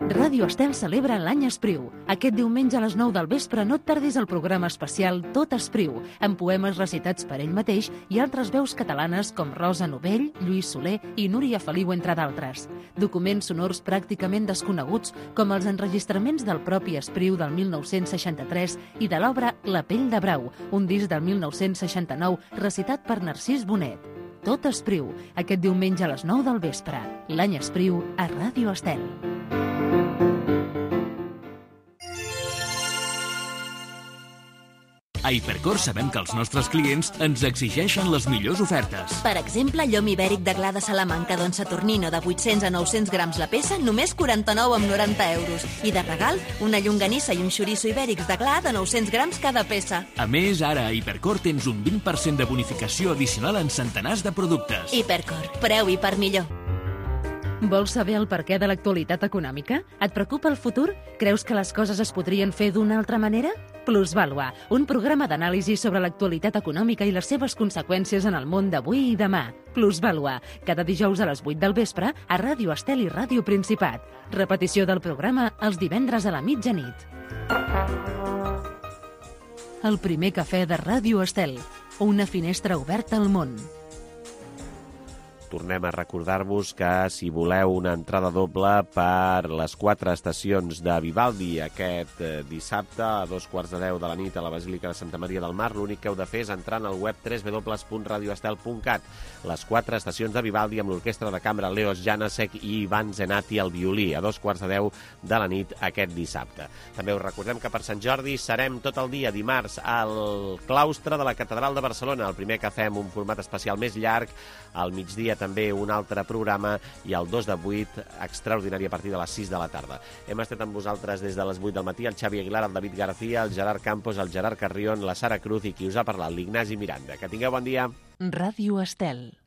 Ràdio Estel celebra l'any Espriu. Aquest diumenge a les 9 del vespre no et perdis el programa especial Tot Espriu, amb poemes recitats per ell mateix i altres veus catalanes com Rosa Novell, Lluís Soler i Núria Feliu, entre d'altres. Documents sonors pràcticament desconeguts, com els enregistraments del propi Espriu del 1963 i de l'obra La pell de brau, un disc del 1969 recitat per Narcís Bonet. Tot Espriu, aquest diumenge a les 9 del vespre. L'any Espriu a Ràdio Estel. A Hipercor sabem que els nostres clients ens exigeixen les millors ofertes. Per exemple, llom ibèric de Gla de Salamanca Don Saturnino de 800 a 900 grams la peça, només 49,90 euros. I de regal, una llonganissa i un xoriço ibèrics de Gla de 900 grams cada peça. A més, ara a Hipercor tens un 20% de bonificació addicional en centenars de productes. Hipercor, preu i per millor. Vols saber el perquè de l'actualitat econòmica? Et preocupa el futur? Creus que les coses es podrien fer d'una altra manera? Plusvàlua, un programa d'anàlisi sobre l'actualitat econòmica i les seves conseqüències en el món d'avui i demà. Plusvàlua, cada dijous a les 8 del vespre a Ràdio Estel i Ràdio Principat. Repetició del programa els divendres a la mitjanit. El primer cafè de Ràdio Estel, una finestra oberta al món. Tornem a recordar-vos que si voleu una entrada doble per les 4 estacions de Vivaldi aquest dissabte a 2:15 de la nit a la Basílica de Santa Maria del Mar, l'únic que heu de fer és entrar en el web www.radioestel.cat. Les 4 estacions de Vivaldi amb l'orquestra de cambra Leos Janáček i Ivan Zenati al violí a 2:15 de la nit aquest dissabte. També us recordem que per Sant Jordi serem tot el dia dimarts al claustre de la Catedral de Barcelona, el primer cafè amb un format especial més llarg, al migdia també un altre programa i el 2 de 8 extraordinari a partir de les 6 de la tarda. Hem estat amb vosaltres des de les 8 del matí, el Xavi Aguilar, el David García, el Gerard Campos, el Gerard Carrión, la Sara Cruz i qui us ha parlat, l'Ignasi Miranda. Que tingueu bon dia. Ràdio Estel.